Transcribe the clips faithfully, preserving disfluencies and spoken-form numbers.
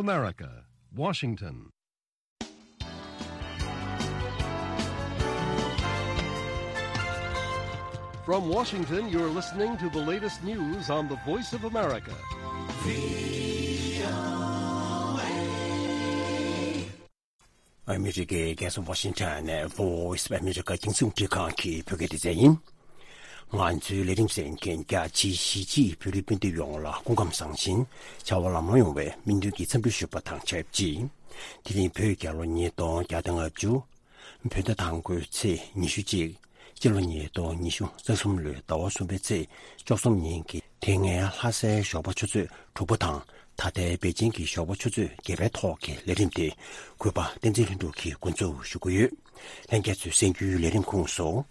America, Washington. From Washington, you're listening to the latest news on the Voice of America. ཨ་མི་རི་ཀའི་རྒྱལ་ས་ཝ་ཤིང་ཊོན་ནས་Voice of America་རྒྱང་སྲིང་རླུང་འཕྲིན་ཁང་གི་བོད་སྐད་སྡེ་ཚན་ཡིན། ང་ཚོའི་ལས་རིམ་གསན་མཁན་རྒྱ་ཆེའི་གཞིས་བྱེས་བོད་རིགས་སྤུན་ཟླ་ཡོངས་ལ་སྐུ་ཁམས་བཟང་ཞིང་བྱ་བ་ལམ་ལྷོང་ཡོང་བའི་སྨོན་འདུན་གྱི་འཚམས་འདྲི་ཞུ་བ་དང་ཆབས་ཅིག་དེ་རིང་བོད་རྒྱལ་ལོ་ཉིས་སྟོང་བརྒྱ་དང་ལྔ་བཅུ། བོད་ཟླ་དང་པོའི་ཚེས་ཉི་ཤུ་གཅིག་སྤྱི་ལོ་ཉིས་སྟོང་ཉི་ཤུ་རྩ་གསུམ་ལོའི་ཟླ་བ་གསུམ་པའི་ཚེས་བཅུ་གསུམ་ཉིན་གྱི་དེ་སྔའི་ལྷ་སའི་ཞོགས་པ་ཆུ་ཚོད་དྲུག་པ་དང་། ད་ལྟའི་པེ་ཅིང་གི་ཞོགས་པ་ཆུ་ཚོད་བརྒྱད་པའི་ཐོག་གི་ལས་རིམ་དེ་གུས་པ་བསྟན་འཛིན་ལྷུན་གྲུབ་ཀྱིས་འགོ་འཛུགས་ཞུ་གི་ཡོད། ལྷན་རྒྱས་ཚོས་གསན་རྒྱུའི་ལས་རིམ་ཁོངས་སུ།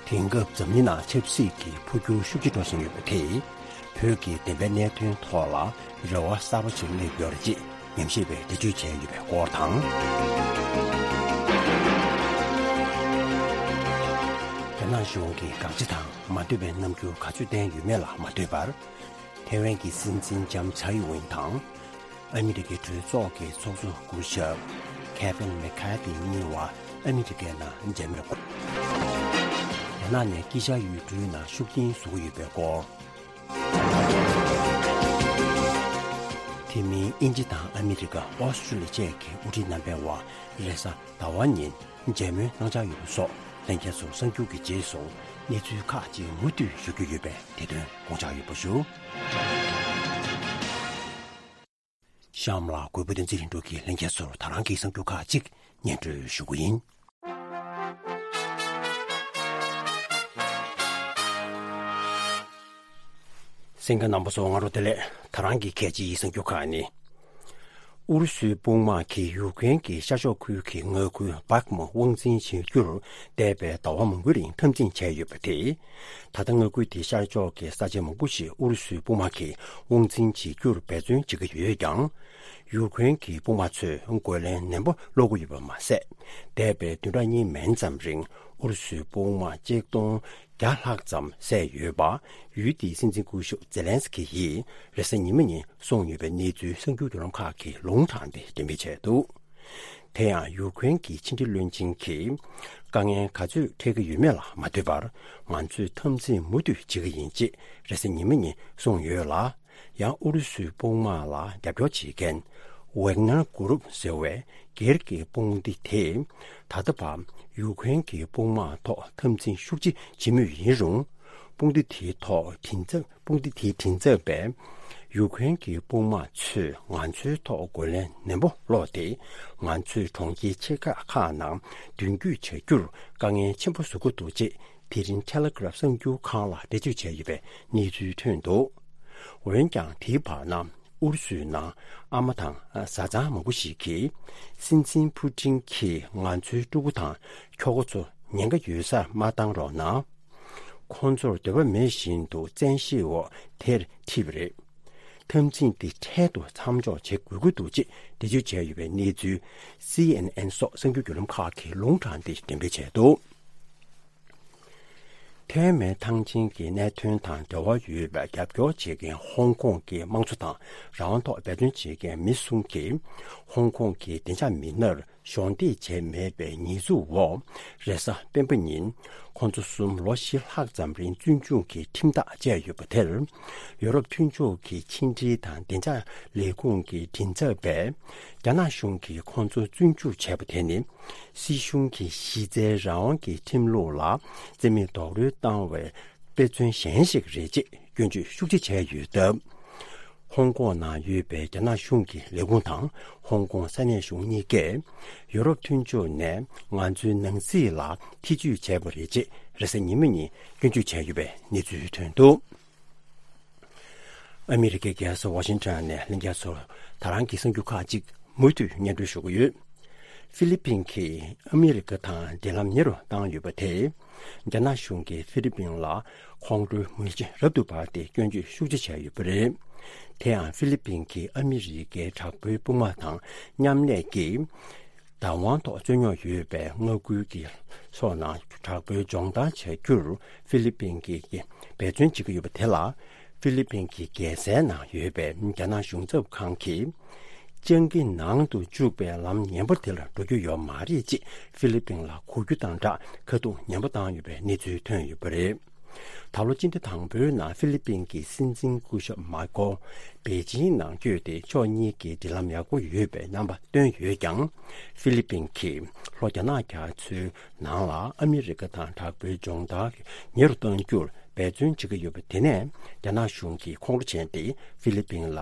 དེང་སྐབས་འཛམ་གླིང་ནང་ཆབ་སྲིད་ཀྱི་འཕོ་འགྱུར་ཤུགས་ཆེ་འགྲོ་བཞིན་ཡོད་པ་དེས། བོད་ཀྱི་བདེན་པའི་གནད་དོན་ཐོག་ལ་རེ་བ་གསར་པ་ཞིག་སླེབས་ཡོད་རེད་ཅེས་ཉམས་ཞིབ་པས་འགྲེལ་བརྗོད་བྱས་ཡོད་པའི་སྐོར་དང་། རྒྱ་ནག་གཞུང་གིས་དགག་བྱ་དང་མ་འདོད་པའི་རྣམ་འགྱུར་ག་ཚོད་བསྟན་ཡོད་མེད་ལ་མ་ལྟོས་པར། ཐའེ་ཝན་གྱི་སྲིད་འཛིན་ལྕམ་ཚའེ་ཝེན་དང་། ཨ་མི་རི་ཀའི་གྲོས་ཚོགས་ཀྱི་ཚོགས་གཙོ་སྐུ་ཞབས་ཁེ་ཝིན་མེ་ཁ་ཐི་གཉིས་བར་ཨ་མི་རི་ཀའི་ནང་མཇལ་མོལ། རྒྱ་ནག་ནས་དཀྱིལ་ཤར་ཡུལ་གྲུའི་ནང་ཤུགས་རྐྱེན་བཟོ་གི་ཡོད་པའི་སྐོར། དེ་མིན་དབྱིན་ཇི་དང་ཨ་མི་རི་ཀ་ཨོ་སི་ཀྲི་ལི་ཡ་བཅས་ཀྱི་དབུ་ཁྲིད་རྣམ་པའི་བར་རེས་གཟའ་ཟླ་བ་ཉིན་མཇལ་མོལ་གནང་འཆར་ཡོད་པ་སོགས་ལྷན་རྒྱས་ཚོར་གསར་འགྱུར་གྱི་རྗེས་སུ་གནས་ཚུལ་ཁག་ཅིག་མུ་མཐུད་ཞུ་རྒྱུ་ཡོད་པས་དེ་དོན་དགོངས་འཇགས་ཡོད་པ་ཞུ། གཤམ་ལ་གུས་པ་བསྟན་འཛིན་ལྷུན་གྲུབ་ཀྱིས་ལྷན་རྒྱས་ཚོར་ད་རང་གི་གསར་འགྱུར་ཁག་ཅིག་སྙན་སྒྲོན་ཞུ་གི་ཡིན། གསན་མཁན་རྣམ་པ་ཚོ་སྔ་དྲོ་བདེ་ལེགས། ད་རང་གི་གལ་ཆེའི་གསར་འགྱུར་ཁག་ནི། ཨུ་རུ་སུའི་དཔུང་དམག་གིས་ཡུཀ་རེན་གྱི་ཤར་ཕྱོགས་ཁུལ་གྱི་མངའ་ཁུལ་བྷག་མུ་དབང་འཛིན་བྱེད་རྒྱུར་འདས་པའི་ཟླ་བ་མང་པོའི་རིང་འཐབ་འཛིང་བྱས་ཡོད་པ་དེས། ད་ལྟ་མངའ་ཁུལ་དེའི་ཤར་ཕྱོགས་ཀྱི་ས་ཆ་མང་པོ་ཞིག་ཨུ་རུ་སུའི་དཔུང་དམག་གིས་དབང་འཛིན་བྱེད་རྒྱུར་འབད་བརྩོན་བྱེད་ཀྱི་ཡོད་ཀྱང་། ཡུཀ་རེན་གྱི་དཔུང་དམག་ཚོས་རྒོལ་ལན་ནན་པོ་སློག་གི་ཡོད་པ་མ་ཟད། འདས་པའི་བདུན་ཕྲག་གཉིས་མན་ཙམ་རིང་ཨུ་རུ་སུའི་དཔུང་དམག་ཆིག་སྟོང་བརྒྱ་ལྷག་ཙམ་བསད་ཡོད་པ། ཡུལ་དེའི་སྲིད་འཛིན་སྐུ་ཞབས་ཛེ་ལན་སི་ཀི་ཡིས་རེས་གཟའ་ཉི་མ་ཉིན་གསུངས་ཡོད་པའི་གནས་ཚུལ་གསར་འགྱུར་བརྒྱུད་ལམ་ཁག་གིས་ལུང་དྲངས་ཏེ་འགྲེམས་སྤེལ་བྱས་འདུག་དེ་ཡང་ཡུཀ་རེན་གྱི་ཕྱི་འབྲེལ་བློན་ཆེན་གྱིས་དཀའ་ངལ་ག་ཚོད་འཕྲད་ཀྱི་ཡོད་མེད་ལ་མ་ལྟོས་པར། ང་ཚོས་འཐབ་འཛིང་མུ་མཐུད་བྱེད་ཀྱི་ཡིན་ཅེས་རེས་གཟའ་ཉི་མ་ཉིན་གསུངས་ཡོད་ལ། ཡང་ཨུ་རུ་སུའི་དཔུང་དམག་ལ་རྒྱབ་སྐྱོར་བྱེད་མཁན་ཝེག་ནར་གུ་རུབ་ཟེར་བའི་སྒེར་གྱི་དཔུང་སྡེ་དེས་ད་ལྟ་བར་ཡུཀ་རེན་གྱི་དཔུང་དམག་ཐོག་འཐབ་འཛིང་ཤུགས་ཆེ་བྱེད་མུས་ཡིན་རུང་། དཔུང་སྡེ་དེའི་ཐོག་མགྲིན་ཚབ། དཔུང་སྡེ་དེའི་མགྲིན་ཚབ་པས། ཡུཀ་རེན་གྱི་དཔུང་དམག་ཚོས་ང་ཚོའི་ཐོག་རྒོལ་ལན་ནན་པོ་སློག་སྟེ། ང་ཚོས་གྲོང་ཁྱེར་ཆེ་ཁག་ཁག་ནང་མདུན་སྐྱོད་བྱ་རྒྱུར་དཀའ་ངལ་ཆེན་པོ་བཟོ་གི་འདུག་ཅེས་དེ་རིང་ཊེ་ལེ་གྷ་རབ་གསར་འགྱུར་ཁང་ལ་འགྲེལ་བརྗོད་བྱས་ཡོད་པའི་གནས་ཚུལ་ཐོན་འདུག་འོན་ཀྱང་དེའི་བར་ན་ཨུ་རུ་སུའི་ནང་ཨ་མ་དང་བཟའ་ཚང་མང་པོ་ཞིག་གིས། སྲིད་འཛིན་ཕུ་ཀྲིན་གྱིས་ང་ཚོའི་ཕྲུ་གུ་དང་ཁྱོ་ག་ཚོ་ཉེན་ཁ་ཡོད་སར་མ་བཏང་རོགས་གནང་། ཁོང་ཚོར་འདོད་པ་མེད་བཞིན་དུ་བཙན་ཤེད་འོག་དེར་ཁྲིད་པ་རེད། འཐབ་འཛིང་འདི་འཕྲལ་དུ་མཚམས་འཇོག་བྱེད་དགོས་ཀྱི་འདུག་ཅེས་འགྲེལ་བརྗོད་བྱས་ཡོད་པའི་གནས་ཚུལ་སི་ཨེན་ཨེན་སོགས་གསར་འགྱུར་བརྒྱུད་ལམ་ཁག་གིས་ལུང་དྲངས་ཏེ་འགྲེམས་སྤེལ་བྱས་འདུག་ཐའེ་ཝན་ཐང་ཆེན་གྱི་གནད་དོན་དང་འབྲེལ་བ་ཡོད་པའི་རྒྱབ་སྐྱོར་བྱེད་མཁན་ཧོང་ཀོང་གི་དམངས་གཙོ་དང་རང་དབང་ཐོག་འབད་བརྩོན་བྱེད་མཁན་མི་གསུམ་གྱིས་ཧོང་ཀོང་གི་བདེ་འཇགས་མི་སྣར་གཞོགས་འདེགས་བྱས་མེད་པའི་ཉེས་འཛུགས་འོག་རེས་གཟའ་སྤེན་པ་ཉིན་ཁོང་ཚོ་གསུམ་ལོ་བཞི་ལྷག་ཙམ་རིང་བཙོན་འཇུག་གི་ཁྲིམས་ཐག་བཅད་ཡོད་པ་དེར། ཡོ་རོབ་མཐུན་ཕྱོགས་ཀྱི་ཕྱི་འབྲེལ་དང་བདེ་འཇགས་ལས་ཁུངས་ཀྱི་མགྲིན་ཚབ་པས། རྒྱ་ནག་གཞུང་གིས་ཁོང་ཚོ་བཙོན་འཇུག་བྱས་པ་དེ་ནི། སྲིད་གཞུང་གི་གཞི་རྩའི་རང་དབང་གི་ཁྲིམས་ལུགས་ལ་རྩིས་མེད་རྡོག་རོལ་བཏང་བའི་དཔེ་མཚོན་གཞན་ཞིག་རེད་ཅེས་སྐྱོན་བརྗོད་ཤུགས་ཆེ་བྱས་ཡོད་སྟབས། ཧོང་ཀོང་ནང་ཡོད་པའི་རྒྱ་ནག་གཞུང་གི་ལས་ཁུངས་དང་ཧོང་ཀོང་ས་གནས་གཞུང་གཉིས་ཀས་ཡོ་རོབ་མཐུན་ཕྱོགས་ནས་ང་ཚོའི་ནང་སྲིད་ལ་ཐེ་ཇུས་བྱས་པ་རེད་ཅེས་རེས་གཟའ་ཉི་མ་ཉིན་སྐྱོན་བརྗོད་བྱས་ཡོད་པའི་གནས་ཚུལ་ཐོན་འདུག་ཨ་མི་རི་ཀའི་རྒྱལ་ས་ཝ་ཤིང་ཊོན་ནས་ལྷན་རྒྱས་ཚོར་ད་རང་གི་གསར་འགྱུར་ཁག་ཅིག་མུ་མཐུད་སྙན་སྒྲོན་ཞུ་གི་ཡོད། ཧྥི་ལི་པིན་གྱིས་ཨ་མི་རི་ཀ་དང་འབྲེལ་ལམ་ཉེ་རུ་བཏང་ཡོད་པ་དེས། རྒྱ་ནག་གཞུང་གིས་ཧྥི་ལི་པིན་ལ་ཁོང་ཁྲོའི་མེ་ལྕེ་རབ་ཏུ་འབར་ཏེ་སྐྱོན་བརྗོད་ཤུགས་ཆེ་བྱས་ཡོད་པ་རེད། དེ་ཡང་ཧྥི་ལི་པིན་གྱིས་ཨ་མི་རི་ཀའི་དྲག་པོའི་དཔུང་དམག་དང་མཉམ་ལས་ཀྱིས། བདག་དབང་ཐོག་རྩོད་རྙོག་ཡོད་པའི་མངའ་ཁུལ་གྱི་ཕྱོགས་ནང་དྲག་པོའི་སྦྱོང་བརྡར་བྱ་རྒྱུར་ཧྥི་ལི་པིན་གྱིས་འབད་བརྩོན་བྱེད་ཀྱི་ཡོད་པ་དེ་ལ། ཧྥི་ལི་པིན་གྱི་རྒྱལ་སའི་ནང་ཡོད་པའི་རྒྱ་ནག་གཞུང་ཚབ་ཁང་གིས། སྤྱང་ཀི་ནང་དུ་འཇུག་པའི་ལམ་ངན་པ་དེ་ལ་འགྲོ་རྒྱུ་ཡོད་མ་རེད་ཅེས་ཧྥི་ལི་པིན་ལ་གོ་རྒྱུ་དང་སྦྲགས་ཁ་ཐུག་ཉེན་པ་བཏང་ཡོད་པའི་གནས་ཚུལ་ཐོན་ཡོད་པ་རེད། ད་ལོ་སྤྱི་ཟླ་དང་པོའི་ནང་ཧྥི་ལི་པིན་གྱི་སྲིད་འཛིན་སྐུ་ཞབས་མར་ཀོ་པེ་ཅིང་ནང་བསྐྱོད་དེ་ཕྱོགས་གཉིས་ཀྱི་འབྲེལ་ལམ་ཡག་པོ་ཡོད་པའི་རྣམ་པ་བཏོན་ཡོད་ཀྱང་། ཧྥི་ལི་པིན་གྱིས་ལྷོ་རྒྱ་ནག་རྒྱ་མཚོའི་ནང་ལ་ཨ་མི་རི་ཀ་དང་དྲག་པོའི་སྦྱོང་བརྡར་ཉེ་རུ་གཏོང་རྒྱུར་འབད་བརྩོན་བྱེད་ཀྱི་ཡོད་པ་དེ་ནས་རྒྱ་ནག་གཞུང་གིས་ཁོང་ཁྲོ་བྱས་ཏེ་ཧྥི་ལི་པིན་ལ་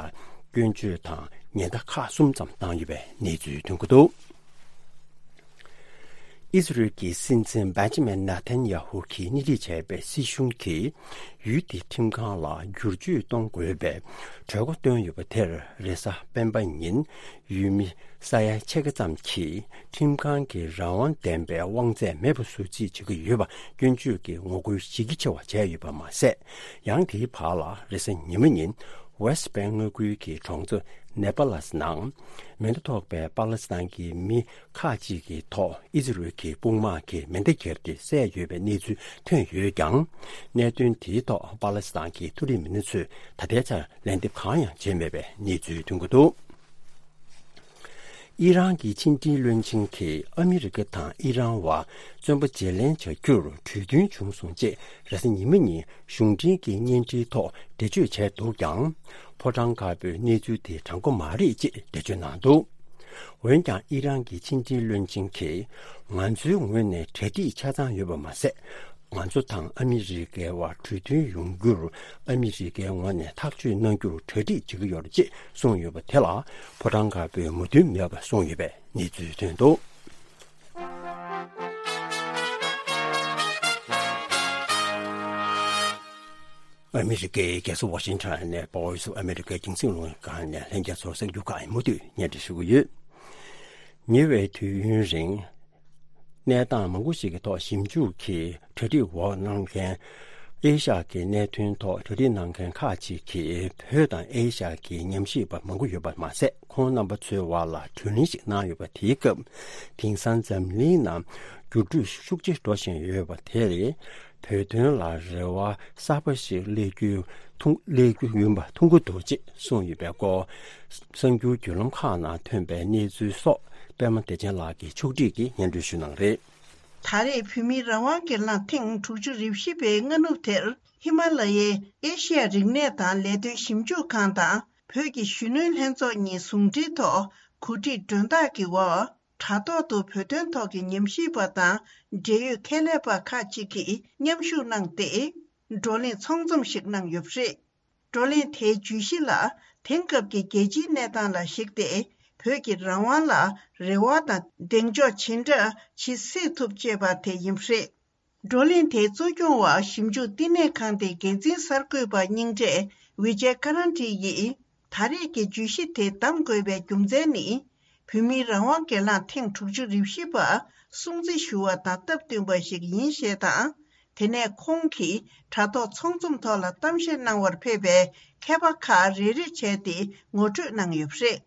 སྐྱོན་བརྗོད་དང་ཉེན་བརྡ་ཁག་གསུམ་ཙམ་བཏང་ཡོད་པའི་གནས་ཚུལ་ཐོན་གྱི་འདུག་ཨི་ཟི་རེལ་གྱི་སྲིད་འཛིན་བེན་ཇི་མིན་ནེ་ཐན་ཡ་ཧུ་གིས་སྣེ་ཁྲིད་བྱས་པའི་སྲིད་གཞུང་གིས་ཡུལ་དེའི་ཁྲིམས་ཁང་ལ་བསྒྱུར་བཅོས་གཏོང་དགོས་པའི་གྲོས་འགོ་བཏོན་ཡོད་པ་དེར་རེས་གཟའ་སྤེན་པ་ཉིན་ཡུལ་མི་ས་ཡ་ཕྱེད་ཀ་ཙམ་གྱིས་ཁྲིམས་ཁང་གི་རང་དབང་ལྡན་པའི་དབང་ཚད་མེད་པ་བཟོ་རྩིས་བྱེད་ཀྱི་ཡོད་པ་སྐྱོན་བརྗོད་ཀྱི་ངོ་རྒོལ་གཞི་རྒྱ་ཆེ་བ་བྱས་ཡོད་པ་མ་ཟད། ཡང་དེའི་བར་ལ་རེས་གཟའ་ཉི་མ་ཉིན་ཝེ་སི་ཊི་བེང་མངའ་ཁུལ་གྱི་གྲོང་ཚོ་ནེ་པ་ལས་ནང་མེ་མདའ་ཐོགས་པའི་པ་ལེ་སི་ཐན་གྱི་མི་ཁག་ཅིག་གི་ཐོག་ཨི་ཟི་རེལ་གྱི་དཔུང་དམག་གིས་མེ་མདའ་བརྒྱབ་སྟེ་བསད་ཡོད་པའི་གནས་ཚུལ་ཐོན་ཡོད་ཀྱང་། གནད་དོན་དེའི་ཐོག་པ་ལེ་སི་ཐན་གྱི་མཐོ་རིམ་མི་སྣ་ཚོས་ད་ལྟའི་ཆར་ལན་འདེབས་གང་ཡང་བྱས་མེད་པའི་གནས་ཚུལ་ཐོན་གྱི་འདུག་ཨི་རན་གྱི་ཕྱི་འབྲེལ་བློན་ཆེན་གྱིས་ཨ་མི་རི་ཀ་དང་ཨི་རན་བར་བཙོན་པ་བརྗེ་ལེན་བྱ་རྒྱུར་གྲོས་མཐུན་བྱུང་སོང་ཅེས་རེས་གཟའ་ཉི་མ་ཉིན་གཞུང་འབྲེལ་གྱི་བརྙན་འཕྲིན་ཐོག་འགྲེལ་བརྗོད་བྱས་འདུག་ཀྱང་། ཕོ་བྲང་དཀར་པོས་གནས་ཚུལ་དེ་དྲང་པོ་མ་རེད་ཅེས་འགྲེལ་བརྗོད་གནང་འདུག་འོན་ཀྱང་ཨི་རན་གྱི་ཕྱི་འབྲེལ་བློན་ཆེན་གྱིས་ང་ཚོའི་ངོས་ནས་གྲ་སྒྲིག་ཆ་ཚང་ཡོད་པ་མ་ཟད། ང་ཚོ་དང་ཨ་མི་རི་ཀའི་བར་གྲོས་མཐུན་ཡོང་རྒྱུར་ཨ་མི་རི་ཀའི་ངོས་ནས་ཐག་གཅོད་གནང་རྒྱུར་གྲ་སྒྲིག་བྱེད་ཀྱི་ཡོད་རེད་ཅེས་གསུངས་ཡོད་པ་དེ་ལ་ཕོ་བྲང་དཀར་པོས་མོས་མཐུན་མེད་པ་གསུངས་ཡོད་པའི་གནས་ཚུལ་ཐོན་འདུག་ཨ་མི་རི་ཀའི་རྒྱལ་ས་ཝ་ཤིང་ཊོན་ནས་Voice of America་རྒྱང་སྲིང་རླུང་འཕྲིན་ཁང་ནས་ལྷན་རྒྱས་ཚོར་གསར་འགྱུར་ཁག་མུ་མཐུད་སྙན་སྒྲོན་ཞུ་གི་ཡོད། ཉེ་བའི་དུས་ཡུན་རིང་། གནས་སྟངས་མང་པོ་ཞིག་གི་ཐོག་ཞིབ་འཇུག་གིས་གྲ་སྒྲིག་འོག་གནང་མཁན། ཨེ་ཤ་ཡ་གི་གནད་དོན་ཐོག་གྲ་སྒྲིག་གནང་མཁན་ཁག་ཅིག་གིས་བོད་དང་ཨེ་ཤ་ཡ་གི་ཉམས་ཞིབ་པ་མང་པོ་ཡོད་པ་མ་ཟད། ཁོང་རྣམ་པ་ཚོའི་བར་ལ་གྲོས་གླེང་ཞིག་གནང་ཡོད་པ། དེའི་སྐབས་དེང་སང་འཛམ་གླིང་ནང་འགྱུར་འགྲོས་ཤུགས་ཆེ་འགྲོ་བཞིན་ཡོད་པ་དེ་རེད། བོད་དོན་ལ་རེ་བ་གསར་པ་ཞིག་སླེབས་རྒྱུའི་ཐུགས་སླེབས་རྒྱུ་ཡིན་པ་མཐོང་གི་འདུག་ཅེས་གསུངས་ཡོད་པའི་སྐོར། གསར་འགྱུར་བརྒྱུད་ལམ་ཁག་ནང་ཐོན་པའི་གནས་ཚུལ་སོགས་པད་མ་བདེ་ཆེན་ལགས་ཀྱིས་ཕྱོགས་སྒྲིག་གིས་སྙན་སྒྲོན་ཞུ་གནང་རེད། ད་རེས་བོད་མིའི་རང་དབང་སྒེར་ལངས་ཐེངས་དྲུག་ཅུ་རེ་བཞི་པའི་སྔ་ནུབ་དེར་ཧི་མ་ལ་ཡའི་ཨེ་ཤི་ཡ་རིག་གནས་དང་ལས་དོན་ཞིབ་འཇུག་ཁང་དང་བོད་ཀྱི་གཞོན་ནུའི་ལྷན་ཚོགས་གཉིས་ཟུང་འབྲེལ་ཐོག་གོ་སྒྲིག་མགྲོན་བདག་གི་འོག་དྲ་ཐོག་ཏུ་བོད་དོན་ཐོག་གི་ཉམས་ཞིབ་པ་དང་འབྲེལ་ཡོད་ཁྱད་ལས་པ་ཁག་ཅིག་གིས་མཉམ་ཞུགས་གནང་སྟེ། བགྲོ་གླེང་ཚོགས་འཛོམས་ཤིག་གནང་ཡོད་པ་རེད། བགྲོ་གླེང་དེའི་བརྗོད་གཞི་ལ་དེང་སྐབས་ཀྱི་རྒྱལ་སྤྱིའི་གནས་སྟངས་ལ་གཞིགས་ཏེ་བོད་ཀྱི་རང་དབང་ལ་རེ་བ་དང་གདེང་འཇོག་ཇི་འདྲ་ཇི་སྲིད་ཐུབ་ཅེས་པ་དེ་ཡིན་པ་རེད། བགྲོ་གླེང་དེའི་གཙོ་སྐྱོང་བ་ཞིབ་འཇུག་བསྟི་གནས་ཁང་དེའི་འགན་འཛིན་གསར་འགོད་པ་རྙིང་གྲས་ཝི་ཇེ་ཀ་རན་ཏི་ཡིས། ད་རེས་ཀྱི་བརྗོད་གཞི་དེ་བདམས་དགོས་པའི་རྒྱུ་མཚན་ནི། བོད་མིའི་རང་དབང་སྒེར་ལངས་ཐེངས་དྲུག་ཅུ་རེ་བཞི་པ་སྲུང་བརྩི་ཞུ་བ་དང་སྟབས་བསྟུན་པ་ཞིག་ཡིན་ཞེས་དང་། དེ་ནས་ཁོང་གིས་དྲ་ཐོག་ཚོགས་འཛོམས་ཐོག་ལ་གཏམ་བཤད་གནང་བར་ཕེབས་པའི་མཁས་པ་ཁག་རེ་རེ་བྱས་ཏེ་ངོ་སྤྲོད་གནང་ཡོད་པ་རེད།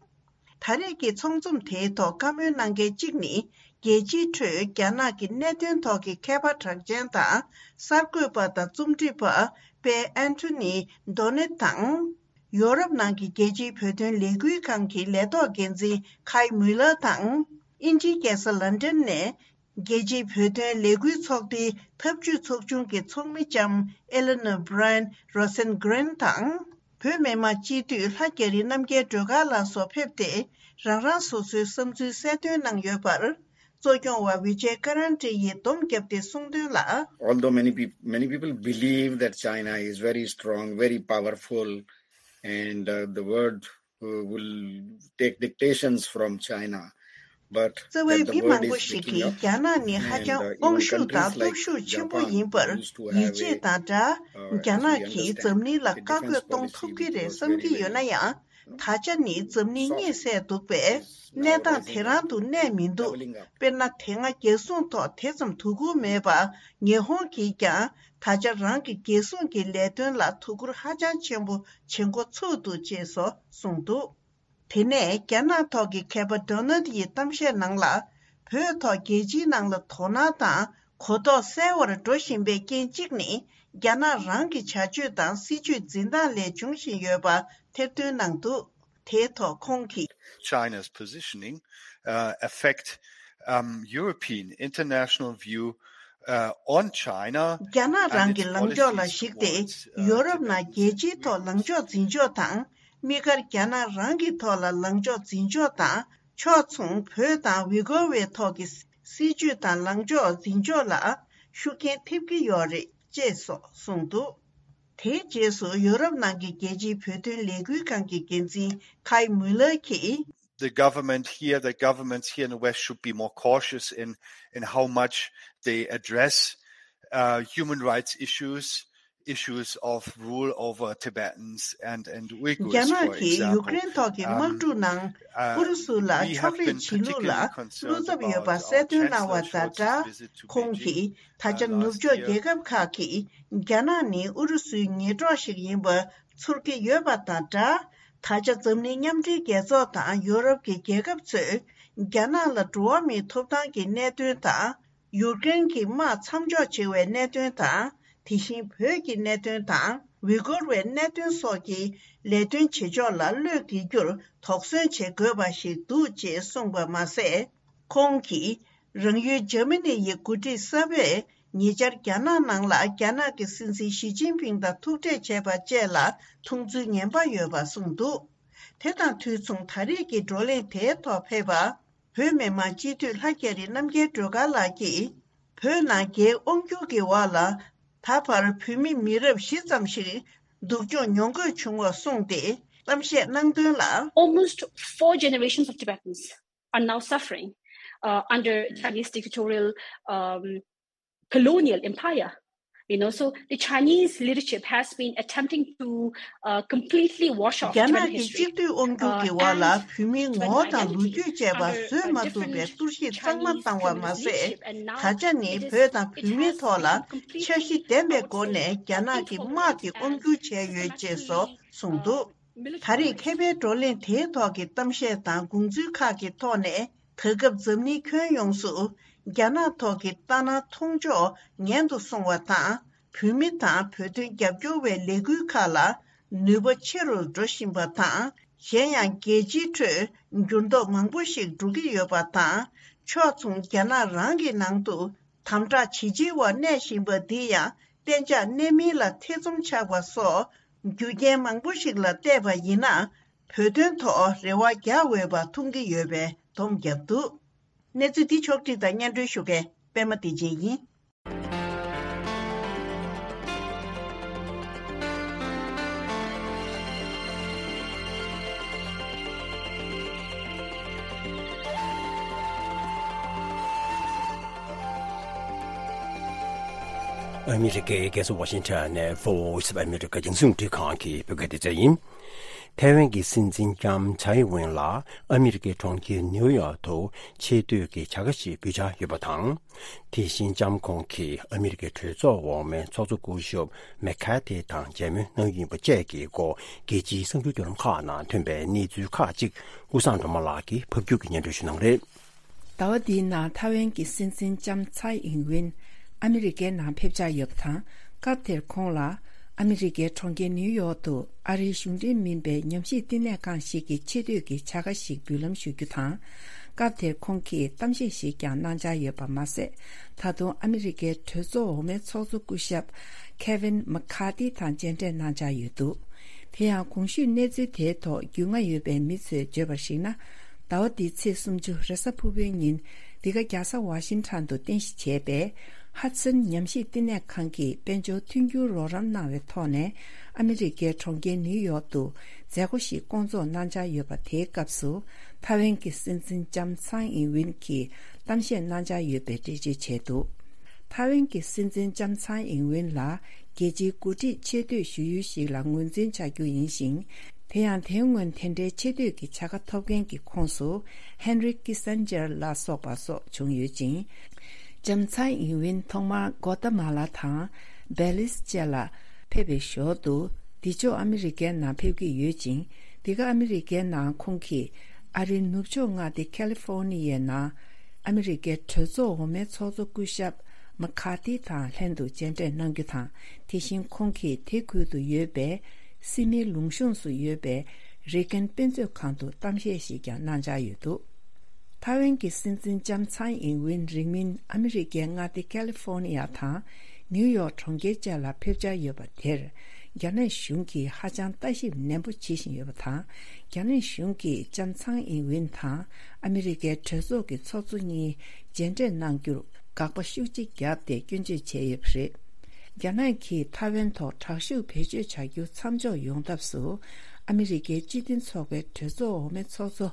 ད་རེས་ཀྱི་ཚོགས་འཛོམས་དེའི་ཐོག་བཀའ་མོལ་གནང་མཁན་གཅིག་ནི། རྒྱལ་སྤྱིའི་ཁྲོད་རྒྱ་ནག་གི་གནད་དོན་ཐོག་གི་མཁས་པ་གྲགས་ཅན་དང་གསར་འགོད་པ་དང་རྩོམ་སྒྲིག་པ་པེ་ཨན་ཐོ་ནི་ཌོ་ནེད་དང་། ཡོ་རོབ་ནང་གི་རྒྱལ་སྤྱིའི་བོད་དོན་ལས་འགུལ་ཁང་གི་ལས་ཐོག་འགན་འཛིན་ཁའི་མུ་ལར་དང་། དབྱིན་ཇིའི་རྒྱལ་ས་ལན་ཌན་ནས་རྒྱལ་སྤྱིའི་བོད་དོན་ལས་འགུལ་ཚོགས་སྡེའི་འཐབ་ཇུས་ཚོགས་ཆུང་གི་ཚོགས་མི་ལྕམ་ཨེ་ལེ་ནོ་བྷི་རའེན་རོ་སན་གྷི་རན་དང་། བོད་མི་མང་སྤྱི་འཐུས་ལྷ་རྒྱ་རི་རྣམ་རྒྱལ་སྒྲོལ་དཀར་ལགས་སོགས་ཕེབས་ཏེ། རང་རང་སོ་སོའི་བསམ་ཚུལ་གསལ་སྟོན་གནང་ཡོད་པར། གཙོ་སྐྱོང་བ་ཝི་ཇེ་ཀ་རན་ཏི་ཡིས་སྡོམ་བརྒྱབ་སྟེ་གསུངས་དོན་ལ། Although many people, many people believe that China is very strong, very powerful, and uh, the world uh, will take dictations from China. But རྩ་བའི་that the མི་world མང་པོ་is ཞིག་waking གིས་up རྒྱ་ནག་ནི་ཧ་and ཅང་uh, དབང་even ཤུགས་དང་countries like སྟོབས་ཤུགས་ཆེན་པོ་Japan ཡིན་པར་used to have ཡིད་ཆེས་a དང་སྦྲགས། uh, རྒྱ་as ནག་we གིས་འཛམ་understand གླིང་ལ་a བཀའ་བཀོད་defense གཏོང policy ཐུབ་ཀྱི་which རེད་was བསམ་very གྱི་ཡོད་ན་very ཡང་། ད་ཆ་ནི་འཛམ་གླིང་གཉིད་སད་འདུག་པས། གནས་སྟངས་དེ་རང་དུ་གནས་མི་འདུག་དཔེར་ན་དེ་སྔ་རྒྱལ་སྲུང་ཐོག་དེ་ཙམ་དོ་ཁུར་མེད་པ། ཉི་ཧོང་གིས་ཀྱང་ད་ཆ་རང་གི་རྒྱལ་སྲུང་གི་ལས་དོན་ལ་དོ་ཁུར་ཧ་ཅང་ཆེན་པོ་བྱེད་འགོ་ཚུགས་འདུག་ཅེས་སོགས་གསུངས་འདུག་དེ་ནས་རྒྱ་ནག་ཐོག་གི་མཁས་པ་ཌོ་ནལ་ཡི་གཏམ་བཤད་ནང་ལ། བོད་ཐོག་རྒྱལ་སྤྱིའི་ནང་ལ་དོ་སྣང་དང་ གོ་རྟོགས་གསལ་བར་འགྲོ་བཞིན་པའི་རྐྱེན་གཅིག་ནི། རྒྱ་ནག་རང་གི་བྱ་སྤྱོད་དང་སྲིད་ཇུས་འཛིན་སྟངས་ལས་འབྱུང་བཞིན་ཡོད་པ་ཐེར་འདོན་གནང་འདུག་དེའི་ཐོག་ཁོང་གིས། China's positioning, uh, affect, um, European international view, uh, on China རྒྱ་ནག་རང་གི་ལངས་ཕྱོགས་ལ་གཞིགས་ཏེ། ཡོ་རོབ་ནང་རྒྱལ་སྤྱིའི་ཐོག་ལངས་ཕྱོགས་འཛིན་ཕྱོགས་དང་། དམིགས་བཀར་རྒྱ་ནག་རང་གི་ཐོག་ལ་ལངས་ཕྱོགས་འཛིན་ཕྱོགས་དང་། ཕྱོགས་མཚུངས་བོད་དང་ཝི་གོ་ཝའི་ཐོག་གི་སྲིད་ཇུས་དང་ལངས་ཕྱོགས་འཛིན་ཕྱོགས་ལ་ཤུགས་རྐྱེན་ཐེབས་ཀྱི་ཡོད་རེད་ཅེས་སོགས་གསུངས་འདུག་དེའི་རྗེས་སུ་ཡོ་རོབ་ནང་གི་རྒྱལ་སྤྱིའི་བོད་དོན་ལས་འགུལ་ཁང་གི་འགན་འཛིན་ཁའི་མུ་ལར་གྱིས། The government here, the governments here in the West should be more cautious in, in how much they address, uh, human rights issues, issues of rule over Tibetans and, and Uyghurs, for example. རྒྱ་ནག་གིས་ཡུཀ་རེན་ཐོག་གི་དམག་འཁྲུག་ནང་ཨུ་རུ་སུ་ལ་ཕྱོགས་རིས་བྱེད་ལུགས་ལ་བློ་འཚབ་ཡོད་པ་གསལ་སྟོན་གནང་བ་དང་སྦྲགས། ཁོང་གིས་ད་ཆ་ནུབ་ཕྱོགས་རྒྱལ་ཁབ་ཁག་གིས་རྒྱ་ནག་ནི་ཨུ་རུ་སུའི་ཉེ་གྲོགས་ཤིག་ཡིན་པ་ཚོར་གྱི་ཡོད་པ་དང་སྦྲགས། ད་ཆ་འཛམ་གླིང་མཉམ་འབྲེལ་རྒྱལ་ཚོགས་དང་ཡོ་རོབ་ཀྱི་རྒྱལ་ཁབ་ཚོས་རྒྱ་ནག་ལ་འགྲོ་བ་མིའི་ཐོབ་ཐང་གི་གནད་དོན་དང་། ཡུཀ་རེན་གྱི་དམག་མཚམས་འཇོག་བྱེད་པའི་གནད་དོན་དང་། དེ་བཞིན་བོད་ཀྱི་གནད་དོན་དང་། ཝི་གོར་བའི་གནད་དོན་སོགས་ཀྱི་ལས་དོན་བྱེད་ཕྱོགས་ལ་བློས་འགེལ་རྒྱུར་དོགས་ཟོན་བྱེད་དགོས་པ་ཞིག་འདུག་ཅེས་གསུངས་པ་མ་ཟད། ཁོང་གིས། རང་ཡུལ་འཇར་མ་ནི་ཡི་འགོ་ཁྲིད་གསར་པས་ཉེ་ཆར་རྒྱ་ནག་ནང་ལ་རྒྱ་ནག་གི་སྲིད་འཛིན་ཞི་ཅིན་ཕིང་དང་ཐུག་འཕྲད་བྱས་པ་བཅས་ལ་མཐོང་ཚུལ་ངན་པ་ཡོད་པ་གསུངས་འདུག་དེ་དང་དུས་མཚུངས་ད་རེས་ཀྱི་བགྲོ་གླེང་དེའི་ཐོག་ཕེབས་པ། བོད་མི་མང་སྤྱི་འཐུས་ལྷ་རྒྱ་རི་རྣམ་རྒྱལ་སྒྲོལ་དཀར་ལགས་ཀྱིས། བོད་ནང་རྒྱའི་དབང་སྒྱུར་གྱི་འོག་ལ། ད་བར་བོད་མི་མི་རབས་བཞི་ཙམ་ཞིག་སྡུག་སྦྱོང་མྱོང་དགོས་བྱུང་བ་གསུངས་ཏེ་གཏམ་བཤད་གནང་དོན་ལ། Almost four generations of Tibetans are now suffering, uh, under Chinese dictatorial, um, colonial empire. You know, so the Chinese leadership has been attempting to, uh, completely wash off Tibetan history. རྒྱ་ནག་གི་གཅིག་སྡུད་དབང་སྒྱུར་གྱི་འོག་ལ་བོད་མིའི་ངོ་བོ་དང་ལོ་རྒྱུས་བཅས་པ་བཟོད་མ་ཐུབ་པའི་གཏོར་བཤིག་གཙང་མ་བཏང་བ་མ་ཟད། ད་ཆ་ནི་བོད་དང་བོད་མིའི་ཐོག་ལ་འཆར་གཞི་ལྡན་པའི་སྒོ་ནས་རྒྱ་ནག་གི་དམག་གིས་དབང་སྒྱུར་བྱས་ཡོད་ཅེས་སོགས་གསུངས་འདུག་ད་རེས་མཁས་པའི་བགྲོ་གླེང་དེའི་ཐོག་གི་གཏམ་བཤད་དང་དགོངས་ཚུལ་ཁག་གི་ཐོག་ནས། ད་སྐབས་འཛམ་གླིང་ཁྱོན་ཡོངས་སུ་རྒྱ་ནག་ཐོག་གི་ལྟ་སྣང་མཐོང་ཕྱོགས་ངན་དུ་སོང་བ་དང་། བོད་མི་དང་བོད་དོན་རྒྱབ་སྐྱོར་བའི་ལས་འགུལ་ཁག་ལ་ནུས་པ་ཆེ་རུ་འགྲོ་བཞིན་པ་དང་། གཞན་ཡང་རྒྱལ་སྤྱིའི་ཁྲོད་འགྱུར་ལྡོག་མང་པོ་ཞིག་འགྲོ་གི་ཡོད་པ་དང་། ཕྱོགས་མཚུངས་རྒྱ་ནག་རང་གི་ནང་དུ་དམ་དྲག་ཇེ་ཆེ་བར་གནས་བཞིན་པ་འདི་ཡང་གཏན་འཇགས་གནས་མིན་ལ་ཐེ་ཚོམ་ཆགས་པ་སོགས་རྒྱུ་རྐྱེན་མང་པོ་ཞིག་ལ་བལྟས་པ་ཡིན་ན། བོད་དོན་ཐོག་རེ་བ་རྒྱག་འོས་པ་མཐོང་གི་ཡོད་པའི་སྡོམ་བརྒྱབ་འདུག་གནས་ཚུལ་འདི་ཕྱོགས་བསྒྲིགས་དང་སྙན་སྒྲོན་ཞུ་མཁན་པད་མ་བདེ་ཆེན་ཡིན། ཨ་མི་རི་ཀའི་རྒྱལ་ས་ཝ་ཤིང་ཊོན་ནས་Voice of America རྒྱང་སྲིང་རླུང་འཕྲིན་ཁང་གི་བོད་སྐད་སྡེ་ཚན་ཡིན། ཐའེ་ཝན་གྱི་སྲིད་འཛིན་ལྕམ་ཚའེ་ཝེན་ལ་ཨ་མི་རི་ཀའི་གྲོང་ཁྱེར་ནིའུ་ཡོག་ཏུ་ཆེ་བསྟོད་ཀྱི་བྱ་དགའ་ཞིག་འབུལ་འཆར་ཡོད་པ་དང་། དེ་བཞིན་ལྕམ་ཁོང་གིས་ཨ་མི་རི་ཀའི་གྲོས་ཚོགས་འོག་མའི་ཚོགས་གཙོ་སྐུ་ཞབས་མེག་ཁ་ཐི་དང་མཇལ་མོལ་གནང་རྒྱུ་ཡིན་པ་བཅས་ཀྱི་སྐོར་རྒྱལ་སྤྱིའི་གསར་འགྱུར་བརྒྱུད་ལམ་ཁག་ནང་ཐོན་པའི་གནས་ཚུལ་ཁག་ཅིག་ཀུན་བཟང་སྒྲོལ་མ་ལགས་ཀྱིས་ཕབ་སྒྱུར་གྱིས་སྙན་སྒྲོན་ཞུ་གནང་རེད། ཟླ་བ་འདིའི་ནང་ཐའེ་ཝན་གྱི་སྲིད་འཛིན་ལྕམ་ཚའེ་ཨིང་ཝིན་ཨ་མི་རི་ཀའི་ནང་ཕེབས་འཆར་ཡོད་པ་དང་། སྐབས་དེར་ཁོང་ལ་ཨ་མི་རི་ཀའི་གྲོང་ཁྱེར་ནིའུ་ཡོག་ཏུ་ཨ་རིའི་གཞུང་འབྲེལ་མིན་པའི་ཉམས་ཞིབ་བསྟི་གནས་ཁང་ཞིག་གི་ཆེ་བསྟོད་ཀྱི་བྱ་དགའ་ཞིག་འབུལ་ལམ་ཞུ་རྒྱུ་དང་། སྐབས་དེར་ཁོང་གིས་གཏམ་བཤད་ཞིག་ཀྱང་གནང་འཆར་ཡོད་པ་མ་ཟད། ད་དུང་ཨ་མི་རི་ཀའི་གྲོས་ཚོགས་འོག་མའི་ཚོགས་གཙོ་སྐུ་ཞབས་ཁེ་ཝིན་མེག་ཁ་ཐི་དང་མཇལ་འཕྲད་གནང་འཆར་ཡོད་འདུག་དེ་ཡང་གོང་ཞུས་གནས་ཚུལ་དེའི་ཐོག་རྒྱུས་མངའ་ཡོད་པའི་མི་ཚོས་བརྗོད་པར་གཞིགས་ན། ཟླ་བ་འདིའི་ཚེས་སུམ་ཅུ་རེས་གཟའ་ཕུར་བུའི་ཉིན་འདི་ག་རྒྱལ་ས་ཝ་ཤིང་ཊོན་དུ་རྟེན་གཞི་བྱས་པའི་ཧ་ཙིན་ཉམས་ཞིབ་བསྟི་གནས་ཁང་གིས་དཔལ་འབྱོར་མཐུན་འགྱུར་རོགས་རམ་གནང་བའི་ཐོག་ནས་ཨ་མི་རི་ཀའི་གྲོང་ཁྱེར་ནིའུ་ཡོག་ཏུ་མཛད་སྒོ་ཞིག་བསྐོང་ཚོགས་གནང་འཆར་ཡོད་པ། དེའི་སྐབས་སུ་ཐའེ་ཝན་གྱི་སྲིད་འཛིན་ལྕམ་ཚའེ་ཨིན་ཝིན་གྱིས་གཏམ་བཤད་གནང་འཆར་ཡོད་པའི་འགྲེལ་བརྗོད་བྱས་འདུག་ཐའེ་ཝན་གྱི་སྲིད་འཛིན་ལྕམ་ཚའེ་ཨིན་ཝིན་ལ་རྒྱལ་སྤྱིའི་འགོ་ཁྲིད་ཆེ་བསྟོད་ཞུ་ཡུལ་ཞིག་ལ་ངོས་འཛིན་བྱ་རྒྱུ་ཡིན་ཞིང་། དེ་ཡང་དེའི་སྔོན་དེ་འདྲའི་ཆེ་བསྟོད་ཀྱི་བྱ་དགའ་ཐོབ་མཁན་གྱི་ཁོངས་སུ་ཧན་རི་ཀི་སན་ཇར་ལ་སོགས་པ་སོགས་བྱུང་ཡོད་ཅིང་། ལྕམ་ཚའེ་ཨིན་ཝིན་ཐོག་མར་གོ་ཏ་མ་ལ་དང་བེ་ལིས་བཅས་ལ་ཕེབས་པའི་ཞོར་དུ། འདི་ཕྱོགས་ཨ་མི་རི་ཀའི་ནང་ཕེབས་ཀྱི་ཡོད་ཅིང་། འདི་ག་ཨ་མི་རི་ཀའི་ནང་ཁོང་གིས་ཨ་རིའི་ནུབ་ཕྱོགས་མངའ་སྡེ་ཁ་ལི་ཧྥོ་ནི་ཡའི་ནང་ཨ་མི་རི་ཀའི་གྲོས་ཚོགས་འོག་མའི་ཚོགས་གཙོ་སྐུ་ཞབས་ མ་ཁ་ཏི་དང་ལྷན་དུ་མཇལ་འཕྲད་གནང་རྒྱུ་དང་། དེ་བཞིན་ཁོང་གིས་དེ་ཁུལ་དུ་ཡོད་པའི་སིད་ནི་ལུང་གཤོང་སུ་ཡོད་པའི་རེ་གན་དཔེ་མཛོད་ཁང་དུ་གཏམ་བཤད་ཞིག་ཀྱང་གནང་འཆར་ཡོད་འདུག་ཐའེ་ཝན་གྱི་སྲིད་འཛིན་ལྕམ་ཚའེ་ཨིན་ཝིན་རིང་མིན་ཨ་མི་རི་ཀའི་མངའ་སྡེ་ཀ་ལི་ཧྥོ་ནི་ཡ་དང་ནིའུ་ཡོག་གྲོང་ཁྱེར་བཅས་ལ་ཕེབས་འཆར་ཡོད་པ་དེར། རྒྱ་ནག་གཞུང་གིས་ཧ་ཅང་ལྟ་ཞིབ་ནན་པོ་བྱེད་བཞིན་ཡོད་པ་དང་། རྒྱ་ནག་གཞུང་གིས་ལྕམ་ཚའེ་ཨིན་ཝིན་དང་ཨ་མི་རི་ཀའི་གྲོས་ཚོགས་ཀྱི་ཚོགས་གཙོ་གཉིས་མཇལ་འཕྲད་གནང་རྒྱུར་དགག་པ་ཤུགས་ཆེ་བརྒྱབ་སྟེ་སྐྱོན་བརྗོད་བྱས་ཡོད་པ་རེད། རྒྱ་ནག་གིས་ཐའེ་ཝན་ཐོག་དྲག་ཤུགས་བེད་སྤྱོད་བྱ་རྒྱུ་མཚམས་འཇོག་ཡོང་ཐབས་སུ། ཨ་མི་རི་ཀའི་སྤྱི་མཐུན་ཚོགས་པའི་གྲོས་ཚོགས་འོག་མའི་ཚོགས་གཙོ་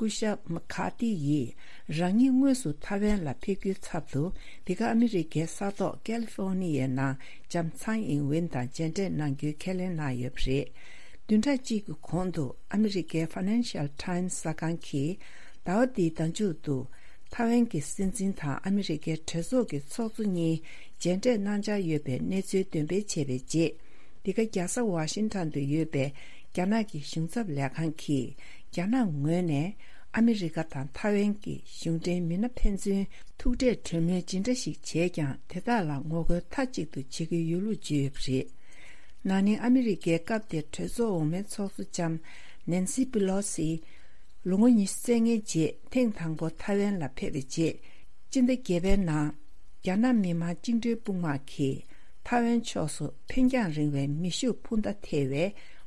སྐུ་ཞབས་མ་ཁ་ཏི་ཡིས་རང་ཉིད་དངོས་སུ་ཐའེ་ཝན་ལ་ཕེབས་རྒྱུའི་ཚབ་ཏུ། འདི་ག་ཨ་མི་རི་ཀའི་ས་ཐོག་ཀ་ལི་ཧྥོ་ནི་ཡའི་ནང་ལྕམ་ཚའེ་ཨིན་ཝིན་དང་མཇལ་འཕྲད་གནང་རྒྱུའི་ཁས་ལེན་གནང་ཡོད་པ་རེད། བདུན་ཕྲག་གཅིག་གི་གོང་དུ་ཨ་མི་རི་ཀའི་Financial Times གསར་ཁང་གིས་ཟླ་བ་འདིའི་ཟླ་མཇུག་ཏུ་ཐའེ་ཝན་གྱི་སྲིད་འཛིན་དང་ཨ་མི་རི་ཀའི་གྲོས་ཚོགས་ཀྱི་ཚོགས་གཙོ་གཉིས་མཇལ་འཕྲད་གནང་འཆར་ཡོད་པའི་གནས་ཚུལ་འདོན་སྤེལ་བྱས་པའི་རྗེས། འདི་ག་རྒྱལ་ས་ཝ་ཤིང་ཊོན་དུ་ཡོད་པའི་རྒྱ་ནག་གི་གཞུང་ཚབ་ལས་ཁང་གིས། རྒྱ་ནག་ངོས་ནས་ཨ་མི་རི་ཀ་དང་ཐའེ་ཝན་གྱི་གཞུང་འབྲེལ་མི་སྣ་ཕན་ཚུན་ཐུག་འཕྲད་གྲོས་མོལ་ཇི་འདྲ་ཞིག་བྱས་ཀྱང་། དེ་དག་ལ་ངོ་རྒོལ་མཐའ་གཅིག་ཏུ་བྱེད་ཀྱི་ཡོད་ལུགས་བརྗོད་ཡོད་པ་རེད། ན་ནིང་ཨ་མི་རི་ཀའི་སྐབས་དེར་གྲོས་ཚོགས་འོག་མའི་ཚོགས་གཙོ་ལྕམ་ནན་སི་པི་ལོ་སི། ལོ་ངོ་ཉི་ཤུ་རྩ་ལྔའི་རྗེས་ཐེངས་དང་པོ་ཐའེ་ཝན་ལ་ཕེབས་པའི་རྗེས། སྤྱི་ཟླ་བརྒྱད་པའི་ནང་རྒྱ་ནག་མི་དམངས་བཅིངས་འགྲོལ་དཔུང་དམག་གིས་ཐའེ་ཝན་ཕྱོགས་སུ་འཕེན་རྒྱང་རིང་བའི་མེ་ཤུགས་འཕུར་མདའ་ཐེ་བའི་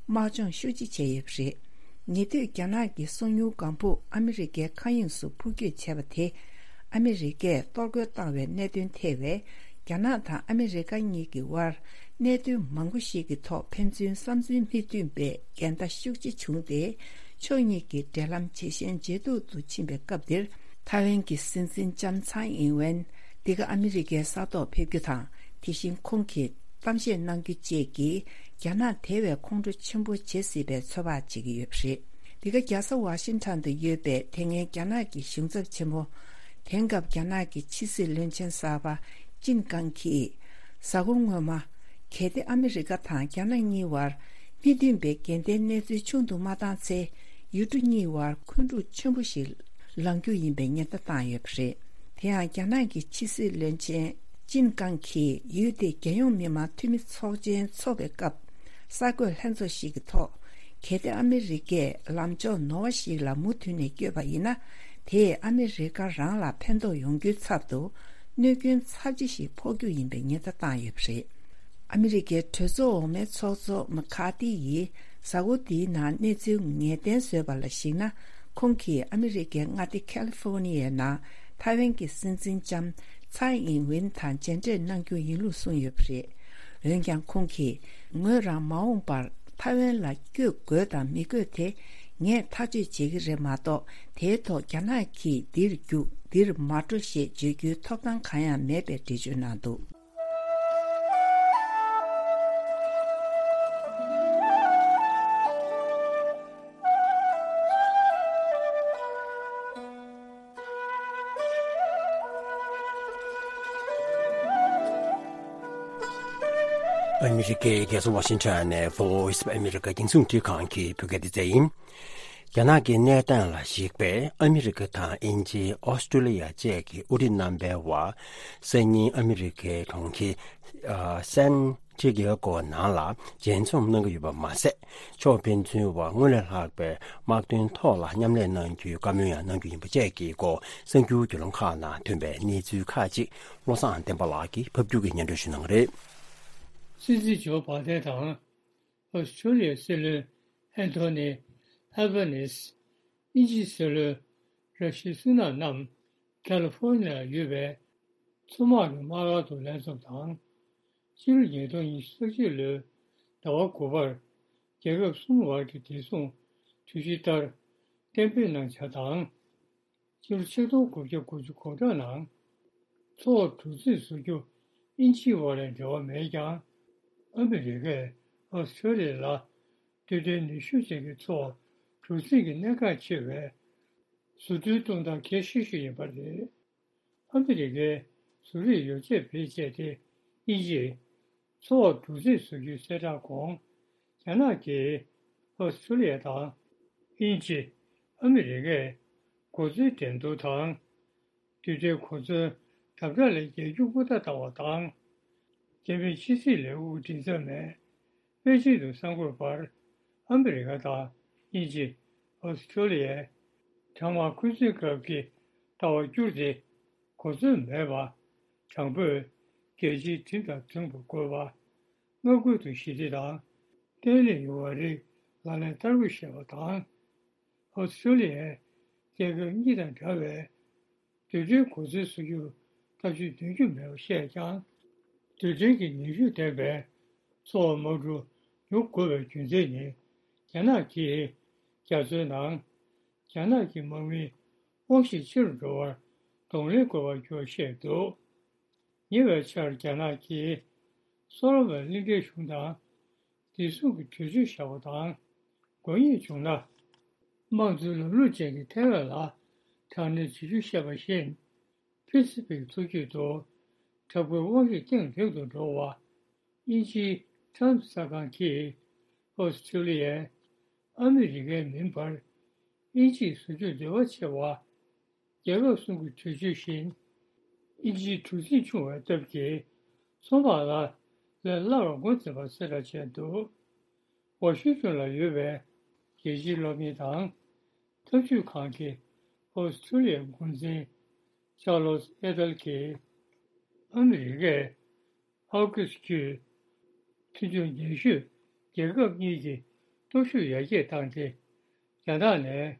དམག་སྦྱོང་ཤུགས་ཆེ་བྱས་ཡོད་པ་རེད། ཉེ་དུས་རྒྱ་ནག་གི་སོ་ཉུལ་ལྒང་ཕུག་ཨ་མི་རི་ཀའི་མཁའ་དབྱིངས་སུ་འཕུར་སྐྱོད་བྱས་པ་དེ། ཨ་མི་རི་ཀས་གཏོར་རྒོལ་བཏང་བའི་གནད་དོན་ཐེ་བའི་རྒྱ་ནག་དང་ཨ་མི་རི་ཀ་གཉིས་ཀྱི་དབར་གནད་དོན་མང་པོ་ཞིག་གི་ཐོག་ཕན་ཚུན་བསམ་ཚུལ་མི་མཐུན་པའི་འགལ་ཟླ་ཤུགས་ཆེ་བྱུང་སྟེ། ཕྱོགས་གཉིས་ཀྱི་འབྲེལ་ལམ་ཇེ་ཞན་ཇེ་སྡུག་ཏུ་ཕྱིན་པའི་སྐབས་འདིར། ཐའེ་ཝན་གྱི་སྲིད་འཛིན་ལྕམ་ཚའེ་ཨིན་ཝེན་འདི་ག་ཨ་མི་རི་ཀའི་ས་ཐོག་ཕེབས་རྒྱུ་དང་། དེ་བཞིན་ཁོང་གིས་གཏམ་བཤད་གནང་རྒྱུ་བཅས་ཀྱིས་རྒྱ་ནག་དེ་བས་ཁོང་ཁྲོ་ཆེན་པོ་བྱེད་སྲིད་པའི་ཚོད་དཔག་བྱེད་ཀྱི་ཡོད་པ་རེད། འདི་ག་རྒྱལ་ས་ཝ་ཤིང་ཊོན་དུ་ཡོད་པའི་དེ་སྔའི་རྒྱ་ནག་གི་གཞུང་ཚབ་ཆེན་མོ། དེང་སྐབས་རྒྱ་ནག་གི་ཕྱི་སྲིད་བློན་ཆེན་གསར་པ་ཅིན་ཀང་གིས། གཟའ་འཁོར་སྔོན་མ། གལ་ཏེ་ཨ་མི་རི་ཀ་དང་རྒྱ་ནག་གཉིས་བར་མི་མཐུན་པའི་འགལ་ཟླའི་གནས་ཚུལ་ཆུང་དུ་མ་བཏང་ཚེ། ཡུལ་གྲུ་གཉིས་བར་འཁོན་འཁྲུག་ཆེན་པོ་ཞིག་ལངས་རྒྱུ་ཡིན་པའི་ཉེན་བརྡ་བཏང་ཡོད་པ་རེད། དེ་ཡང་རྒྱ་ནག་གི་ཕྱི་སྲིད་བློན་ཆེན་ཅིན་ཀང་གིས་ཡུལ་དེའི་རྒྱལ་ཡོངས་མི་དམངས་འཐུས་མི་ཚོགས་ཆེན་འཚོགས་པའི་སྐབས། གསར་འགོད་ལྷན་ཚོགས་ཤིག་གི་ཐོག་གལ་ཏེ་ཨ་མི་རི་ཀས་ལམ་ཕྱོགས་ནོར་བ་ཞིག་ལ་མུ་མཐུད་ནས་བསྐྱོད་པ་ཡིན་ན། དེས་ཨ་མི་རི་ཀ་རང་ལ་ཕན་ཐོགས་ཡོང་རྒྱུའི་ཚབ་ཏུ། གནོད་སྐྱོན་ཚབས་ཆེ་ཞིག་ཕོག་རྒྱུ་ཡིན་པའི་ཉེན་བརྡ་བཏང་ཡོད་པ་རེད། ཨ་མི་རི་ཀའི་གྲོས་ཚོགས་འོག་མའི་ཚོགས་གཙོ་མ་ཁ་ཏི་ཡིས་གཟའ་འཁོར་འདིའི་ནང་གནས་ཚུལ་ངེས་གཏན་བཟོས་པ་ལ་གཞིགས་ན། ཁོང་གིས་ཨ་མི་རི་ཀའི་མངའ་སྡེ་ཁ་ལི་ཧྥོ་ནི་ཡའི་ནང་ཐའེ་ཝན་གྱི་སྲིད་འཛིན་ལྕམ་ཚའེ་ཨིན་ཝིན་དང་མཇལ་འཕྲད་གནང་རྒྱུ་ཡིན་ལུགས་གསུངས་ཡོད་པ་རེད། འོན་ཀྱང་ཁོང་གིས། ངོས་རང་མ་འོངས་པར་ཐའེ་ཝན་ལ་བསྐྱོད་དགོས་དང་མི་དགོས་དེ་ངས་ཐག་གཅོད་བྱེད་ཀྱི་རེད་མ་གཏོགས། དེའི་ཐོག་རྒྱ་ནག་གིས་འདིར་རྒྱུག་འདིར་མ་འགྲོ་ཞེས་བརྗོད་རྒྱུའི་ཐོབ་ཐང་གང་ཡང་མེད་པའི་འགྲེལ་བརྗོད་གནང་འདུག་ཨ་མི་རི་ཀའི་རྒྱལ་ས་ཝ་ཤིང་ཊོན་ནས་Voice of America རྒྱང་སྲིང་རླུང་འཕྲིན་ཁང་གི་བོད་སྐད་སྡེ་ཚན་ཡིན། རྒྱ་ནག་གི་གནས་སྟངས་ལ་གཞིགས་པའི་ཨ་མི་རི་ཀ་དང་དབྱིན་ཇི། ཨོ་སི་ཀྲོ་ལི་ཡ་བཅས་ཀྱི་དབུ་ཁྲིད་རྣམ་པའི་དབར་སང་ཉིན་ཨ་མི་རི་ཀའི་གྲོང་ཁྱེར་ཨ་སན་ཏི་ཡེ་གོ་ནང་ལ་མཇལ་འཛོམས་གནང་གི་ཡོད་པ་མ་ཟད། ཕྱོགས་ཕན་ཚུན་དབར་སྔར་ལས་ལྷག་པའི་དམག་དོན་ཐོག་ལ་མཉམ་ལས་གནང་རྒྱུའི་བཀའ་མོལ་ཡང་གནང་རྒྱུ་ཡིན་པ་བཅས་ཀྱི་སྐོར་གསར་འགྱུར་བརྒྱུད་ལམ་ཁག་ནང་ཐོན་པའི་གནས་ཚུལ་ཁག་ཅིག་བློ་བཟང་བསྟན་པ་ལགས་ཀྱིས་ཕབ་སྒྱུར་གྱིས་སྙན་སྒྲོན་ཞུ་གནང་གི་རེད། སྲིད་འཛིན་ཇོ་བྷ་དན་དང་། ཨོ་སི་ཀྲོ་ལི་ཡའི་སྲིད་བློན་ཨན་ཐོ་ནི་ཨལ་བྷ་ནིས། དབྱིན་ཇིའི་སྲིད་བློན་ར་ཤི་སུ་ནག་རྣམས་ཀ་ལི་ཧྥོ་ནི་ཡར་ཡོད་པའི་མཚོ་དམག་གི་དམག་སྒར་དུ་ལྷན་འཛོམས་དང་། ཕྱི་ལོ་ཉིས་སྟོང་ཉི་ཤུ་རྩ་གཅིག་ལོའི་ཟླ་བ་དགུ་པར་རྒྱལ་ཁབ་གསུམ་བར་གྱི་བདེ་སྲུང་གྲོས་གཞི་ལྟར་གཏན་འབེབས་གནང་འཆར་དང་། ཕྱི་ལོ་ཆིག་སྟོང་དགུ་བརྒྱ་དགུ་བཅུ་གོ་གྲངས་ནང་མཚོ་འོག་གྲུ་གཟིངས་བཟོ་རྒྱུ་དབྱིན་ཇིའི་དབར་ལ་འབྲེལ་བ་མེད་ཀྱང་། ཨ་མི་རི་ཀས་ཨོ་སི་ཀྲོ་ལི་ཡ་ལ་སྟོད་ཐུང་ནུས་ཤུགས་ཅན་གྱི་མཚོ་འོག་གྲུ་གཟིངས་ཀྱི་གནད་འགག་ཆེ་བའི་བཟོ་སྐྲུན་གཏོང་སྟངས་གལ་ཆེ་ཤོས་ཡིན་པ་རེད། ཨ་མི་རི་ཀའི་བཟོ་རིག་ཡོ་བྱད་བེད་སྤྱད་དེ་དབྱིན་ཇིས་མཚོ་འོག་གྲུ་གཟིངས་བཟོ་རྒྱུའི་གསལ་བསྒྲགས་གོང་། རྒྱ་ནག་གིས་ཨོ་སི་ཀྲོ་ལི་ཡ་དང་དབྱིན་ཇི། ཨ་མི་རི་ཀས་གོ་མཚོན་འགྲན་བསྡུར་དང་། རྡུལ་ཕྲན་གོ་མཚོན་ དམ་དྲག་ལས་རྒྱལ་རྒྱུ་ཧུར་ཐག་བཏང་བ་དང་། རྒྱལ་མིའི་ཕྱི་སྲིད་ལས་ཁུངས་མགྲིན་ཚབ་ནས་པེ་ཅིང་དུ་གསར་འགོད་པར་ཨ་མི་རི་ཀ་དང་དབྱིན་ཇི། ཨོ་སི་ཀྲོ་ལི་ཡའི་གྲང་དམག་འཁོན་འཛིན་སྐབས་ཀྱི་ལྟ་བ་བསྒྱུར་ཏེ་གོ་མཚོན་མེད་པ། དྲང་པོས་རྒྱལ་སྤྱིའི་ཁྲིམས་དང་མཐུན་པར་དགོས་པ། མངའ་ཁུལ་དུ་ཞི་བདེ་དང་བརྟན་ལྷིང་ཡོང་བའི་རིགས་ལག་ལེན་བསྟར་དགོས་ཞེས་པ་དང་། ཨོ་སི་ཀྲོ་ལི་ཡས་རྒྱལ་ཁབ་གཉིས་དང་འདྲ་བའི་རྡུལ་ཕྲན་གོ་མཚོན་བཟོ་རྒྱུར་ཐབས་ཇུས་འདོན་རྒྱུ་མེད་པ་བཤད་ཀྱང་། རྡུལ་ཕྲན་གྱི་ནུས་ཤུགས་ལྡན་པའི་མཚོ་བ་དམག་གྲུ་ཉོ་དགོས་པའི་རྒྱུ་མཚན་ནི། རྒྱ་ནག་གིས་རྒྱ་མཚོའི་ནང་རྒྱ་ནག་གི་དམག་མིའི་དབང་ཤེད་ཆེ་རུ་འགྲོ་བར་གདོང་ལེན་དགོས་པར་གྱུར་བཤད་འདུག་ཉེ་བའི་ཆར་རྒྱ་ནག་གིས་སོ་ལོ་མོན་གླིང་ཕྲན་གཞུང་དང་བདེ་སྲུང་གི་གྲོས་ཆོད་བཞག་པ་དང་། དགོས་ངེས་བྱུང་ན། དམངས་གཙོའི་ལམ་ལུགས་ཅན་གྱི་ཐའེ་ཝན་ལ་དྲག་གནོན་བྱེད་རྒྱུ་བཤད་པ་བཞིན། ཕི་སི་ཕིག་མཚོ་རྒྱུད་དུ་དྲག་པོའི་དབང་ཤེད་གཏིང་ལེགས་སུ་འགྲོ་བ། དབྱིན་ཇིའི་ཊའིམ་སི་གསར་ཁང་གིས་ཨོ་སི་ཀྲོ་ལི་ཡས་ཨ་མི་རི་ཀའི་མིན་པར། དབྱིན་ཇིས་བཟོ་རྒྱུར་འདོད་པ་ཆེ་བ། རྒྱལ་ཁབ་གསུམ་གྱི་གྲོས་ཆོད་བཞིན། དབྱིན་ཇིའི་གྲུ་གཟིངས་ཆུང་བའི་སྟབས་ཀྱིས་མཚོ་དམག་ལ་ལས་སླ་བར་ངོས་འཛིན་པར་གསལ་བསྒྲགས་བྱས་འདུག་ཝ་ཤིང་ཏོན་ལ་ཡོད་པའི་རྒྱལ་སྤྱིའི་གློག་བརྙན་དང་། འཐབ་ཇུས་ཁང་གི་ཨོ་སི་ཀྲོ་ལི་ཡའི་འགོ་འཛིན་ཆར་ལོ་སི་ཨེ་ཏལ་གྱིས། ཨ་མི་རི་ཀས་ཨའུ་ཀུ་སི་བརྒྱུད་མཐུན་ཕྱོགས་ཉེ་ཤོས་རྒྱལ་ཁབ་གཉིས་ཀྱི་སྟོབས་ཤུགས་ཡར་རྒྱས་བཏང་སྟེ། རྒྱ་ནག་ནས་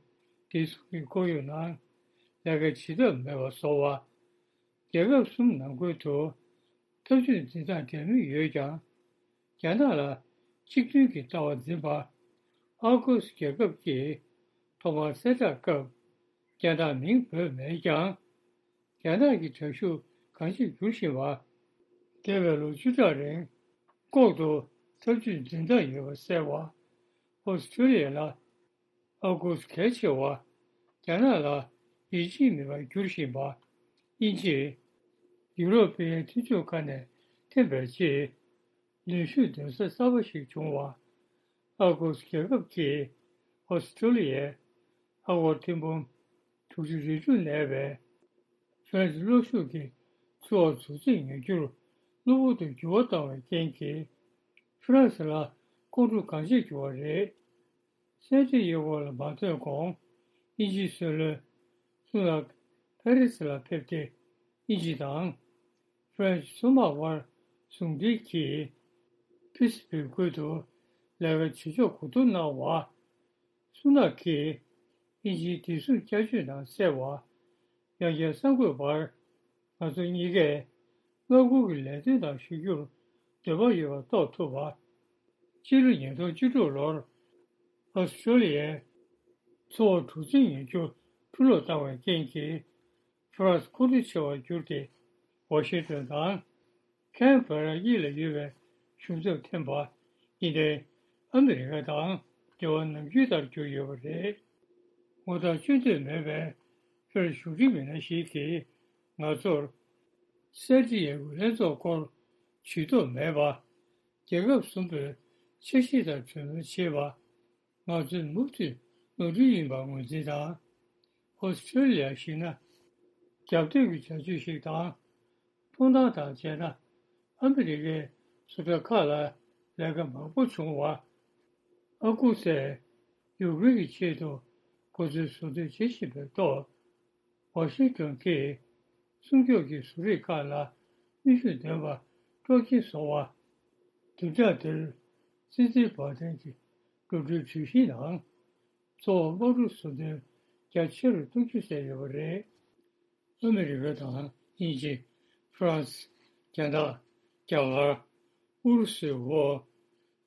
བདེ་སྲུང་གི་ཁོར་ཡུག་ནང་ལས་ཀ་བྱེད་ཐབས་མེད་པ་བཟོ་བ། རྒྱལ་ཁབ་གསུམ་ནང་ཁུལ་དུ་འཐབ་ཇུས་འཛིན་སྟངས་འདྲ་མིན་ཡོད་ཀྱང་། རྒྱ་ནག་ལ་གཅིག་མཐུན་གྱི་ལྟ་བ་འཛིན་པ། ཨའུ་ཀུ་སི་རྒྱལ་ཁབ་ཀྱིས་ཐོག་མར་གསལ་བསྒྲགས་སྐབས་རྒྱ་ནག་མིང་འབོད་མེད་ཀྱང་། རྒྱ་ནག་གི་དྲག་ཤུགས་གང་ཆེར་འགྱུར་བཞིན་པ། འདས་པའི་ལོ་བཅུ་ཕྲག་རིང་ལྐོག་ཏུ་འཐབ་ཇུས་འཛིན་སྟངས་ཡོད་པ་གསལ་བ། ཨོ་སི་ཀྲོ་ལི་ཡ་ལ་ཨའུ་ཀུ་སི་གལ་ཆེ་བ། རྒྱ་ནག་ལ་ཡིད་ཆེས་མེད་པར་འགྱུར་བཞིན་པ། དབྱིན་ཇིས་ཡུ་རོབ་པའི་མཐུན་ཕྱོགས་ཁག་ནས་འཐེན་པའི་རྗེས། ནུས་ཤུགས་འདོན་ས་གསར་པ་ཞིག་བྱུང་བ། ཨ་ཁུ་སི་རྒྱལ་ཁབ་ཀྱིས་ཨོ་སི་ཀྲོ་ལི་ཡའི་ཨ་སྒོར་ཐེར་འབུམ་དྲུག་ཅུ་རེ་དྲུག་གནས་པའི་ཧྥ་རན་སི་གློག་ཤུགས་ཀྱི་མཚོ་འོག་གྲུ་གཟིངས་ཉོ་རྒྱུར་གློ་བུར་དུ་འགྱུར་བ་བཏང་བའི་རྐྱེན་གྱིས། ཧྥ་རན་སི་ལ་ཁོང་ཁྲོ་གང་ཆེར་གྱུར་བ་རེད། གསལ་བསྒྲགས་ཡོད་སྐོར་ལ་མ་ཐོན་གོང་། དབྱིན་ཇིའི་སྲིད་བློན་སུ་ནག་ཕ་རི་སི་ལ་ཕེབས་ཏེ། དབྱིན་ཇི་དང་ཧྥ་རན་སི་མཚོ་དམག་དབར་ཟུང་འབྲེལ་གྱིས་ཕི་སི་བྷིལ་ཁུལ་དུ་ལས་ཀ་བྱེད་ཕྱོགས་གོ་བསྡུར་གནང་བ། སུ་ནག་གིས་དབྱིན་ཇིའི་བདེ་སྲུང་བསྐྱར་བཅོས་ནང་གསལ་བ། ཡང་བསྐྱར་གསར་འགོད་པར། ང་ཚོ་གཉིས་ཀས་མངའ་ཁུལ་གྱི་ལས་དོན་དག་ཞུ་རྒྱུར་འདོད་པ་ཡོད་པ་རྟོགས་ཐུབ་པ། ཕྱི་ལོ་ཉིས་སྟོང་བཅུ་དྲུག་ལོར་ཨོ་སི་ཀྲོ་ལི་ཡའི་མཚོ་འོག་གྲུ་གཟིངས་ཉོ་རྒྱུར་ཕྱིར་སློག་བཏང་བའི་རྐྱེན་གྱིས། ཧྥ་རན་སི་ཁོང་ཁྲོ་ཆེ་བར་གྱུར་ཏེ། ཝ་ཤིང་ཏོན་དང་ཁན་བྷེ་ར་གཉིས་ལ་ཡོད་པའི་གཞུང་ཚབ་འཐེན་པ། ཡིན་ནའི་ཨ་མི་རི་ཀ་དང་འབྲེལ་བ་ནམ་རྒྱུན་ལྟར་གྱུར་ཡོད་པ་རེད། ངོ་རྟགས་བཅོས་འདོད་མེད་པའི་ཕྱིར་བཞུགས་ཁྲི་མི་སྣ་ཞིག་གིས་ང་ཚོར། གསལ་བསྒྲགས་ཡག་པོའི་ལྷན་ཚོགས་སྐོར་ཇུས་གཏོགས་མེད་པ། རྒྱལ་ཁབ་གསུམ་པོས་འཆར་གཞི་ལྟར་གྲོས་མོལ་བྱེད་པ། ང་ཚོས་མུ་མཐུད་ནོར་འཁྲུལ་ཡིན་པར་ངོས་འཛིན་དང་། ཨོ་སི་ཀྲོ་ལི་ཡར་གཞིགས་ན། རྒྱབ་གཏོད་ཀྱི་བྱ་སྤྱོད་ཞིག་དང་། མཐོང་སྟངས་དང་བྱས་ན། ཨ་མི་རི་ཀས་བཟོ་གྲྭ་ཁག་ལ་ལས་ཀ་མང་པོ་བྱུང་བ། ཨ་ཁུ་སིས་ཡུཀ་རེན་གྱི་ཆེད་དུ་གོ་མཚོན་བཟོ་འདོད་བྱེད་བཞིན་པའི་ཐོག་ཝ་ཤིང་ཏོན་གྱིས་སྲུང་སྐྱོབ་ཀྱི་བཟོ་རིག་ཁག་ལ་ནུས་ཤུགས་ལྡན་པ་སྤྲོ་སྐྱིད་བཟོ་བ། བདུན་ཕྲག་འདིར་སྲིད་འཛིན་བྷ་ཏན་གྱི་འགྲོ་གྲོན་གྲོས་གཞི་ནང་མཚོ་འོག་དམག་གྲུ་བཟོ་འདོན་རྒྱ་ཆེ་རུ་གཏོང་རྒྱུ་བསལ་ཡོད་པ་རེད། ཨ་མི་རི་ཀ་དང་དབྱིན་ཇི། ཧྥ་རན་སི། རྒྱ་ནག་རྒྱ་གར། ཨུ་རུ་སུའི་འོག་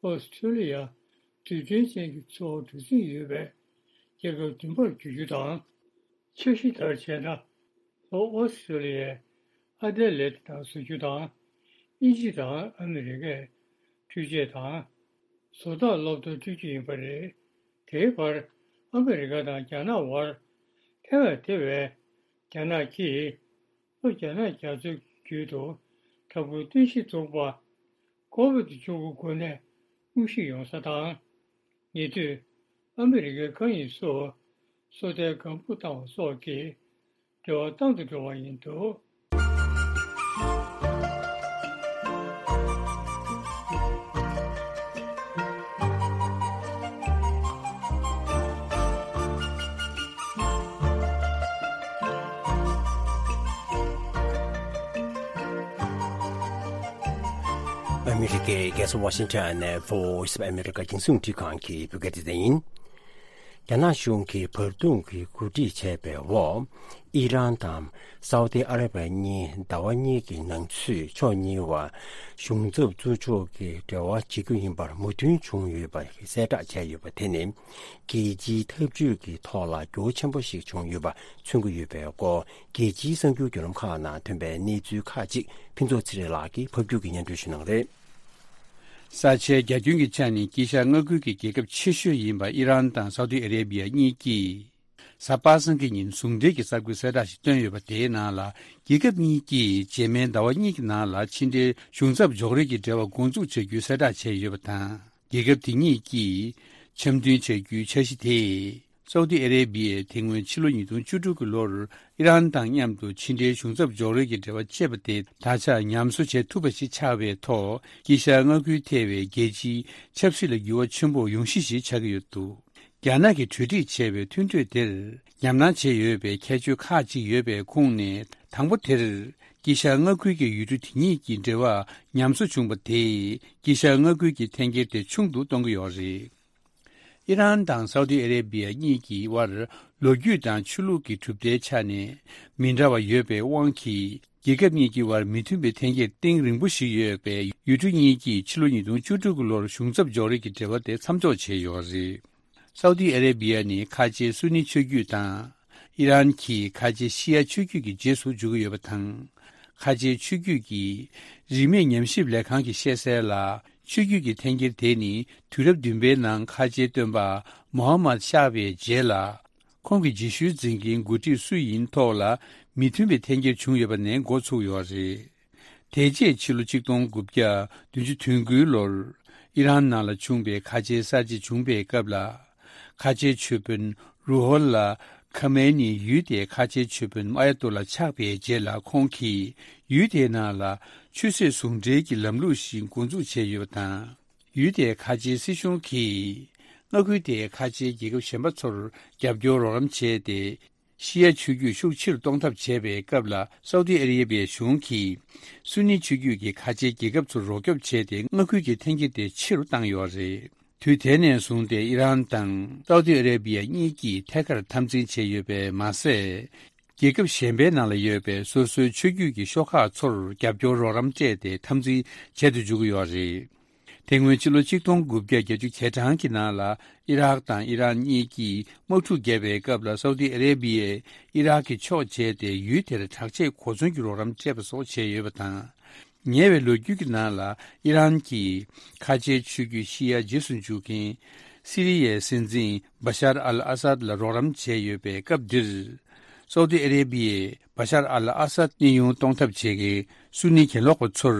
ཨོ་སི་ཀྲོ་ལི་ཡ་རྡུལ་ཕྲན་ཅན་གྱི་མཚོ་འོག་གྲུ་གཟིངས་ཡོད་པའི་རྒྱལ་ཁབ་བདུན་པར་འགྱུར་རྒྱུ་དང་། འཆར་གཞི་ལྟར་བྱས་ན། ལྷོ་ཨོ་སི་ཀྲོ་ལི་ཡའི་ཨ་ཌེ་ལེ་ཌི་ནང་བཟོ་རྒྱུ་དང་། དབྱིན་ཇི་དང་ཨ་མི་རི་ཀས་འཕྲུལ་ཆས་དང་། བཟོ་ལྟ་སློབ་གྲྭ་བསྐྲུན་རྒྱུ་ཡིན་པ་རེད། དེའི་བར་ཨ་མི་རི་ཀ་དང་རྒྱ་ནག་དབར་ཐའེ་ཝན་ཐེ་བའི་རྒྱ་ནག་གིས་ལྷོ་རྒྱ་ནག་རྒྱ་མཚོའི་རྒྱུད་དུ་དྲག་པོའི་རྟེན་གཞི་བཙུགས་པ། ཁོ་བིད་བཅུ་དགུ་འགོས་ནད་དངོས་གཞི་ཡོང་ས་དང་། ཉེ་དུས་ཨ་མི་རི་ཀའི་མཁའ་དབྱིངས་སུ་སོ་ལྟའི་སྒམ་པོ་བཏང་བ་སོགས་ཀྱིས་འབྲེལ་བ་བཏང་དུ་འགྲོ་བ་ཡིན་འདུག་ཨ་མི་རི་ཀའི་རྒྱལ་ས་ཝ་ཤིང་ཊོན་ནས་Voice of America རྒྱང་སྲིང་རླུང་འཕྲིན་ཁང་གི་བོད་སྐད་སྡེ་ཚན་ཡིན། རྒྱ་ནག་གཞུང་གིས་བར་འདུམ་གྱིས་གོ་སྒྲིག་བྱས་པའི་འོག་ཨི་རན་དང་སའུ་ཏི་ཨ་ར་བྷི་ཡ་གཉིས་ཟླ་བ་གཉིས་ཀྱི་ནང་ཚུད་ཕྱོགས་གཉིས་བར་གཞུང་ཚབ་ཚུར་ཕྱོགས་ཀྱི་འབྲེལ་བ་བྱེད་རྒྱུ་ཡིན་པར་མོས་མཐུན་བྱུང་ཡོད་པ་གསལ་བསྒྲགས་བྱས་ཡོད་པ་དེ་ནི། རྒྱལ་སྤྱིའི་འཐབ་ཇུས་ཀྱི་ཐོག་ལ་འགྱུར་བ་ཆེན་པོ་ཞིག་བྱུང་ཡོད་པ་མཚོན་གྱི་ཡོད་པའི་སྐོར། རྒྱལ་སྤྱིའི་གསར་འགྱུར་བརྒྱུད་ལམ་ཁག་ནང་ཐོན་པའི་གནས་ཚུལ་ཁག་ཅིག་ཕུན་ཚོགས་ཚེ་རིང་ལགས་ཀྱིས་ཕབ་སྒྱུར་གྱིས་སྙན་སྒྲོན་ཞུ་གནང་རེད། ས་ཆའི་རྒྱ་ཁྱོན་གྱི་ཆ་ནས་དཀྱིལ་ཤར་མངའ་ཁུལ་གྱི་རྒྱལ་ཁབ་ཆེ་ཤོས་ཡིན་པ་ཨི་རན་དང་སའུ་ཏི་ཨ་རེ་བྷི་ཡ་གཉིས་ཀྱིས། གཟའ་པ་སངས་ཀྱི་ཉིན་ཟུང་འབྲེལ་གྱི་གསར་འགོད་གསལ་བསྒྲགས་ཤིག་བཏོན་ཡོད་པ། དེའི་ནང་ལ། རྒྱལ་ཁབ་གཉིས་ཀྱིས་རྗེས་མའི་ཟླ་བ་གཉིས་ཀྱི་ནང་ལ་ཕྱི་འབྲེལ་གཞུང་ཚབ་འཇོག་རེས་ཀྱི་འབྲེལ་བ་འགོ་འཛུགས་བྱ་རྒྱུའི་གསལ་བསྒྲགས་བྱས་ཡོད་པ་དང་། རྒྱལ་ཁབ་དེ་གཉིས་ཀྱིས་འཆམ་མཐུན་བྱ་རྒྱུའི་འཆར་གཞི་དེས། སའུ་ཏི་ཨ་རེ་བྷི་ཡས་དེ་སྔོན་ཕྱི་ལོ་ཉིས་སྟོང་བཅུ་དྲུག་གི་ལོར་ཨི་རན་དང་མཉམ་དུ་ཕྱི་འབྲེལ་གཞུང་ཚབ་འཇོག་རེས་ཀྱི་འབྲེལ་བ་བཅད་པ་དེ་ད་ཆ་ཉམས་གསོ་བྱེད་ཐུབ་པ་ཞིག་ཆགས་པའི་ཐོག་དཀྱིལ་ཤར་མངའ་ཁུལ་ཐེ་བའི་རྒྱལ་སྤྱིའི་ཆབ་སྲིད་ལ་འགྱུར་བ་ཆེན་པོ་ཡོང་གཞི་ཞིག་ཆགས་ཀྱི་ཡོད་འདུག་རྒྱ་ནག་གིས་གྲོས་སྒྲིག་བྱས་པའི་མཐུན་གྲོས་དེར་ཉམས་སྣང་བྱས་ཡོད་པའི་ཁྱད་ཆོས་ཁག་ཅིག་ཡོད་པའི་ཁོངས་ནས། དང་པོ་དེར། དཀྱིལ་ཤར་མངའ་ཁུལ་གྱི་ཡུལ་གྲུ་དེ་གཉིས་ཀྱི་འབྲེལ་བ་ཉམས་གསོ་བྱུང་བ་དེས། དཀྱིལ་ཤར་མངའ་ཁུལ་གྱི་འཐེན་འཁྱེར་དེ་ཆུང་དུ་གཏོང་གི་ཡོད་རེད། ཨི་རན་དང་སའུ་ཏི་ཨ་རེ་བྷི་ཡ་གཉིས་ཀྱི་དབར་ལོ་རྒྱུས་དང་ཆོས་ལུགས་ཀྱི་གྲུབ་མཐའི་ཆ་ནས་མི་འདྲ་བ་ཡོད་པའི་དབང་གིས། རྒྱལ་ཁབ་གཉིས་ཀྱི་དབར་མི་མཐུན་པའི་འཐེན་འཁྱེར་གཏིང་རིང་པོ་ཞིག་ཡོད་པས། ཡུལ་གྲུ་གཉིས་ཀྱིས་ཕྱི་ལོ་ཉིས་སྟོང་བཅུ་དྲུག་གི་ལོར་གཞུང་ཚབ་འཇོག་རེས་ཀྱི་འབྲེལ་བ་དེ་མཚམས་འཇོག་བྱས་ཡོད་རེད། སའུ་ཏི་ཨ་རེ་བྷི་ཡ་ནི་ཁ་ཆེའི་སུ་ནི་ཆོས་བརྒྱུད་དང་། ཨི་རན་གྱིས་ཁ་ཆེའི་ཤི་ཡ་ཆོས་བརྒྱུད་ཀྱི་རྗེས་སུ་འཇུག་གི་ཡོད་པ་དང་། ཁ་ཆེའི་ཆོས་བརྒྱུད་ཀྱི་རིས་མེད་ཉམས་ཞིབ་ལས་ཁང་གིས་བཤད་གསལ་ལ། ཆོས་བརྒྱུད་ཀྱི་འཐེན་འཁྱེར་དེ་ནི་དུས་རབས་བདུན་པའི་ནང་ཁ་ཆེའི་སྟོན་པ་མོ་ཧ་མད་ཤཱ་བའི་རྗེས་ལ། ཁོང་གི་རྗེས་ཤུལ་འཛིན་མཁན་འགོ་ཁྲིད་སུ་ཡིན་ཐོག་ལ་མི་མཐུན་པའི་འཐེན་འཁྱེར་བྱུང་ཡོད་པ་ནས་འགོ་ཚུགས་ཡོད་རེད། དེ་རྗེས་ཕྱི་ལོ་ཆིག་སྟོང་དགུ་བརྒྱ་བདུན་ཅུ་དོན་དགུའི་ལོར་ཨི་རན་ནང་ལ་བྱུང་བའི་ཁ་ཆེའི་གསར་བརྗེ་བྱུང་པའི་སྐབས་ལ། ཁ་ཆེའི་ཆོས་དཔོན་རུ་ཧོལ་ལ་ཁ་མེ་ནི་ཡུལ་དེའི་ཁ་ཆེའི་ཆོས་དཔོན་ཨ་ཡ་ཏུ་ལ་ཆགས་པའི་རྗེས་ལ། ཁོང་གིས་ཡུལ་དེའི་ནང་ལ་ཆོས་སྲིད་ཟུང་འབྲེལ་གྱི་ལམ་ལུགས་ཤིག་འགོ་འཛུགས་བྱས་ཡོད་པ་དང་། ཡུལ་དེའི་ཁ་ཆེའི་སྲིད་གཞུང་གིས་མངའ་ཁུལ་དེའི་ཁ་ཆེའི་རྒྱལ་ཁབ་གཞན་པ་ཚོར་རྒྱབ་སྐྱོར་རོགས་རམ་བྱས་ཏེ། ཤི་ཡ་ཆོས་བརྒྱུད་ཤུགས་ཆེ་རུ་གཏོང་ཐབས་བྱས་པའི་སྐབས་ལ། སའུ་ཏི་ཨ་རི་ཡ་བའི་གཞུང་གིས་སུ་ནི་ཆོས་བརྒྱུད་ཀྱི་ཁ་ཆེའི་རྒྱལ་ཁབ་ཚོར་རོགས་སྐྱོབ་བྱས་ཏེ། མངའ་ཁུལ་གྱི་འཐེན་འཁྱེར་དེ་ཆེ་རུ་བཏང་ཡོད་རེད། དུས་དེ་ནས་བཟུང་སྟེ་ཨི་རན་དང་སའུ་ཏི་ཨ་རེ་བི་ཡ་གཉིས་ཀྱིས་ཐད་ཀར་འཐབ་འཛིང་བྱས་ཡོད་པས་མ་ཟད། རྒྱལ་ཁབ་གཞན་པའི་ནང་ལ་ཡོད་པའི་སོ་སོའི་ཆོས་བརྒྱུད་ཀྱི་ཤོག་ཁག་ཚོར་རྒྱབ་སྐྱོར་རོགས་རམ་སྤྲད་དེ་འཐབ་འཛིང་བྱེད་དུ་འཇུག་གི་ཡོད་རེད། དེ་སྔོན་ཕྱི་ལོ་ཆིག་སྟོང་དགུ་བརྒྱ་བརྒྱད་ཅུ་གྱ་གྲངས་ཀྱི་ནང་ལ་ཨི་རག་དང་ཨི་རན་གཉིས་ཀྱིས་དམག་འཁྲུག་བརྒྱབ་པའི་སྐབས་ལ། སའུ་ཏི་ཨ་རེ་བི་ཡས་ཨི་རག་གི་ཕྱོགས་བྱས་ཏེ་ཡུལ་དེར་དྲག་ཆས་གོ་མཚོན་གྱི་རོགས་རམ་སྤྲད་པ་སོགས་བྱས་ཡོད་པ་དང་། ཉེ་བའི་ལོ་རྒྱུས་ཀྱི་ནང་ལ་ཨི་རན་གྱིས་ཁ་ཆེའི་ཆོས་བརྒྱུད་ཤི་ཡ་རྗེས་སུ་འཇུག་མཁན་སི་རི་ཡའི་སྲིད་འཛིན་བ་ཤར་ཨལ་ཨ་སཱད་ལ་རོགས་རམ་བྱས་ཡོད་པའི་སྐབས་འདིར། སའུ་ཏི་ཨ་རེ་བི་ཡས་བ་ཤར་ཨལ་ཨ་སཱད་གནས་དབྱུང་གཏོང་ཐབས་བྱེད་མཁན་སུ་ནི་གྱེན་ལོག་པ་ཚོར་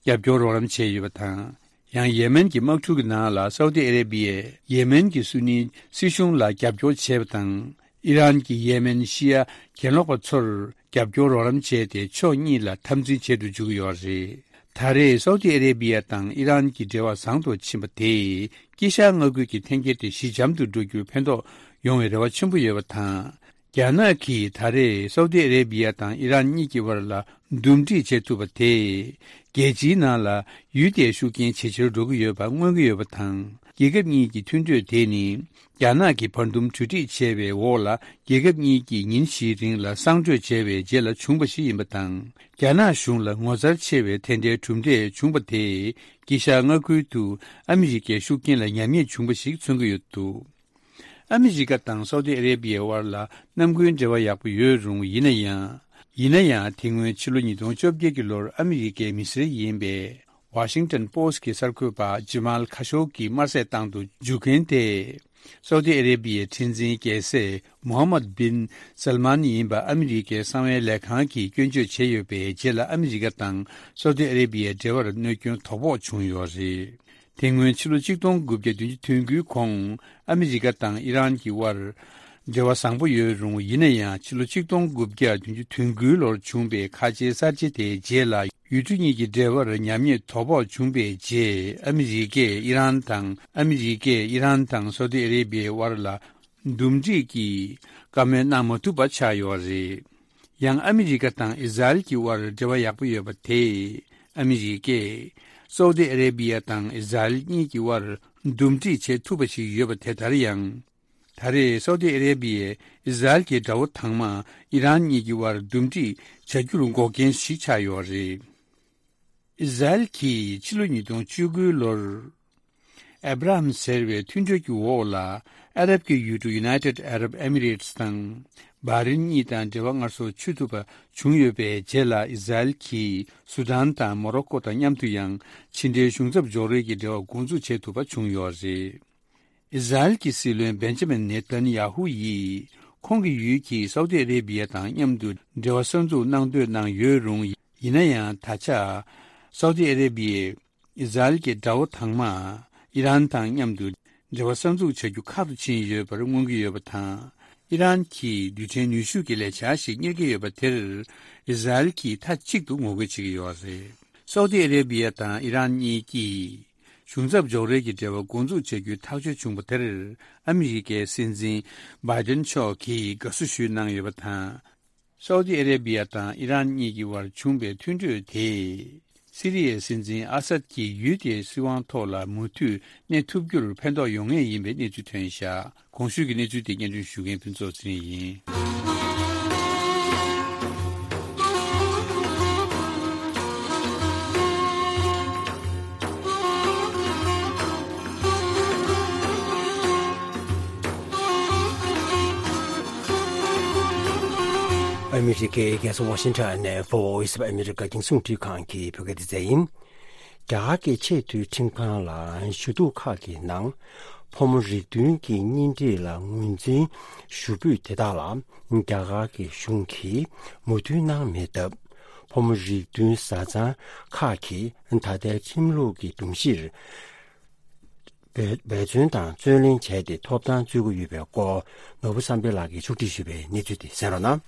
རྒྱབ་སྐྱོར་རོགས་རམ་བྱས་ཡོད་པ་དང་། ཡང་ཡེ་མེན་གྱི་དམག་འཁྲུག་གི་ནང་ལ་སའུ་ཏི་ཨ་རེ་བི་ཡས་ཡེ་མེན་གྱི་སུ་ནི་སྲིད་གཞུང་ལ་རྒྱབ་སྐྱོར་བྱས་པ་དང་། ཨི་རན་གྱིས་ཡེ་མེན་ཤི་ཡ་གྱེན་ལོག་པ་ཚོར་རྒྱབ་སྐྱོར་རོགས་རམ་བྱས་ཏེ། ཕྱོགས་གཉིས་ལ་འཐབ་འཛིང་བྱེད་དུ་འཇུག་གི་ཡོད་རེད། ད་རེས་སའུ་ཏི་ཨ་རེ་བི་ཡ་དང་ཨི་རན་གྱི་འབྲེལ་བ་བཟང་དུ་ཕྱིན་པ་དེས་དཀྱིལ་ཤར་མངའ་ཁུལ་གྱི་འཐེན་འཁྱེར་དེ་ཞི་འཇམ་དུ་འགྲོ་རྒྱུར་ཕན་ཐོགས་ཡོང་བའི་རེ་བ་ཆེན་པོ་ཡོད་པ་དང་། རྒྱ་ནག་གིས་ད་རེས་སའུ་ཏི་ཨ་རེ་བི་ཡ་དང་ཨི་རན་གཉིས་ཀྱི་བར་ལ་འདུམ་འགྲིག་བྱེད་ཐུབ་པ་དེས། རྒྱལ་སྤྱིའི་ནང་ལ་ཡུལ་དེའི་ཤུགས་རྐྱེན་ཇེ་ཆེར་འགྲོ་གི་ཡོད་པ་མངོན་གྱི་ཡོད་པ་དང་། རྒྱལ་ཁབ་གཉིས་ཀྱི་མཐུན་གྲོས་དེ་ནི། རྒྱ་ནག་གིས་བར་འདུམ་གྲོས་འགྲིག་བྱས་པའི་འོག་ལ། རྒྱལ་ཁབ་གཉིས་ཀྱིས་ཉིན་བཞིའི་རིང་ལ་གསང་གྲོས་བྱས་པའི་རྗེས་ལ་བྱུང་བ་ཞིག་ཡིན་པ་དང་། རྒྱ་ནག་གཞུང་ལ་ངོ་མཚར་ཆེ་བའི་དེ་འདྲའི་གྲུབ་འབྲས་བྱུང་བ་དེས། དཀྱིལ་ཤར་མངའ་ཁུལ་དུ་ཨ་མི་རི་ཀའི་ཤུགས་རྐྱེན་ལ་ཉམས་ཉེས་བྱུང་བ་ཞིག་མཚོན་གྱི་ཡོད་འདུག་ཨ་མི་རི་ཀ་དང་སའུ་ཏི་ཨ་རེ་བི་ཡའི་དབར་ལ་གནམ་དགུན་འབྲེལ་བ་ཡག་པོ་ཡོད་རུང་། ཡིན་ན་ཡང་། ཡིན་ན་ཡང་། དེ་སྔོན་ཕྱི་ལོ་ཉིས་སྟོང་བཅོ་བརྒྱད་ཀྱི་ལོར་ཨ་མི་རི་ཀའི་མི་སེར་ཡིན་པའི་ཝ་ཤིང་ཏོན་པོ་སི་ཊི་གི་གསར་འགོད་པ་ཇི་མཱལ་ཁ་ཤོ་གི་དམར་གསོད་བཏང་དུ་འཇུག་མཁན་དེ། སའུ་ཏི་ཨ་རེ་བི་ཡའི་ཁྲི་འཛིན་རྒྱལ་སྲས་མོ་ཧམ་མད་བིན་སལ་མཱན་ཡིན་པ་ཨ་མི་རི་ཀའི་གསང་བའི་ལས་ཁང་གིས་སྐྱོན་བརྗོད་བྱས་ཡོད་པའི་རྗེས་ལ། ཨ་མི་རི་ཀ་དང་སའུ་ཏི་ཨ་རེ་བི་ཡའི་འབྲེལ་བར་གནོད་སྐྱོན་དོ་ཕོག་བྱུང་ཡོད་རེད། དེ་སྔོན་ཕྱི་ལོ་ཆིག་སྟོང་དགུ་བརྒྱ་བདུན་ཅུ་དོན་དགུའི་གོང་ཨ་མི་རི་ཀ་དང་ཨི་རན་གྱི་དབར་འབྲེལ་བ་བཟང་པོ་ཡོད་རུང་། ཡིན་ན་ཡང་། ཕྱི་ལོ་ཆིག་སྟོང་དགུ་བརྒྱ་བདུན་ཅུ་དོན་དགུའི་ལོར་བྱུང་བའི་ཁ་ཆེའི་གསར་བརྗེ་དེའི་རྗེས་ལ། ཡུལ་གྲུ་གཉིས་ཀྱི་འབྲེལ་བར་ཉམས་ཉེས་དོ་ཕོག་བྱུང་བའི་རྗེས། ཨ་མི་རི་ཀས་ཨི་རན་དང་། ཨ་མི་རི་ཀས་ཨི་རན་དང་སའུ་ཏི་ཨ་རེ་བི་ཡའི་དབར་ལ་འདུམ་འགྲིག་གི་བཀའ་མོལ་གནང་མ་ཐུབ་པ་ཆགས་ཡོད་རེད། ཡང་ཨ་མི་རི་ཀ་དང་ཨི་ཟ་རེལ་གྱི་དབར་འབྲེལ་བ་ཡག་པོ་ཡོད་པ་དེས། ཨ་མི་རི་ཀས་ སའུ་ཏི་ཨ་རེ་བི་ཡ་དང་ཨི་ཟ་རེལ་གཉིས་ཀྱི་དབར་འདུམ་འགྲིག་བྱེད་ཐུབ་པ་ཞིག་ཡོད་པ་དེ་ལྟར་ཡང་། ད་རེས་སའུ་ཏི་ཨ་རེ་བི་ཡས་ཨི་ཟ་རེལ་གྱི་དགྲ་བོ་དང་མ་ཨི་རན་གཉིས་ཀྱི་དབར་འདུམ་འགྲིག་བྱ་རྒྱུར་འགོག་རྐྱེན་ཞིག་ཆགས་ཡོད་རེད། ཨི་ཟ་རེལ་གྱིས་ཕྱི་ལོ་ཉིས་སྟོང་བཅུ་དགུ་ལོར། ཨེབ་ར་ཧམ་ཟེར་བའི་མཐུན་གྲོས་ཀྱི་འོག་ལ། ཨ་རབ་ཀྱི་ཡུལ་གྲུ་United Arab Emirates དང་། སྦ་རིན་གཉིས་དང་འབྲེལ་བ་སྔར་སོར་ཆོད་ཐུབ་པ་བྱུང་ཡོད་པའི་རྗེས་ལ། ཨི་ཟ་རེལ་གྱིས་སུ་དཱན་དང་མོ་རོ་ཀོ་དང་མཉམ་དུ་ཡང་ཕྱི་འབྲེལ་གཞུང་ཚབ་འཇོག་རེས་ཀྱི་འབྲེལ་བ་འགོ་འཛུགས་བྱེད་ཐུབ་པ་བྱུང་ཡོད་རེད། ཨི་ཟ་རེལ་གྱི་སྲིད་བློན་བེན་ཇ་མིན་ནེ་ཐན་ཡ་ཧུ་ཡིས། ཁོང་གི་ཡུལ་གྱིས་སའུ་ཏི་ཨ་རེ་བི་ཡ་དང་མཉམ་དུ་འབྲེལ་བ་གསར་འཛུགས་གནང་འདོད་གནང་ཡོད་རུང་། ཡིན་ན་ཡང་ད་ཆ། སའུ་ཏི་ཨ་རེ་བི་ཡས། ཨི་ཟ་རེལ་གྱི་དགྲ་བོ་དང་མ། ཨི་རན་དང་མཉམ་དུ་འབྲེལ་བ་གསར་འཛུགས་བྱ་རྒྱུ་ཁག་ཏུ་ཕྱིན་ཡོད་པར་མངོན་གྱི་ཡོད་པ་དང་། ཨི་རན་གྱིས་རྡུལ་ཕྲན་ནུས་ཤུགས་ཀྱི་ལས་འཆར་ཞིག་གཉེར་གྱི་ཡོད་པ་དེར། ཨི་ཟ་རེལ་གྱིས་མཐའ་གཅིག་ཏུ་ངོ་རྒོལ་བྱེད་ཀྱི་ཡོད་རེད། སའུ་ཏི་ཨ་རེ་བི་ཡ་དང་ཨི་རན་གཉིས་ཀྱིས། གཞུང་ཚབ་འཇོག་རེས་ཀྱི་འབྲེལ་བ་འགོ་འཛུགས་བྱ་རྒྱུའི་ཐག་གཅོད་བྱུང་བ་དེར། ཨ་མི་རི་ཀའི་སྲིད་འཛིན་བྷའི་ཏན་མཆོག་གིས་དགའ་བསུ་ཞུས་གནང་ཡོད་པ་དང་། སའུ་ཏི་ཨ་རེ་བི་ཡ་དང་ཨི་རན་གཉིས་ཀྱི་དབར་བྱུང་བའི་མཐུན་གྲོས་དེས། སི་རི་ཡའི་སྲིད་འཛིན་ཨ་སད་ཀྱིས་ཡུལ་དེའི་སྲིད་དབང་ཐོག་ལ་མུ་མཐུད་གནས་ཐུབ་རྒྱུར་ཕན་ཐོགས་ཡོང་ངེས་ཡིན་པའི་གནས་ཚུལ་ཐོན་བཞག་གོང་ཞུས་ཀྱི་གནས་ཚུལ་དེ་སྙན་སྒྲོན་ཞུ་མཁན་ཕུན་ཚོགས་ཚེ་རིང་ཡིན། ཨ་མི་རི་ཀའི་རྒྱལ་ས་ཝ་ཤིང་ཊོན་ནས་Voice of America རྒྱང་སྲིང་རླུང་འཕྲིན་ཁང་གི་བོད་སྐད་སྡེ་ཚན་ཡིན། རྒྱ་གར་གྱི་ཆེས་མཐོའི་ཁྲིམས་ཁང་ལ་ཞུ་གཏུག་ཁག་གི་ནང་ཕོ་མོ་རིགས་མཐུན་གྱི་གཉེན་སྒྲིག་ལ་ངོས་འཛིན་ཞུ་འབོད་དེ་དག་ལ་རྒྱ་གར་གྱི་གཞུང་གིས་མོས་མཐུན་གནང་མེད་སྟབས། ཕོ་མོ་རིགས་མཐུན་བཟའ་ཚང་ཁག་གིས་ད་ལྟའི་ཁྲིམས་ལུགས་ཀྱི་སྒྲོམ་གཞིར། འབད་བརྩོན་དང་བརྩོན་ལེན་བྱས་ཏེ་ཐོབ་ཐང་རྩོད་ཀྱི་ཡོད་པའི་སྐོར། ནོར་བུ་བསམ་འཕེལ་ལགས་ཀྱིས་ཕྱོགས་སྒྲིག་ཞུས་པའི་གནས་ཚུལ་དེ་གསན་རོགས་གནང་།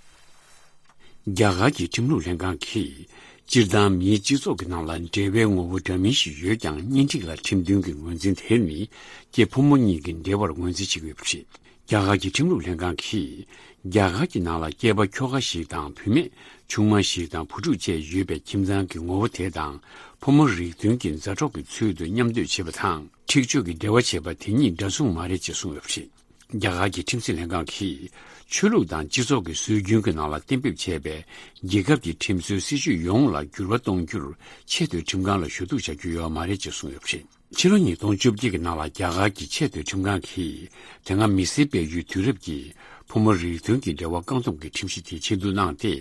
རྒྱ་གར་གྱི་ཁྲིམས་ལུགས་ལྷན་ཁང་གིས། སྤྱིར་བཏང་མིའི་སྤྱི་ཚོགས་ཀྱི་ནང་ལ་འབྲེལ་བའི་ངོ་བོ་འདྲ་མིན་ཞིག་ཡོད་ཀྱང་། གཉེན་སྒྲིག་ལ་ཁྲིམས་མཐུན་གྱི་ངོས་འཛིན་དེ་ནི། སྐྱེས་ཕོ་མོ་གཉིས་ཀྱི་འབྲེལ་བར་ངོས་འཛིན་བྱེད་ཀྱི་ཡོད་པ་རེད། རྒྱ་གར་གྱི་ཁྲིམས་ལུགས་ལྷན་ཁང་གིས། རྒྱ་གར་གྱི་ནང་ལ་སྐྱེས་པ་ཁྱོ་ག་ཞིག་དང་བུད་མེད་ཆུང་མ་ཞིག་དང་བུ་ཕྲུག་བཅས་ཡོད་པའི་ཁྱིམ་ཚང་གི་ངོ་བོ་དེ་དང་། ཕོ་མོ་རིགས་མཐུན་གྱི་མཛའ་གྲོགས་ཀྱི་ཚུལ་དུ་མཉམ་སྡོད་བྱེད་པ་དང་། འཁྲིག་སྤྱོད་ཀྱི་འབྲེལ་བ་བྱེད་པ་དེ་གཉིས་འདྲ་མཚུངས་མ་རེད་ཅེས་གསུངས་ཡོད་པ་རེད། རྒྱ་གར་གྱི་ཁྲིམས་སྲིད་ལྷན་ཁང་གིས། ཆོས་ལུགས་དང་སྤྱི་ཚོགས་ཀྱི་སྲོལ་རྒྱུན་གྱི་ནང་ལ་གཏན་འབེབས་བྱས་པའི་རྒྱལ་ཁབ་ཀྱི་ཁྲིམས་སྲོལ་སྲིད་བྱུས་ཡོངས་ལ་འགྱུར་བ་གཏོང་རྒྱུར་ཆེས་མཐོའི་ཁྲིམས་ཁང་ལ་ཞུ་གཏུག་བྱ་རྒྱུ་ཡོད་མ་རེད་ཅེས་གསུངས་ཡོད་པ་རེད། ཕྱི་ལོ་ཉིས་སྟོང་བཅོ་བརྒྱད་ཀྱི་ནང་ལ་རྒྱ་གར་གྱི་ཆེས་མཐོའི་ཁྲིམས་ཁང་གིས་དེ་སྔ་མི་སེར་སྤེལ་ཡུལ་དུས་རབས་ཀྱི་ཕོ་མོ་རིགས་མཐུན་གྱི་འབྲེལ་བ་བཀག་སྡོམ་གྱི་ཁྲིམས་གཞི་དེ་ཕྱིར་བསྡུ་གནང་སྟེ།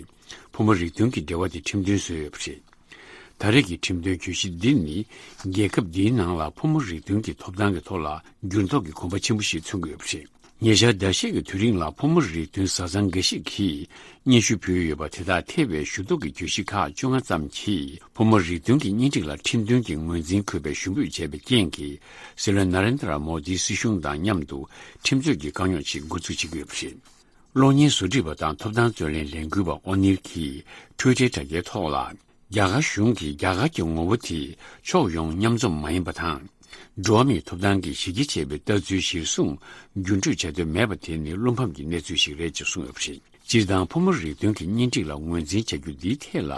ཕོ་མོ་རིགས་མཐུན་གྱི་འབྲེལ་བ་དེ་ཁྲིམས་མཐུན་བཟོས་ཡོད་པ་རེད། ད་རེས་ཀྱི་ཁྲིམས་དོན་གྱོད་གཞི་འདི་ནི། རྒྱལ་ཁབ་འདིའི་ནང་ལ་ཕོ་མོ་རིགས་མཐུན་གྱི་ཐོབ་ཐང་གི་ཐོག་ལ་འགྱུར་ལྡོག་གི་གོམ་པ་ཆེན་པོ་ཞིག་མཚོན་གྱི་ཡོད་པ་རེད། ཉེ་ཆར་ཟླ་ཤས་ཀྱི་དུས་རིང་ལ་ཕོ་མོ་རིགས་མཐུན་བཟའ་ཚང་འགའ་ཞིག་གིས་སྙན་ཞུ་ཕུལ་ཡོད་པ་དེ་དག་ཐེ་བའི་ཞུ་གཏུག་གི་གྱོད་གཞི་ཁག་བཅོ་ལྔ་ཙམ་གྱིས། ཕོ་མོ་རིགས་མཐུན་གྱི་གཉེན་སྒྲིག་ལ་ཁྲིམས་མཐུན་གྱི་ངོས་འཛིན་དགོས་པའི་ཞུ་འབོད་བྱས་པའི་རྐྱེན་གྱིས། སྲིད་བློན་ན་རེན་དྲ་མོ་དིའི་སྲིད་གཞུང་དང་མཉམ་དུ་ཁྲིམས་རྩོད་ཀྱི་དཀའ་རྙོག་ཅིག་འགོ་ཚུགས་བྱེད་ཀྱི་ཡོད་པ་རེད། གློག་བརྙན་བཟོ་སྒྲིག་པ་དང་ཐོབ་ཐང་རྩོད་ལེན་ལས་འགུལ་བ་ཨོ་ནིལ་གྱིས་ཊུའི་ཊར་དྲ་རྒྱའི་ཐོག་ལ། རྒྱ་གར་གཞུང་གིས་རྒྱ་གར་གྱི་ངོ་བོ་དེ་ཕྱོགས་ཡོངས་མཉམ་འཛོམས་མ་ཡིན་པ་དང་། འགྲོ་བ་མིའི་ཐོབ་ཐང་གི་གཞི་རྒྱ་ཆེ་བའི་ལྟ་ཚུལ་གཞིར་བཟུང་འགྱུར་འགྲོས་བྱ་འདོད་མེད་པ་དེ་ནི་བློ་ཕམ་གྱི་གནས་ཚུལ་ཞིག་རེད་ཅེས་གསུངས་ཡོད་པ་རེད། སྤྱིར་བཏང་ཕོ་མོ་རིགས་མཐུན་གྱི་གཉེན་སྒྲིག་ལ་ངོས་འཛིན་བྱ་རྒྱུ་འདིའི་ཐད་ལ།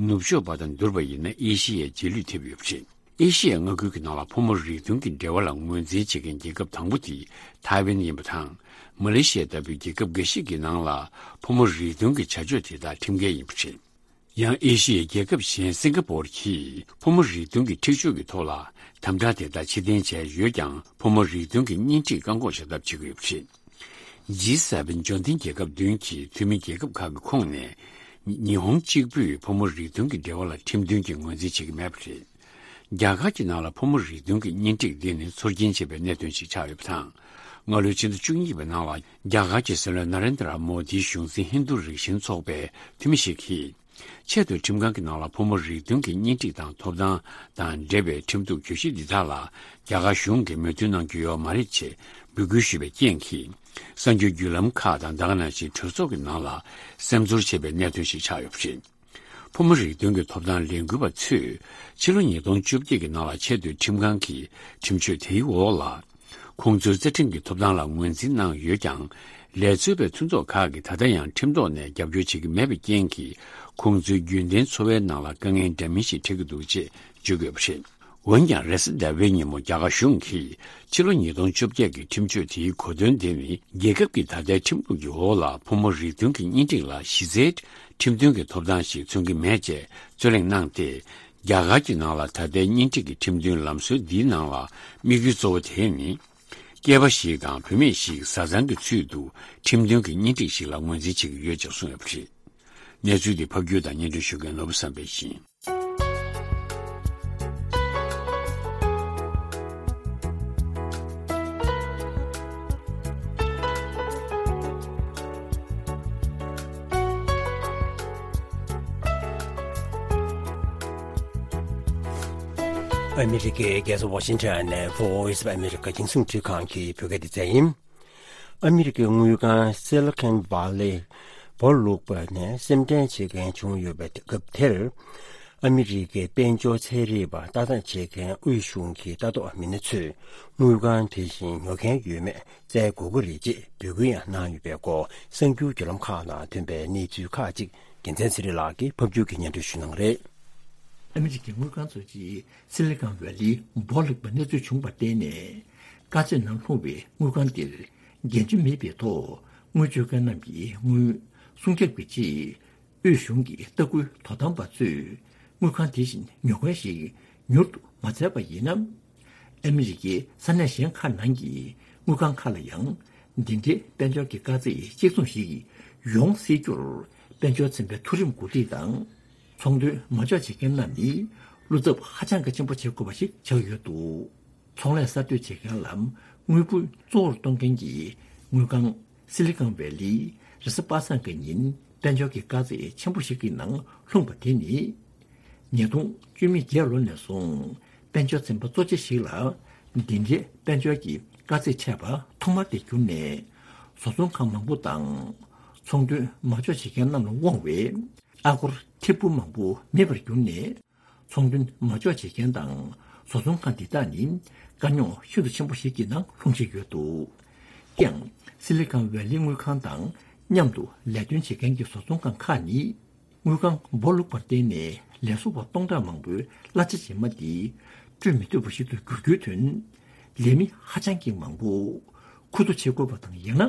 ནུབ་ཕྱོགས་པ་དང་བསྡུར་བ་ཡིན་ན་ཨེ་ཤི་ཡའི་རྗེས་ལུས་ཐེབས་ཡོད་པ་རེད། ཨེ་ཤི་ཡའི་མངའ་ཁུལ་གྱི་ནང་ལ་ཕོ་མོ་རིགས་མཐུན་གྱི་འབྲེལ་བ་ལ་ངོས་འཛིན་བྱེད་མཁན་རྒྱལ་ཁབ་དང་པོ་དེ་ཐའེ་ཝན་ཡིན་པ་དང་། མ་ལེ་ཤི་ཡ་ལྟ་བུའི་རྒྱལ་ཁབ་འགའ་ཞིག་གི་ནང་ལ་ཕོ་མོ་རིགས་མཐུན་གྱི་བྱ་སྤྱོད་དེ་དག་ཁྲིམས་འགལ་ཡིན་པ་རེད། ཡང་ཨེ་ཤི་ཡའི་རྒྱལ་ཁབ་གཞན་སིང་ག་པོར་གྱིས་ཕོ་མོ་རིགས་མཐུན་གྱི་འཁྲིག་སྤྱོད་ཀྱི་ཐོག་ལ་དམ་དྲག་དེ་དག་ཕྱིར་འཐེན་བྱས་ཡོད་ཀྱང་། ཕོ་མོ་རིགས་མཐུན་གྱི་གཉེན་སྒྲིག་བཀག་འགོག་བྱ་ཐབས་བྱེད་ཀྱི་ཡོད་པ་རེད། ཇི་སེ་ཝེན་འབྱོར་ལྡན་རྒྱལ་ཁབ་བདུན་གྱི་འཐུས་མི་རྒྱལ་ཁབ་ཁག་གི་ཁོངས་ནས། ཉི་ཧོང་གཅིག་པུས་ཕོ་མོ་རིགས་མཐུན་གྱི་འབྲེལ་བ་ལ་ཁྲིམས་མཐུན་གྱི་ངོས་འཛིན་བྱེད་ཀྱི་མེད་པ་རེད། རྒྱ་གར་གྱི་ནང་ལ་ཕོ་མོ་རིགས་མཐུན་གྱི་གཉེན་སྒྲིག་འདི་ནི་ཚོར་སྐྱེན་ཆེ་བའི་གནད་དོན་ཞིག་ཆགས་ཡོད་པ་དང་། སྔ་ལོའི་ཕྱི་ཟླ་བཅུ་གཉིས་པའི་ནང་ལ་རྒྱ་གར་གྱི་སྲིད་བློན་ན་རེན་དྲ་མོ་དིའི་གཞུང་འཛིན་ཧིན་རྡུ་རིགས་ཞེན་ཚོགས་པའི་འཐུས་མི་ཞིག་གིས། ཆེས་མཐོའི་ཁྲིམས་ཁང་གི་ནང་ལ་ཕོ་མོ་རིགས་མཐུན་གྱི་གཉེན་སྒྲིག་དང་ཐོབ་ཐང་དང་འབྲེལ་བའི་ཁྲིམས་གཏུག་གྱོད་གཞི་འདི་དག་ལ་རྒྱ་གར་གཞུང་གིས་མོས་མཐུན་གནང་རྒྱུ་ཡོད་མ་རེད་ཅེས་འབོད་སྐུལ་ཞུས་པའི་རྐྱེན་གྱིས། གསར་འགྱུར་བརྒྱུད་ལམ་ཁག་དང་ད་ག་ནང་བཞིན་གྲོས་ཚོགས་ཀྱི་ནང་ལ་སེམས་ཚོར་ཆེ་བའི་གནད་དོན་ཞིག་ཆགས་ཡོད་པ་རེད། ཕོ་མོ་རིགས་མཐུན་གྱི་ཐོབ་ཐང་ལས་འགུལ་བ་ཚོས་ཕྱི་ལོ་ཉིས་སྟོང་བཅོ་བརྒྱད་ཀྱི་ནང་ལ་ཆེས་མཐོའི་ཁྲིམས་ཁང་གི་ཁྲིམས་གཅོད་དེའི་འོག་ལ། ཁོང་ཚོའི་རྩ་ཁྲིམས་ཀྱི་ཐོབ་ཐང་ལ་ངོས་འཛིན་གནང་ཡོད་ཀྱང་། ལས་རྩོལ་བའི་མཐུན་ཚོགས་ཁག་གིས་ད་ལྟ་ཡང་ཁྲིམས་ཐོག་ནས་རྒྱབ་སྐྱོར་བྱེད་ཀྱི་མེད་པའི་རྐྱེན་གྱིས། ཁོང་ཚོའི་རྒྱུན་ལྡན་འཚོ་བའི་ནང་ལ་དཀའ་ངལ་འདྲ་མིན་ཞིག་འཕྲད་ཀྱི་འདུག་ཅེས་བརྗོད་ཀྱི་ཡོད་པ་རེད། འོན་ཀྱང་རེས་གཟའ་ཟླ་བའི་ཉིན་མོ་རྒྱ་གར་གཞུང་གིས་ཕྱི་ལོ་ཉིས་སྟོང་བཅོ་བརྒྱད་ཀྱི་ཁྲིམས་གཅོད་དེའི་གོ་དོན་དེ་ནི་རྒྱལ་ཁབ་ཀྱི་ད་ལྟའི་ཁྲིམས་ལུགས་ཀྱི་འོག་ལ་ཕོ་མོ་རིགས་མཐུན་གྱི་གཉེན་སྒྲིག་ལ་གཞི་རྩའི་ཁྲིམས་མཐུན་གྱི་ཐོབ་ཐང་ཞིག་མཚོན་གྱི་མེད་ཅེས་རྩོད་གླེང་གནང་སྟེ། རྒྱ་གར་གྱི་ནང་ལ་ད་ལྟའི་གཉེན་སྒྲིག་གི་ཁྲིམས་མཐུན་ལམ་སྲོལ་འདིའི་ནང་ལ་དམིགས་ཡུལ་གཙོ་བོ་དེ་ནི། སྐྱེས་པ་ཞིག་དང་བུད་མེད་ཞིག་བཟའ་ཚང་གི་ཚུལ་དུ་ཁྲིམས་མཐུན་གྱི་གཉེན་སྒྲིག་ཞིག་ལ་ངོས་འཛིན་བྱེད་ཀྱི་ཡོད་ཅེས་གསུངས་ཡོད་པ་རེད། གནས་ཚུལ་འདི་ཕབ་སྒྱུར་དང་སྙན་སྒྲོན་ཞུ་མཁན་ནོར་བུ་བསམ་འཕེལ་ཡིན། ཨ་མི་རི་ཀའི་རྒྱལ་ས་ཝ་ཤིང་ཊོན་ནས་Voice of America རྒྱང་སྲིང་འཕྲིན་ཁང་གི་བོད་སྐད་སྡེ་ཚན་ཡིན། ཨ་མི་རི་ཀའི་དངུལ་ཁང་Silicon Valley སྦོ་ལུག་པ་ནས་སེམས་ཁྲལ་བྱེད་མཁན་བྱུང་ཡོད་པའི་སྐབས་དེར། ཨ་མི་རི་ཀའི་དཔལ་འབྱོར་ཚན་རིག་པ་ལྟ་རྟོག་བྱེད་མཁན་དབུས་གཞུང་གི་ལྟ་རྟོག་མི་སྣ་ཚོས་དངུལ་ཁང་དེ་བཞིན་ཉོ་མཁན་ཡོད་མེད་བཙལ་དགོས་ཀྱི་རེད་ཅེས་འབོད་སྐུལ་ཡང་གནང་ཡོད་པའི་སྐོར་གསར་འགྱུར་བརྒྱུད་ལམ་ཁག་ནང་ཐོན་པའི་གནས་ཚུལ་ཁག་ཅིག་རྒྱལ་མཚན་ཚེ་རིང་ལགས་ཀྱིས་ཕབ་སྒྱུར་གྱིས་སྙན་སྒྲོན་ཞུ་གནང་རེད། ཨ་མི་རི་ཀའི་དངུལ་ཁང་ཚོ་ཅིག་སི་ལི་ཀོན་ཝེ་ལི་སྦོ་ལུག་པ་གནས་ཚུལ་བྱུང་བར་བརྟེན་ནས། དཀའ་ཚེགས་ནང་ལྷུང་བའི་དངུལ་ཁང་དེར་འགན་བཅོལ་མེད་པའི་ཐོག་དངུལ་བཅོལ་མཁན་རྣམས་ཀྱི་དངུལ་སྲུང་སྐྱོབ་ཀྱི་ཆེད། དབུས་གཞུང་གི་ལྟ་སྐུལ་དོ་དམ་པ་ཚོས་དངུལ་ཁང་དེ་བཞིན་ཉོ་མཁན་ཞིག་མྱུར་དུ་མ་བཙལ་བ་ཡིན་ན། ཨ་མི་རི་ཀའི་ས་གནས་གཞན་ཁག་ནང་གི་དངུལ་ཁང་ཁག་ལ་ཡང་འདི་འདྲའི་དཔལ་འབྱོར་གྱི་དཀའ་ཚེགས་གཅིག་མཚུངས་ཤིག་ཡོང་སྲིད་རྒྱུར་དཔལ་འབྱོར་ཚན་པའི་མཐོ་རིམ་འགོ་ཁྲིད་དང་ཚོང་དོན་མ་འཇོག་བྱེད་མཁན་རྣམས་ནི་བློ་འཚབ་ཧ་ཅང་གི་ཆེན་པོ་བྱེད་དགོས་པ་ཞིག་ཆགས་ཡོད་འདུག་ཚོང་ལས་གསར་གཏོད་བྱེད་མཁན་ལ་དངུལ་འབོར་གཙོ་བོར་གཏོང་མཁན་གྱི་དངུལ་ཁང་སི་ལི་ཀོན་ཝེ་ལི་རེས་གཟའ་པ་སངས་ཀྱི་ཉིན་དཔལ་འབྱོར་གྱི་དཀའ་ཚེགས་ཆེན་པོ་ཞིག་གི་ནང་ལྷུང་པ་དེ་ནི། ཉིས་སྟོང་བཅུ་མེད་བརྒྱད་ལོ་ནས་བཟུང་དཔལ་འབྱོར་ཚན་པ་གཙོ་ཆེ་ཞིག་ལ་འདི་འདྲའི་དཔལ་འབྱོར་གྱི་དཀའ་ཚེགས་འཕྲད་པ་ཐོག་མ་དེ་གྱུར་ནས། བཟོ་ཚོང་ཁང་མང་པོ་དང་ཚོང་དོན་མ་འཇོག་བྱེད་མཁན་རྣམས་ལ་དབང་བའི་ཨ་སྒོར་ཐེར་འབུམ་མང་པོ་མེད་པར་གྱུར་ནས། ཚོང་དོན་མ་འཇོག་བྱེད་མཁན་དང་བཟོ་ཚོང་ཁང་འདི་དག་ནི་དཀའ་རྙོག་ཤིན་ཏུ་ཆེན་པོ་ཞིག་གི་ནང་ལྷུང་བཞིན་ཡོད་འདུག་ཀྱང་སི་ལི་ཀོན་ཝེ་ལི་དངུལ་ཁང་དང་མཉམ་དུ་ལས་དོན་བྱེད་མཁན་གྱི་བཟོ་ཚོང་ཁང་ཁག་ནི་དངུལ་ཁང་སྦོ་ལུག་པར་བརྟེན་ནས་ལས་བཟོ་བ་སྟོང་ཕྲག་མང་པོའི་གླ་ཆ་རྗེས་མ་འདི་སྤྲོད་མི་ཐུབ་པ་ཞིག་ཏུ་འགྱུར་རྒྱུའི་དོན། ལས་མི་ཧ་ཅང་གི་མང་པོ་ཁུ་ཐུག་བྱེད་དགོས་པ་དང་། ཡང་ན་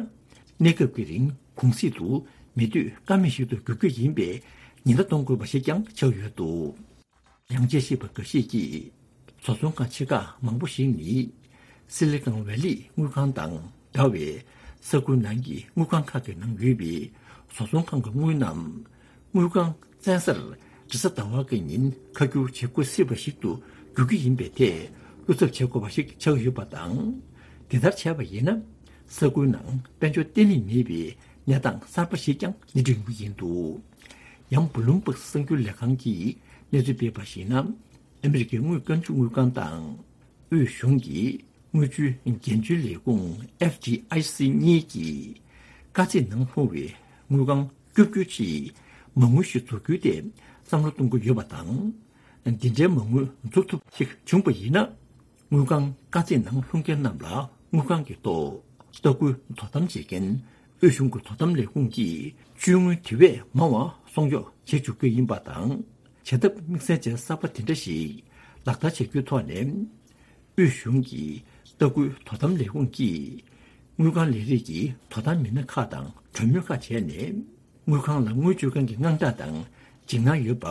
གནས་སྐབས་ཀྱི་རིང་གུང་གསེང་དུ་མི་སྡོད་ཀ་མེད་ཞིག་ཏུ་འགྱུར་རྒྱུ་ཡིན་པའི་ཉེན་བརྡ་གཏོང་དགོས་པ་ཞིག་ཀྱང་ཆགས་ཡོད་འདུག་ཡང་དཔྱད་ཞིབ་པ་འགའ་ཤས་ཀྱིས་བཟོ་ཚོང་ཁང་ཆེ་ཁག་མང་པོ་ཞིག་ནི་སི་ལི་ཀོན་ཝེ་ལི་དངུལ་ཁང་དང་འདྲ་བའི་ས་ཁུལ་ནང་གི་དངུལ་ཁང་ཁག་གི་ནང་ཡོད་པའི་བཟོ་ཚོང་ཁང་གི་དངུལ་རྣམས་དངུལ་ཁང་བཙན་སར་རེས་གཟའ་ཟླ་བ་གི་ཉིན་ཁ་བསྒྱུར་བྱེད་དགོས་སྲིད་པ་ཞིག་ཏུ་འགྱུར་གྱི་ཡིན་པའི་ཐད་བློ་འཚབ་བྱེད་དགོས་པ་ཞིག་ཆགས་ཡོད་པ་དང་། དེ་ལྟར་བྱས་པ་ཡིན་ན་ས་ཁུལ་ནང་དཔལ་འབྱོར་བརྟན་ལྷིང་མེད་པའི་གནས་སྟངས་གསར་པ་ཞིག་ཀྱང་སྣེ་ཁྲིད་ཡོང་གི་ཡིན་འདུག་ཡང་བྷུ་ལུམ་བྷག་གསར་འགྱུར་ལས་ཁང་གིས་གནས་ཚུལ་སྤེལ་བར་གཞིགས་ན། ཨ་མི་རི་ཀའི་དངུལ་རྐང་བཅུག་དངུལ་ཁང་དང་དབུས་གཞུང་གི་དངུལ་བཅོལ་འགན་བཅོལ་ལས་ཁུངས་ཨེཕ་ཌི་ཨའི་སི་གཉིས་ཀྱིས་དཀའ་ཚེགས་ནང་ལྷུང་བའི་དངུལ་ཁང་སྐྱོབ་རྒྱུའི་ཆེད་མ་དངུལ་ཞིག་འཛུགས་རྒྱུའི་ཐད་བསམ་བློ་གཏོང་གི་ཡོད་པ་དང་། འདི་འདྲའི་མ་དངུལ་འཛུགས་ཐུབ་ཞིག་བྱུང་བ་ཡིན་ན། དངུལ་ཁང་དཀའ་ཚེགས་ནང་ལྷུང་མཁན་རྣམས་ལ་དངུལ་ཁང་གི་ཐོག་ལྟ་སྐུལ་དོ་དམ་བྱེད་མཁན་དབུས་གཞུང་གི་དོ་དམ་ལས་ཁུངས་ཀྱིས་བཅོལ་དངུལ་དེ་བས་མང་བ་སྲུང་སྐྱོབ་བྱེད་བཅུག་རྒྱུ་ཡིན་པ་དང་། བྱ་ཐབས་དམིགས་བསལ་ཅན་གསར་པ་དེ་འདྲ་ཞིག་ལག་བསྟར་བྱ་རྒྱུའི་ཐོག་ནས། དབུས་གཞུང་གི་ལྟ་སྐུལ་དོ་དམ་ལས་ཁུངས་ཀྱིས་དངུལ་ཁང་ལས་རིགས་ཀྱི་དོ་དམ་མི་སྣ་ཁག་དང་གྲོས་མོལ་ཁག་བྱས་ནས། དངུལ་ཁང་ལ་དངུལ་བཅོལ་མཁན་གྱི་དངངས་སྐྲག་དང་འཇིགས་སྣང་ཡོད་པ་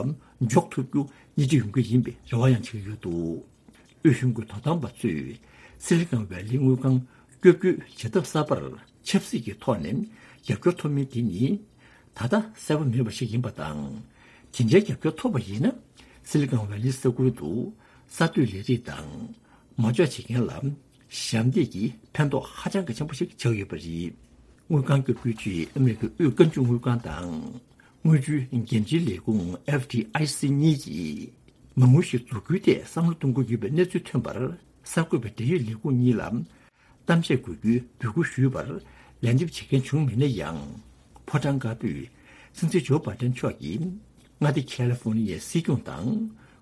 འཇོག་ཐུབ་རྒྱུ་སྣེ་ཁྲིད་ཡོང་གི་ཡིན་པའི་རེ་བ་ཡང་བྱེད་ཀྱི་ཡོད་འདུག་དབུས་གཞུང་གི་དོ་དམ་པ་ཚོས་སི་ལི་ཀོན་ཝེ་ལི་དངུལ་ཁང་སྐྱོབ་རྒྱུའི་བྱ་ཐབས་གསར་པར་ཆབ་སྲིད་ཀྱི་ཐོག་ནས་རྒྱབ་སྐྱོར་ཐོབ་མིན་དེ་ནི་ད་ལྟ་གསལ་པོ་མེད་པ་ཞིག་ཡིན་པ་དང་། དེ་འདྲའི་རྒྱབ་སྐྱོར་ཐོབ་པ་ཡིན་ན། སི་ལི་ཀོན་ཝེ་ལི་ས་ཁུལ་དུ་གསར་གཏོད་ལས་རིགས་དང་མ་འཇོག་བྱེད་མཁན་ལ་ཞབས་འདེགས་ཀྱི་ཕན་ཐོགས་ཧ་ཅང་གི་ཆེན་པོ་ཞིག་ཆགས་ཡོད་པ་རེད། དངུལ་ཁང་སྐྱོབ་རྒྱུའི་ཆེད་ཨ་མི་རི་ཀའི་དབུས་དཀར་མཛོད་དངུལ་ཁང་དང་། དངུལ་བཅོལ་འགན་བཅོལ་ལས་ཁུངས་ཨེཕ་ཌི་ཨའི་སི་གཉིས་ཀྱིས་མ་དངུལ་ཞིག་འཛུགས་རྒྱུའི་ཐད་བསམ་བློ་གཏོང་གི་ཡོད་པའི་གནས་ཚུལ་ཐོན་པར། གསར་འགོད་པས་འབྲེལ་ཡོད་ལས་ཁུངས་གཉིས་ལ་གཏམ་བཤད་དགོས་རྒྱུའི་འབོད་སྐུལ་ཞུས་པར་ལན་འདེབས་བྱེད་མཁན་བྱུང་མེད་ན་ཡང་། ཕོ་བྲང་དཀར་པོས་སྲིད་འཛིན་ཇོ་བྷའི་ཏན་མཆོག་གིས་མངའ་སྡེ་ཁ་ལི་ཧྥོ་ནི་ཡའི་སྲིད་སྐྱོང་དང་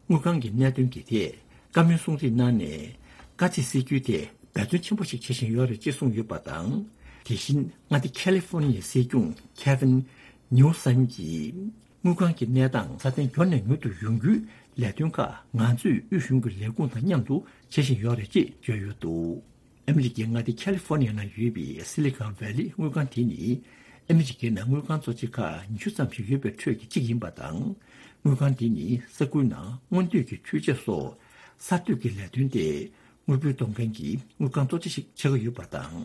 དངུལ་ཁང་གི་གནད་དོན་གྱི་ཐད་བཀའ་མོལ་གསུང་ཚིག་གནང་ནས། དཀའ་ཚེགས་སེལ་རྒྱུའི་ཐད་འབད་བརྩོན་ཆེན་པོ་ཞིག་བྱེད་བཞིན་ཡོད་རེད་ཅེས་གསུངས་ཡོད་པ་དང་། དེ་བཞིན་མངའ་སྡེ་ཁ་ལི་ཧྥོ་ནི་ཡའི་སྲིད་སྐྱོང་ཁེ་ཝིན་ནིའུ་སམ་གྱིས། དངུལ་ཁང་གི་གནས་སྟངས་སྲ་བརྟན་མགྱོགས་ནས་མྱུར་དུ་ཡོང་རྒྱུའི་ ལས་དོན་ཁག་ང་ཚོས་དབུས་གཞུང་གི་ལས་ཁུངས་དང་མཉམ་དུ་བྱེད་བཞིན་ཡོད་རེད་ཅེས་བརྗོད་ཡོད་འདུག་ཨ་མི་རི་ཀའི་མངའ་སྡེ་ཁ་ལི་ཧྥོ་ནི་ཡ་ནང་ཡོད་པའི་སི་ལི་ཀོན་ཝེ་ལི་དངུལ་ཁང་དེ་ནི་ཨ་མི་རི་ཀའི་ནང་དངུལ་ཁང་གཙོ་ཆེ་ཁག་ཉི་ཤུ་ཙམ་ཞིག་ཡོད་པའི་ཁྲོད་ཀྱི་གཅིག་ཡིན་པ་དང་། དངུལ་ཁང་དེ་ནི་ས་ཁུལ་ནང་སྔོན་སྡོད་ཀྱི་འཕྲུལ་ཆས་སོགས་གསར་གཏོད་ཀྱི་ལས་དོན་ཏེ་དངུལ་འབོར་གཏོང་མཁན་གྱི་དངུལ་ཁང་གཙོ་ཆེ་ཞིག་ཆགས་ཀྱི་ཡོད་པ་དང་།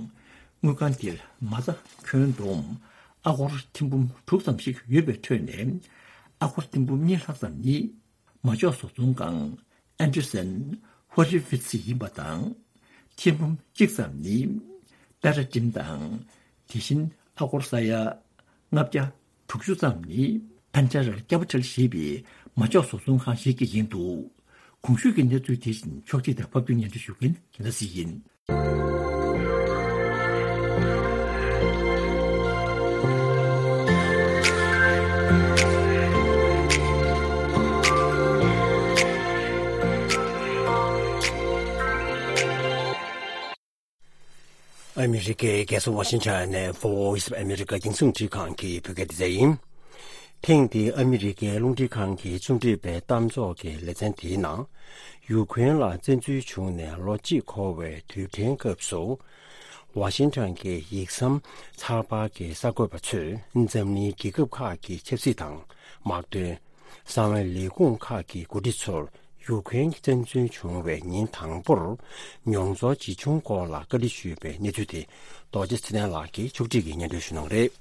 དངུལ་ཁང་དེར་མ་རྩ་ཁྱོན་བསྡོམས་ཨ་སྒོར་ཐེར་འབུམ་དྲུག་ཙམ་ཞིག་ཡོད་པའི་ཁྲོད་ནས་ཨ་སྒོར་ཐེར་འབུམ་གཉིས་ལྷག་ཙམ་ནི་མ་འཇོག་བཟོ་ཚོང་ཁང་ཨན་ཌར་སན་ཧོ་ལི་ཝིད་སི་ཡིན་པ་དང་། ཐེར་འབུམ་གཅིག་ཙམ་ནི་པེ་ར་ཏིམ་དང་། དེ་བཞིན་ཨ་སྒོར་ས་ཡ་ལྔ་བརྒྱ་དྲུག་ཅུ་ཙམ་ནི་ཕན་ཆ་རལ་ཀེ་པི་ཊལ་ཞེས་པའི་མ་འཇོག་བཟོ་ཚོང་ཁང་ཞིག་གི་ཡིན་འདུག་གོང་ཞུས་ཀྱི་གནས་ཚུལ་དེ་བཞིན་ཕྱོགས་སྒྲིག་དང་ཕབ་སྒྱུར་སྙན་སྒྲོན་ཞུ་མཁན་རྒྱལ་ལ་སྲས་ཡིན། ཨ་མི་རི་ཀའི་རྒྱལ་ས་ཝ་ཤིང་ཊོན་ནས་Voice of America རྒྱང་སྲིང་འཕྲིན་ཁང་གི་བོད་སྐད་སྡེ་ཚན་ཡིན། ཐེངས་འདིའི་ཨ་མི་རི་ཀའི་རླུང་འཕྲིན་ཁང་གི་རྩོམ་སྒྲིག་པའི་གཏམ་ཚོགས་ཀྱི་ལེ་ཚན་དེའི་ནང་། ཡུ་ཁུ་རེན་ལ་བཙན་འཛུལ་བྱུང་ནས་ལོ་གཅིག་འཁོར་བའི་དུས་དྲན་སྐབས་སུ། ཝ་ཤིང་ཊོན་གྱི་ཡིག་ཟམ་ཚགས་པར་གྱི་གསར་འགོད་པ་ཚོས་འཛམ་གླིང་རྒྱལ་ཁབ་ཁག་གི་ཆབ་སྲིད་དང་དམག་དོན། གསང་བའི་ལས་ཁུངས་ཁག་གི་འགོ་ཁྲིད་ཚོར་ཡུ་ཁུ་རེན་བཙན་འཛུལ་བྱུང་བའི་ཉིན་དང་པོར་མྱོང་ཚོར་ཇི་བྱུང་སྐོར་ལ་བཀའ་འདྲི་ཞུས་པའི་གནས་ཚུལ་དེ་རྡོ་རྗེ་ཚེ་བརྟན་ལགས་ཀྱིས་ཕྱོགས་སྒྲིག་གིས་སྙན་སྒྲོན་ཞུ་གནང་གི་རེད།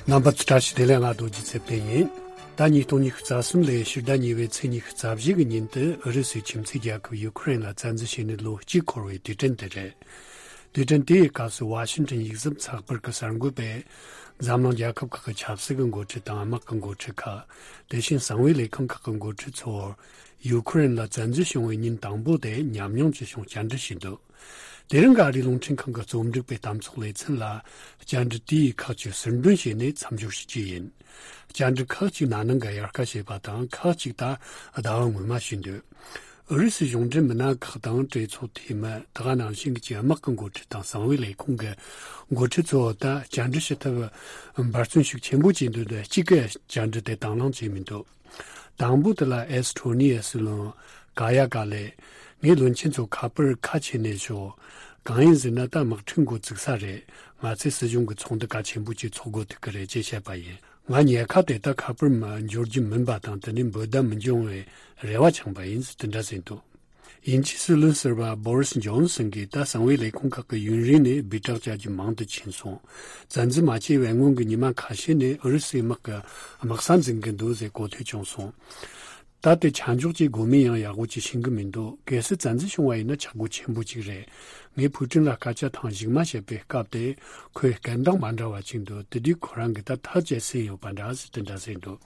རྣམ་པ་ཚོ་བཀྲ་ཤིས་བདེ་ལེགས། ང་རྡོ་རྗེ་ཚེ་བརྟན་ཡིན། ད་ཉིས་སྟོང་ཉི་ཤུ་རྩ་གསུམ་ལོའི་ཕྱི་ཟླ་གཉིས་པའི་ཚེས་ཉི་ཤུ་རྩ་བཞི་གི་ཉིན་དུ་ཨུ་རུ་སུའི་ཁྱིམ་མཚེས་རྒྱལ་ཁབ་ཡུ་ཁུ་རེན་ལ་བཙན་འཛུལ་བྱས་ནས་ལོ་གཅིག་འཁོར་བའི་དུས་དྲན་དེ་རེད། དུས་དྲན་དེའི་སྐབས་སུ་ཝ་ཤིང་ཊོན་ཡིག་ཟམ་ཚགས་པར་གྱི་གསར་འགོད་པས་འཛམ་གླིང་རྒྱལ་ཁབ་ཁག་གི་ཆབ་སྲིད་ཀྱི་འགོ་ཁྲིད་དང་དམག་གི་འགོ་ཁྲིད་ཁག་དེ་བཞིན་གསང་བའི་ལས་ཁུངས་ཁག་གི་འགོ་ཁྲིད་ཚོར་ཡུ་ཁུ་རེན་ལ་བཙན་འཛུལ་བྱུང་བའི་ཉིན་དང་པོ་དེ་ཉམས་མྱོང་ཅི་བྱུང་བཅར་འདྲི་བྱས་འདུག་དེ་རིང་གི་ཨ་རིའི་རླུང་འཕྲིན་ཁང་གི་རྩོམ་སྒྲིག་པའི་གཏམ་ཚོགས་ལེ་ཚན་ལ་བཅར་འདྲི་དེའི་ཁག་ཅིག་ཟུར་འདོན་བྱས་ནས་མཚམས་སྦྱོར་ཞུ་རྒྱུ་ཡིན། བཅར་འདྲི་ཁག་ཅིག་ན་ནིང་གི་དབྱར་ཁ་བྱས་པ་དང་ཁག་ཅིག་ད་ཟླ་བ་སྔོན་མ་ཞུས་འདུག་ཨུ་རུ་སུའི་གཞུང་འབྲེལ་མི་སྣ་ཁག་དང་གྲོས་ཚོགས་འཐུས་མི་དེ་ག་ནང་བཞིན་གྱི་དམག་གི་འགོ་ཁྲིད་དང་གསང་བའི་ལས་ཁུངས་ཀྱི་འགོ་ཁྲིད་ཚོ་ད་བཅར་འདྲི་ཞུ་ཐབས་འབད་བརྩོན་ཤུགས་ཆེན་པོ་བྱས་འདུག་དེ་གཅིག་གིས་བཅར་འདྲི་དེ་དང་བླངས་བྱས་མི་འདུག་དང་པོ་དེ་ལ་ཨེས་ཁྲོ་ནི་ཡའི་སྲིད་བློན་ཀ་ཡ་ཀ་ལས། ངས་བློན་ཆེན་ཚོ་ཁ་པར་ཁ་ཕྱེ་ནས་ཞོག་གང་ཡིན་ཟེར་ན་ད་དམག་འཁྲུག་འགོ་བཙུགས་ས་རེད། ང་ཚོས་སྲིད་གཞུང་གི་ཚོགས་འདུ་གལ་ཆེན་པོ་ཅིག་ཚོགས་དགོས་ཐུག་གི་རེད་ཅེས་བཤད་པ་ཡིན། ང་ཉལ་ཁ་དེ་ད་ཁ་པར་མ་འབྱོར་རྒྱུ་མིན་པ་དང་དེ་ནས་འབོད་བརྡ་མི་འབྱུང་བའི་རེ་བ་འཆང་པ་ཡིན་ཟེར་དེ་འདྲ་ཟེར་འདུག་དབྱིན་ཇིའི་སྲིད་བློན་ཟུར་པ་བོ་རིས་ཇོན་སན་གྱིས་ད་གསང་བའི་ལས་ཁུངས་ཁག་གི་ཡུན་རིང་ནས་སྦིར་གྲགས་བྱ་རྒྱུ་མང་དུ་ཕྱིན་སོང་། བཙན་འཛུལ་མ་བྱས་པའི་སྔོན་གྱི་ཉི་མ་ཁ་ཤས་ནས་ཨུ་རུ་སུའི་དམག་གི་དམག་ས་འཛིན་གྱི་འདུག་ཟེར་གོ་ཐོས་བྱུང་སོང་། ད་དེ་ཆ་འཇོག་བྱེད་དགོས་མིན་ཡང་ཡག་པོ་ཅིག་ཤེས་ཀྱི་མི་འདུག་གལ་སྲིད་བཙན་འཛུལ་བྱུང་བ་ཡིན་ན་ཆག་སྒོ་ཆེན་པོ་ཅིག་རེད། ངས་ཕུའུ་ཀྲིན་ལ་སྐད་ཆ་ཐེངས་ཞིག་མ་བཤད་པའི་སྐབས་དེ་ཁོས་སྐད་གདངས་མ་འདྲ་བ་ཅིག་འདུག་དེ་དུས་ཁོ་རང་གིས་ད་ཐག་བཅད་ཟིན་ཡོད་པ་འདྲ་ཟེར་དེ་འདྲ་ཟེར་འདུག་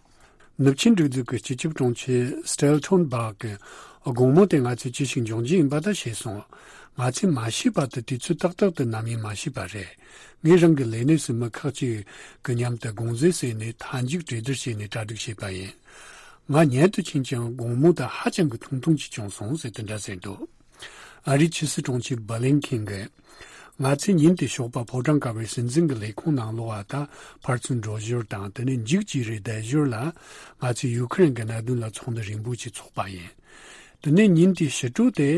ནུབ་ཆིངས་སྒྲིག་འཛུགས་ཀྱི་སྤྱི་ཁྱབ་དྲུང་ཆེ་སི་ཊེལ་ཐོན་སྦག་གིས་དགོང་མོ་དེ་ང་ཚོས་ཅི་ཞིག་འབྱུང་རྒྱུ་ཡིན་པ་ད་ཤེས་སོང་། ང་ཚོས་མ་ཤེས་པ་དེ་དུས་ཚོད་ཏག་ཏག་ཏུ་ནམ་ཡིན་མ་ཤེས་པ་རེད། ངས་རང་གི་ལས་གནས་སུ་མི་ཁག་ཅིག་གི་མཉམ་དུ་དགོངས་རྫས་བསྲེས་ནས་མཐའ་མཇུག་གྲོས་བསྡུར་བྱས་ནས་གྲ་སྒྲིག་བྱས་པ་ཡིན། ང་ཉལ་དུ་ཕྱིན་ཀྱང་དགོང་མོ་དེ་ཧ་ཅང་གི་ཐུང་ཐུང་ཅིག་བྱུང་སོང་ཟེར་དེ་འདྲ་ཟེར་འདུག་ཨ་རིའི་ཕྱི་སྲིད་དྲུང་ཆེ་བྷ་ལིན་ཁིན་གྱིས། ང་ཚོས་ཉིན་དེའི་ཞོགས་པ་ཕོ་བྲང་དཀར་པོའི་སྲིད་འཛིན་གྱི་ལས་ཁུངས་ནང་ལོགས་པ་དང་ཕར་ཚུར་འགྲོ་ཞོར་དང་དེ་ནས་མཇུག་ཅིག་རེ་བསྡད་ཞོར་ལ་ང་ཚོས་ཡུ་ཁུ་རེན་གྱི་གནད་དོན་ལ་ཚོགས་འདུ་རིང་པོ་ཞིག་ཚོགས་པ་ཡིན། དེ་ནས་ཉིན་དེའི་ཕྱི་དྲོ་དེ་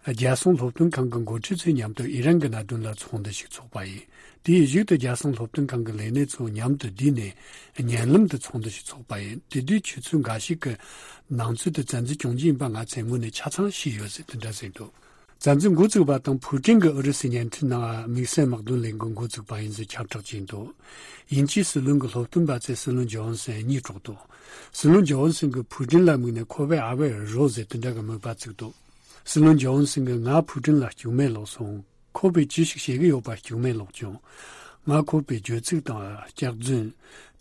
རྒྱལ་སྲུང་སློབ་སྟོན་ཁང་གི་འགོ་ཁྲིད་ཚོའི་མཉམ་དུ་ཨི་རན་གྱི་གནད་དོན་ལ་ཚོགས་འདུ་ཞིག་ཚོགས་པ་ཡིན། དེའི་གཞུག་ཏུ་རྒྱལ་སྲུང་སློབ་སྟོན་ཁང་གི་ལས་སྣེ་ཚོ་མཉམ་དུ་བསྡུས་ནས་བརྙན་ལམ་དུ་ཚོགས་འདུ་ཞིག་ཚོགས་པ་ཡིན། དེ་དུས་ཆུ་ཚོད་འགའ་ཞིག་གི་ནང་ཚུད་དུ་བཙན་འཛུལ་བྱུང་རྒྱུ་ཡིན་པ་ང་ཚོས་དངོས་གནས་ཆ་ཚང་ཤེས་ཡོད་ཟེར་དེ་འདྲ་ཟེར་འདུག་བཙན་འཛུལ་འགོ་བཙུགས་པ་དང་ཕུའུ་ཀྲིན་གྱིས་ཨུ་རུ་སུའི་བརྙན་འཕྲིན་ནང་དམིགས་བསལ་དམག་དོན་ལས་འགུལ་འགོ་བཙུགས་པ་ཡིན་ཟེར་ཁྱབ་བསྒྲགས་བྱས་འདུག་དབྱིན་ཇིའི་སྲིད་བློན་གྱི་སློབ་སྟོན་པ་ཚོས་སྲིད་བློན་ཇོན་སན་གཉིད་དཀྲོགས་འདུག་སྲིད་བློན་ཇོན་སན་གྱིས་ཕུའུ་ཀྲིན་ལ་དམིགས་ནས་ཁོ་པས་ཨ་ཝེ་རོ་ཟེར་དེ་འདྲ་གི་དམིགས་པ་བཙུགས་འདུག་སྲིད་བློན་ཇོན་སན་གྱིས་ང་ཕུའུ་ཀྲིན་ལ་སྐྱུག་མེར་ལོག་སོང་། ཁོ་པས་ཅི་ཞིག་བྱེད་ཀྱི་ཡོད་པ་སྐྱུག་མེར་ལོག་བྱུང་། ང་ཁོ་པའི་བརྗོད་ཚིག་དང་སྐྱག་རྫུན།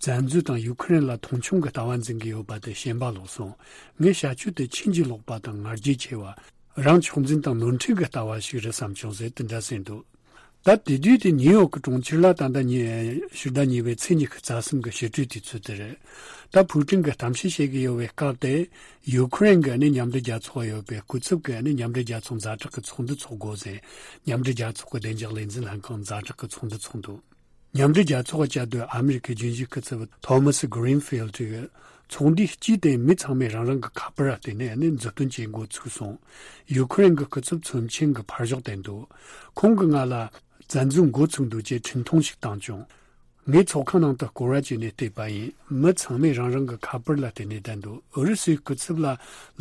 བཙན་འཛུལ་དང་ཡུ་ཁུ་རེན་ལ་མཐོང་ཆུང་གི་ལྟ་བ་འཛིན་གྱི་ཡོད་པ་དེ་ཞེན་པ་ལོག་སོང་། ངའི་བྱ་སྤྱོད་དེ་ཕྱིན་ཅི་ལོག་པ་དང་ང་རྒྱལ་ཆེ་བ། རང་ཕྱོགས་འཛིན་དང་ནོར་འཁྲུལ་གྱི་ལྟ་བ་ཞིག་རེད་བསམ་བྱུང་ཟེར་དེ་འདྲ་ཟེར་འདུག་ད་དེ་དུས་དེ་ནིའུ་ཡོག་གི་གྲོང་ཁྱེར་ལ་ད་ལྟ་ཉི་ཕྱི་ཟླ་གཉིས་པའི་ཚེས་ཉི་ཤུ་རྩ་གསུམ་གྱི་ཕྱི་དྲོའི་དུས་ཚོད་དེ་རེད། ད་ཕུའུ་ཀྲིན་གྱིས་གཏམ་བཤད་བྱེད་ཀྱི་ཡོད་པའི་སྐབས་དེ། ཡུ་ཁུ་རེན་གྱི་ནི་མཉམ་འབྲེལ་རྒྱལ་ཚོགས་ཡོད་པའི་སྐུ་ཚབ་ཀྱིས་ནི་མཉམ་འབྲེལ་རྒྱལ་ཚོགས་ཛ་དྲག་གི་ཚོགས་འདུ་འཚོགས་དགོས་ཟེར། མཉམ་འབྲེལ་རྒྱལ་ཚོགས་ཀྱི་བདེ་འཇགས་ལས་འཛིན་ལྷན་ཁང་ཛ་དྲག་གི་ཚོགས་འདུ་འཚོགས་འདུག་མཉམ་འབྲེལ་རྒྱལ་ཚོགས་ཀྱི་བཅའ་སྡོད་ཨ་མི་རི་ཁའི་རྒྱུན་ཞུགས་སྐུ་ཚབ་ཐོ་མ་སི་གྷི་རིན་ཕིལ་ཌི་གིས། ཚོགས་འདུའི་དཀྱིལ་དེ་མི་ཚང་མས་རང་རང་གི་ཁ་པར་ལ་བརྟེན་ནས་ནི་མཛུབ་སྟོན་བྱེད་འགོ་ཚུགས་སོང་། ཡུ་ཁུ་རེན་གྱི་སྐུ་ཚབ་ཚོམས་ཆེན་གྱིས་ཕར་ཞོག་བསྟན་འདུག་ཁོང་གིས་ང་ལ་བཙན་འཛུལ་འགོ་ཚུགས་འདུག་ཅེས་འཕྲིན་ཐུང་ཞིག་བཏང་བྱུང་། ངས་ཚོགས་ཁང་ནང་དུ་སྐོར་བ་བྱས་ནས་བལྟས་པ་ཡིན། མི་ཚང་མས་རང་རང་གི་ཁ་པར་ལ་བརྟེན་ནས་བསྡད་འདུག་ཨུ་རུ་སུའི་སྐུ་ཚབ་ལ་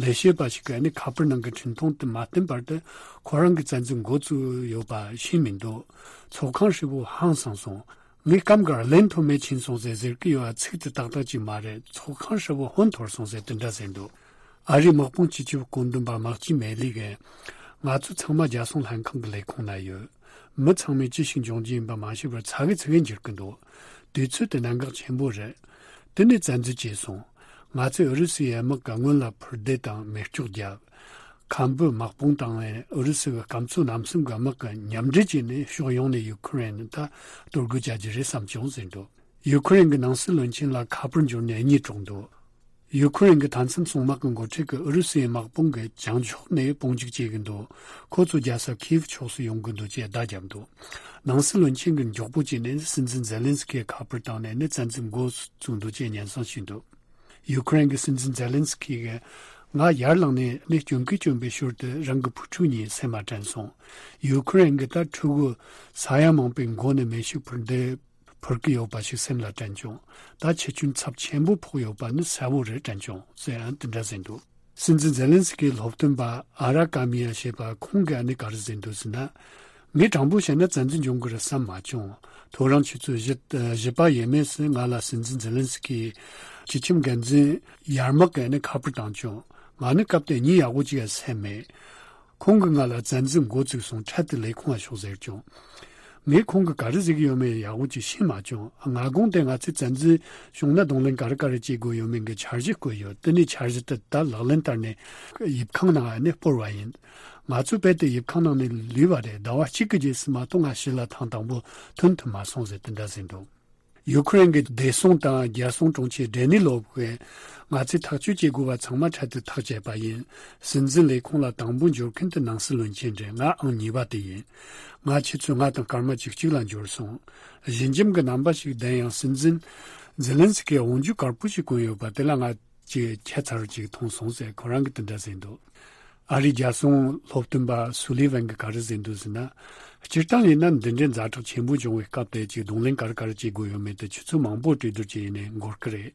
ལས་བྱེད་པ་ཞིག་གིས་ནི་ཁ་པར་ནང་གི་འཕྲིན་ཐུང་དེ་མ་བསྟན་བར་དུ་ཁོ་རང་གིས་བཙན་འཛུལ་འགོ་བཙུགས་ཡོད་པ་ཤེས་མི་འདུག་ཚོགས་ཁང་ཧྲིལ་པོ་ཧང་སངས་སོང་། ངས་སྐབས་འགར་ལན་ཐོན་མེད་ཕྱིན་སོང་ཟེར་ཟེར་གྱི་ཡོད་པ་ཚིག་དེ་ཏག་ཏག་ཅིག་མ་རེད། ཚོགས་ཁང་ཧྲིལ་པོ་ཧོན་འཐོར་སོང་ཟེར་དེ་འདྲ་ཟེར་འདུག་ཨ་རིའི་དམག་དཔུང་སྤྱི་ཁྱབ་བཀོད་འདོམས་པ་མག་ཅི་མེ་ལི་གིས། ང་ཚོ་ཚང་མ་རྒྱལ་སྲུང་ལྷན་ཁང་གི་ལས་ཁུངས་ན་ཡོད། མི་ཚང་མས་ཅི་ཞིག་འབྱུང་རྒྱུ་ཡིན་པ་མ་ཤེས་པར་ཚ་གི་ཚི་གི་འགྱུར་གི་འདུག་དུས་ཚོད་དེ་གནད་འགག་ཆེན་པོ་རེད། དེ་ནས་བཙན་འཛུལ་བྱས་སོང་། ང་ཚོས་ཨུ་རུ་སུའི་དམག་གི་སྔོན་ལ་འཕུར་མདེལ་དང་མེ་སྒྱོགས་བརྒྱབ། ཁམ་བུ་དམག་དཔུང་དང་ཨུ་རུ་སུ་གི་སྐམ་མཚོ་གནམ་གསུམ་གྱི་དམག་གི་མཉམ་འབྲེལ་བྱས་ནས་ཕྱོགས་ཡོངས་ནས་ཡུ་ཁུ་རེན་ད་གཏོར་རྒོལ་བྱ་རྒྱུ་རེད་བསམ་བྱུང་ཟེར་འདུག་ཡུ་ཁུ་རེན་གྱི་ནང་སྲིད་བློན་ཆེན་ལ་ཁ་པར་འབྱོར་ནས་གཉིད་དཀྲོགས་འདུག་ཡུ་ཁུ་རེན་གྱི་མཐའ་མཚམས་སྲུང་དམག་གི་འགོ་ཁྲིད་ཀྱིས་ཨུ་རུ་སུའི་དམག་དཔུང་གིས་བྱང་ཕྱོགས་ནས་དཔུང་འཇུག་བྱེད་ཀྱི་འདུག་ཁོ་ཚོ་རྒྱལ་ས་ཁིའིབ་ཕྱོགས་སུ་ཡོང་གི་འདུག་ཅེས་བརྡ་བརྒྱབ་འདུག་ནང་སྲིད་བློན་ཆེན་གྱིས་མགྱོགས་པོ་བྱས་ནས་སྲིད་འཛིན་ཛེ་ལན་སི་ཁིའི་ཁ་པར་བཏང་ནས་ནི་བཙན་འཛུལ་འགོ་བཙུགས་འདུག་ཅེས་སྙན་སེང་ཞུས་འདུག་ཡུ་ཁུ་རེན་གྱི་སྲིད་འཛིན་ཛེ་ལན་སི་ཁི་གིས་ང་ཡར་ལངས་ནས་ནི་སྐྱོན་གི་སྐྱོན་པའི་ཞོར་དུ་རང་གི་བུ་ཕྲུག་གཉིས་སེམས་ལ་དྲན་སོང་། ཡུ་ཁུ་རེན་གྱི་ད་ཕྲུ་གུ་ས་ཡ་མང་པོའི་མགོ་ནས་མེ་ཤུགས་འཕུར་མདེལ་འཕུར་གི་ཡོད་པ་ཞིག་སེམས་ལ་དྲན་བྱུང་། ད་ཁྱི་ཆུན་ཚབས་ཆེན་པོ་ཕོག་ཡོད་པ་ནི་གསལ་བོ་རེད་དྲན་བྱུང་ཟེར་ཡང་དེ་འདྲ་ཟེར་འདུག་སྲིད་འཛིན་ཛེ་ལན་སི་ཁིའི་སློབ་སྟོན་པ་ཨ་ར་ཀ་མི་ཡ་ཞེས་པ་ཁོང་གིས་ཨ་ནི་ག་རེ་ཟེར་འདུག་ཟེར་ན། ངས་དྲང་པོ་བཤད་ན་བཙན་འཛུལ་འབྱུང་གི་རེད་བསམ་མ་བྱུང་། ཐོ་རངས་ཆུ་ཚོད་བཞི་བཞི་པ་ཡས་མས་སུ་ང་ལ་སྲིད་འཛིན་ཛེ་ལན་སི་ཁིའི་སྤྱི་ཁྱབ་འགན་འཛིན་ཡར་མར་གྱིས་ནི་ཁ་པར་བཏང་བྱུང་། ང་ནི་སྐབས་དེ་གཉིད་ཡག་པོ་ཅིག་ཡང་སད་མེད། ཁོང་གིས་ང་ལ་བཙན་འཛུལ་འགོ་བཙུགས་སོང་། འཕྲལ་དུ་ལས་ཁུངས་ལ་ཤོག་ཟེར་བྱུང་། ངས་ཁོང་གིས་ག་རེ་ཟེར་གྱི་ཡོད་མེད་ཡག་པོ་ཅིག་ཤེས་མ་བྱུང་། སྔ་དགོང་དེ་ང་ཚོས་བཙན་འཛུལ་བྱུང་ན་གདོང་ལེན་ག་རེ་ག་རེ་བྱེད་དགོས་ཡོད་མེད་ཀྱི་འཆར་གཞི་བཀོད་ཡོད། དེ་ནས་འཆར་གཞི་དེ་ད་ལག་ལེན་བསྟར་ནས་ཡིབ་ཁང་ནང་ནས་སྤོར་བ་ཡིན། ང་ཚོ་རྦད་དེ་ཡིབ་ཁང་ནང་ནས་ལུས་པ་རེད། ཟླ་བ་གཅིག་གི་རྗེས་སུ་མ་གཏོགས་ང་ཕྱི་ལ་ཐེངས་དང་པོ་ཐོན་ཐུབ་མ་སོང་ཟེར་དེ་འདྲ་ཟེར་འདུག་ཡུ་ཁུ་རེན་གྱི་བདེ་སྲུང་དང་རྒྱལ་སྲུང་དྲུང་ཆེ་ཌེ་ནི་ལོབ་ཀྱིས་ང་ཚོས་ཐག་གཅོད་བྱེད་དགོས་པ་ཚང་མ་འཕྲལ་དུ་ཐག་བཅད་པ་ཡིན། སྲིད་འཛིན་ལས་ཁུངས་ལ་དང་པོ་འབྱོར་མཁན་དེ་ནང་སྲིད་བློན་ཆེན་རེད། ང་ཨང་གཉིས་པ་དེ་ཡིན། ང་ཆུ་ཚོད་ལྔ་དང་སྐར་མ་བཅུ་གཅིག་ལ་འབྱོར་སོང་། ཞི་འཇམ་གྱི་རྣམ་པ་ཞིག་ལྡན་ཡང་སྲིད་འཛིན་ཛེ་ལན་སི་ཀིས་འོག་འཇུག་དཀར་པོ་ཞིག་བསྐོན་ཡོད་པ་དེ་ལ་ང་ཅིག་ཁྱད་མཚར་ཅིག་མཐོང་སོང་ཟེར་ཁོ་རང་གིས་དེ་འདྲ་ཟེར་འདུག་ཨ་རིའི་རྒྱལ་སྲུང་སློབ་སྟོན་པ་སུ་ལི་ཝན་གྱིས་ག་རེ་ཟེར་འདུག་ཟེར་ན། སྤྱིར་བཏང་ཡིན་ན་འདི་འདྲའི་ཛ་དྲག་ཆེན་པོ་བྱུང་བའི་སྐབས་དེ་ཅིག་གདོང་ལེན་ག་རེ་ག་རེ་བྱེད་དགོས་ཡོད་མེད་དེ་ཆུ་ཚོད་མང་པོ་གྲོས་བསྡུར་བྱས་ནས་འགོར་གི་རེད།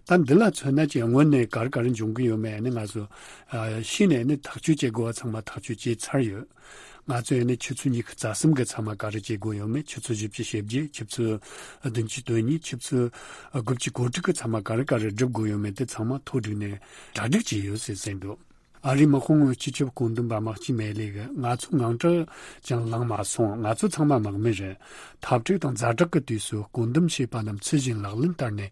ད་འདི་ལ་མཚོན་ན་ཅིག་སྔོན་ནས་ག་རེ་ག་རེ་འབྱུང་གི་ཡོད་མེད་ནི་ང་ཚོ་ཨ་ཤེས་ནས་ནི་ཐག་གཅོད་བྱེད་དགོས་པ་ཚང་མ་ཐག་གཅོད་བྱས་ཚར་ཡོད། ང་ཚོས་ནི་ཆུ་ཚོད་ཉི་ཤུ་རྩ་གསུམ་གྱི་མཚམས་མ་ག་རེ་བྱེད་དགོས་ཡོད་མེད། ཆུ་ཚོད་བཞི་བཅུ་ཞེ་བརྒྱད། ཆུ་ཚོད་བདུན་ཅུ་དོན་གཉིས། ཆུ་ཚོད་དགུ་བཅུ་གོ་དྲུག་གི་མཚམས་མ་ག་རེ་ག་རེ་སྒྲུབ་དགོས་ཡོད་མེད་དེ་ཚང་མ་ཐོ་བསྒྲིགས་ནས་གྲ་སྒྲིག་བྱས་ཡོད་ཟེར་ཟེར་འདུག་ཨ་རིའི་དམག་དཔུང་སྤྱི་ཁྱབ་བཀོད་འདོམས་པ་མག་ཅི་མེ་ལི་གིས་ང་ཚོ་དངངས་སྐྲག་ཀྱང་ལངས་མ་སོང་། ང་ཚོ་ཚང་མ་དམག་མི་རེད། འཐབ་འཁྲུག་དང་ཛ་དྲག་གི་དུས་སུ་བཀོད་འདོམས་བྱས་པ་རྣམས་ཚུལ་བཞིན་ལག་ལེན་བསྟར་ནས་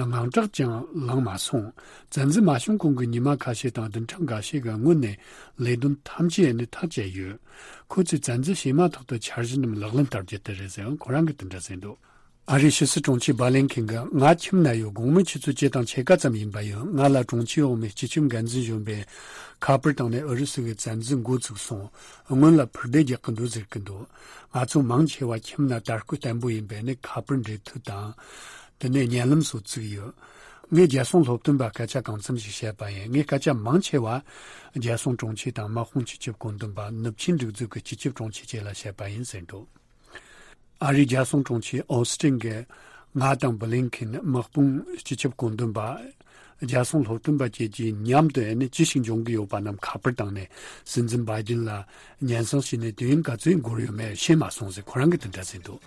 དངངས་སྐྲག་ཀྱང་ལངས་མ་སོང་། བཙན་འཛུལ་མ་བྱུང་གོང་གི་ཉི་མ་ཁ་ཤས་དང་བདུན་ཕྲག་འགའ་ཤས་ཀྱི་སྔོན་ནས་ལས་དོན་ཐམས་ཅད་ནི་ཐག་བཅད་ཡོད། ཁོ་ཚོས་བཙན་འཛུལ་བྱས་མ་ཐག་ཏུ་འཆར་གཞི་རྣམས་ལག་ལེན་བསྟར་རྒྱུ་དེ་རེད་ཟེར་ཁོ་རང་གིས་དེ་འདྲ་ཟེར་འདུག་ཨ་རིའི་ཕྱི་སྲིད་དྲུང་ཆེ་བྷ་ལིན་ཁིན་གྱིས་ང་ཁྱིམ་ན་ཡོད། དགོང་མོའི་ཆུ་ཚོད་བཅུ་དང་ཕྱེད་ཀ་ཙམ་ཡིན་པ་ཡིན། ང་ལ་དྲུང་ཆེ་འོག་མའི་སྤྱི་ཁྱབ་འགན་འཛིན་གཞོན་པས་ཁ་པར་བཏང་ནས་ཨུ་རུ་སུ་གིས་བཙན་འཛུལ་འགོ་ཚུགས་སོང་། སྔོན་ལ་འཕུར་མདེལ་རྒྱག་གི་འདུག་ཟེར་གི་འདུག་ང་ཚོ་མང་ཆེ་བ་ཁྱིམ་ན་དར་སྐུད་བརྟན་པོ་ཡིན་པས་ནི་ཁ་པར་འབྲེལ་མཐུད་དང་། དེ་ནས་བརྙན་ལམ་སོགས་བཙུགས་ཡོད། ངས་རྒྱལ་སྲུང་སློབ་སྟོན་པར་སྐད་ཆ་གང་འཚམ་ཞིག་བཤད་པ་ཡིན། ངས་སྐད་ཆ་མང་ཆེ་བ་རྒྱལ་སྲུང་དྲུང་ཆེ་དང་དམག་དཔུང་སྤྱི་ཁྱབ་བཀོད་འདོམས་པ་ནུབ་ཆིངས་སྒྲིག་འཛུགས་ཀྱི་སྤྱི་ཁྱབ་དྲུང་ཆེ་བཅས་ལ་བཤད་པ་ཡིན་ཟེར་འདུག་ཨ་རིའི་རྒྱལ་སྲུང་དྲུང་ཆེ་ཨོ་སི་ཏིན་གྱིས་ང་དང་བྷི་ལིན་ཁིན་དམག་དཔུང་སྤྱི་ཁྱབ་བཀོད་འདོམས་པ། རྒྱལ་སྲུང་སློབ་སྟོན་པ་བཅས་ཀྱིས་མཉམ་དུ་ཨ་ནི་ཅི་ཞིག་འབྱུང་གི་ཡོད་པ་རྣམས་ཁ་པར་བཏང་ནས་སྲིད་འཛིན་བྷའི་ཌེན་ལ་སྙན་སེང་ཞུས་ནས་དུས་ཡུན་ག་ཚོད་འགོར་ཡོད་མེད་ཤེས་མ་སོང་ཟེར་ཁོ་རང་གིས་དེ་འདྲ་ཟེར་འདུག་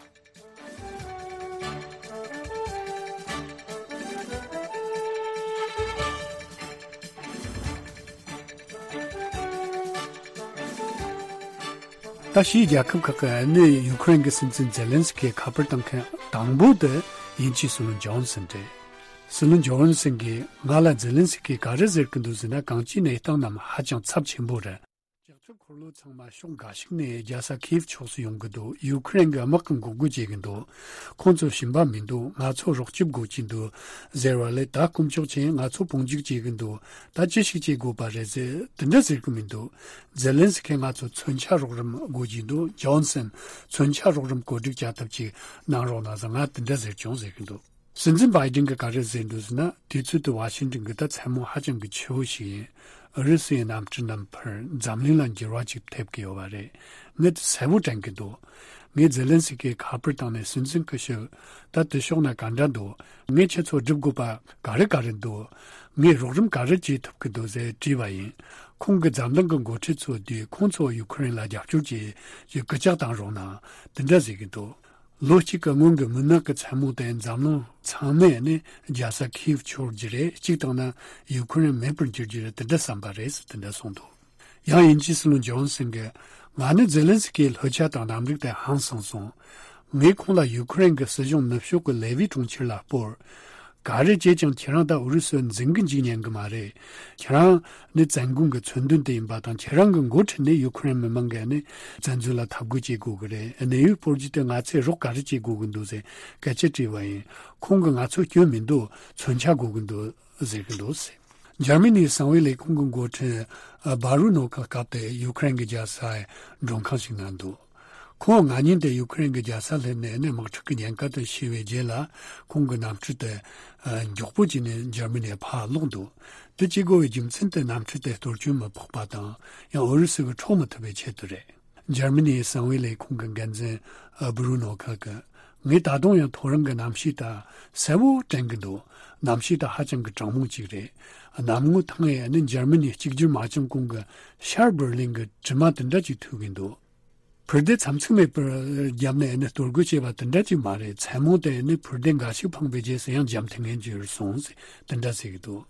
ད་ཕྱིའི་རྒྱལ་ཁབ་ཁག་གི་ཨ་ནི་ཡུ་ཁུ་རེན་གྱི་སྲིད་འཛིན་ཛེ་ལན་སི་ཁིའི་ཁ་པར་བཏང་མཁན་དང་པོ་དེ་དབྱིན་ཇིའི་སྲིད་བློན་ཇོན་སན་རེད། སྲིད་བློན་ཇོན་སན་གྱིས་ང་ལ་ཛེ་ལན་སི་ཁིས་ག་རེ་ཟེར་གྱི་འདུག་ཟེར་ན། གངས་ཅན་གནས་སྟངས་རྣམས་ཧ་ཅང་ཚབས་ཆེན་པོ་རེད། ལྕགས་ཁྱབ་ འཁོར་ལོ་ཚང་མ་ཕྱོགས་འགའ་ཞིག་ནས་རྒྱལ་ས་ཁིའེབ་ཕྱོགས་སུ་ཡོང་གི་འདུག་ཡུ་ཁུ་རེན་གྱི་དམག་གིས་འགོག་རྒོལ་བྱེད་ཀྱི་འདུག་ཁོང་ཚོ་ཞུམ་པ་མི་འདུག་ང་ཚོ་རོགས་སྐྱོབ་དགོས་ཀྱི་འདུག་ཟེར་བ་ལས། ད་དཀོན་མཆོག་མཁྱེན། ང་ཚོ་དཔུང་འཇུག་བྱེད་ཀྱི་འདུག་ད་ཅི་ཞིག་བྱེད་དགོས་པ་རེད་ཟེར་དེ་འདྲ་ཟེར་གྱི་མི་འདུག་ཛེ་ལན་སི་ཁི་ང་ཚོ་མཚོན་ཆ་རོགས་རམ་དགོས་ཀྱི་འདུག་ཇོན་སན་མཚོན་ཆ་རོགས་རམ་གོ་སྒྲིག་བྱ་ཐབས་ཅིག་གནང་རོགས་གནང་ཟེར། ང་དེ་འདྲ་ཟེར་བྱུང་ཟེར་གྱི་འདུག་སྲིད་འཛིན་བྷའི་ཌེན་གྱིས་ག་རེ་ཟེར་འདུག་ཟེར་ན། དུས་ཚོད་དེ་ཝ་ཤིང་ཏོན་གྱི་ད་མཚན་མོ་ཧ་ཅང་གི་ཆེ་བོ་ཞིག་ཡིན། ཨུ་རུ་སུའི་གནམ་གྲུ་རྣམས་ཕར་འཛམ་གླིང་ལ་འགྱུར་བ་ཅིག་ཐེབས་ཀྱི་ཡོད་པ་རེད། ངས་དེ་གསལ་པོ་དྲན་གྱི་འདུག་ངས་ཛེ་ལན་སི་ཀི་ཁ་པར་བཏང་ནས། སྲིད་འཛིན་སྐུ་ཞབས། ད་དེ་ཕྱོགས་ན་ག་འདྲ་འདུག་ངས་ཁྱེད་ཚོ་སྒྲུབ་དགོས་པ་ག་རེ་ག་རེ་འདུག་ངས་རོགས་རམ་ག་རེ་བྱེད་ཐུབ་ཀྱི་འདུག་ཟེར་དྲིས་པ་ཡིན། ཁོང་གིས་འཛམ་གླིང་གི་འགོ་ཁྲིད་ཚོ་བསྡུས། ཁོང་ཚོ་ཡུ་ཁུ་རེན་ལ་རྒྱབ་སྐྱོར་བྱེད་ཅེས་སྐུལ་ལྕག་བཏང་རོགས་གནང་། དེ་འདྲ་ཟེར་གྱི་འདུག་ལོ་གཅིག་གི་སྔོན་གྱི་མུན་ནག་གི་མཚན་མོ་དེ་འཛམ་གླིང་ཚང་མས་ནི་རྒྱལ་ས་ཁིའེབ་འཆོར་རྒྱུ་རེད། གཅིག་བཏང་ན་ཡུ་ཁུ་རེན་མེད་པར་འགྱུར་རྒྱུ་རེད། དེ་འདྲ་བསམ་པ་རེད་ཟེར་དེ་འདྲ་གསུངས་འདུག་ཡང་དབྱིན་ཇིའི་སྲིད་བློན་ཇོན་སན་གྱིས། ང་ནི་ཛེ་ལན་སི་ཀིའི་ལྷོད་ཆ་དང་རྣམ་རིག་དེ་ཧང་སངས་སོང་། ངས་ཁོང་ལ་ཡུ་ཁུ་རེན་གྱི་སྲིད་གཞུང་ནུབ་ཕྱོགས་ཀྱི་ལེ་ཝི་གྲོང་ཁྱེར་ལ་སྤོར། ག་རེ་བྱས་ཀྱང་ཁྱེད་རང་དང་ཨུ་རུ་སུ་འཛིང་གི་འཇུག་ཉན་གི་མ་རེད། ཁྱེད་རང་ནི་བཙན་རྒོལ་གྱི་མཚོན་དོན་དེ་ཡིན་པ་དང་། ཁྱེད་རང་གི་འགོ་ཁྲིད་ནས་ཡུ་ཁུ་རེན་མི་མང་གིས་ནི་བཙན་འཛུལ་ལ་འཐབ་རྒོལ་བྱེད་དགོས་གི་རེད། གནས་ཡུལ་སྤོར་རྒྱུ་དེ་ང་ཚོས་རོགས་ག་རེ་བྱེད་དགོས་གི་འདུག་ཟེར་སྐད་ཆ་དྲིས་པ་ཡིན། ཁོང་གིས་ང་ཚོ་སྐྱོན་མི་འདུག་མཚོན་ཆ་དགོས་གི་འདུག་ཟེར་གི་འདུག་ཟེར། འཇར་མ་ནིའི་གསང་བའི་ལས་ཁུངས་ཀྱི་འགོ་ཁྲིད་ཨ་བྷ་རུ་ནོ་ཁ་སྐབས་དེ་ཡུ་ཁུ་རེན་གྱི་རྒྱལ་སའི་མགྲོན་ཁང་ཞིག་ན་འདུག་ཁོང་ང་གཉིས་དེ་ཡུ་ཁུ་རེན་གྱི་རྒྱལ་ས་སླེབས་ནས་ནི་དམག་འཁྲུག་གི་ཉེན་ཁ་དེ་ཤེས་པའི་རྗེས་ལ། ཁོང་གི་གནམ་གྲུ་དེ་ཨ་མགྱོགས་པོ་བྱས་ནས་འཇར་མ་ནིར་ཕར་ལོག་འདུག་དེ་བྱེད་དགོས་པའི་རྒྱུ་མཚན་དེ་གནམ་གྲུ་དེ་གཏོར་སྐྱོན་མི་ཕོག་པ་དང་། ཡང་ཨུ་རུ་སུ་གིས་འཕྲོག་མི་ཐུབ་པའི་ཆེད་དུ་རེད། འཇར་མ་ནིའི་གསང་བའི་ལས་ཁུངས་ཀྱི་འགན་འཛིན་ཨ་བྷུ་རུ་ནོ་ཁ་གིས། ངས་ད་དུང་ཡང་ཐོ་རངས་ཀྱི་གནམ་གཤིས་དེ་གསལ་བོ་དྲན་གྱི་འདུག་གནམ་གཤིས་དེ་ཧ་ཅང་གི་གྲང་མོ་ཅིག་རེད། གནམ་ངོ་ཐང་ངེ་ནི་འཇར་མ་ནིའི་གཅིག་གྱུར་མ་བྱན་གོང་གི་ཤར་འབར་ལིན་གྱི་གྲིབ་མ་དེ་འདྲ་ཅིག་ཐུག་གི་འདུག་ཕུ་རྡེ་མཚམས་ཚིགས་མེད་པར་བརྒྱབ་ནས་ནི་གཏོར་རྒོལ་བྱས་པ་དེ་འདྲ་ཅིག་མ་རེད། མཚན་མོ་དེ་ནི་ཕུ་རྡེ་འགའ་ཞིག་འཕངས་པའི་རྗེས་སུ་ཡང་འཇམ་ཐིང་ངེ་གྱུར་སོང་ཟེར་དེ་འདྲ་ཟེར་གྱི་འདུག་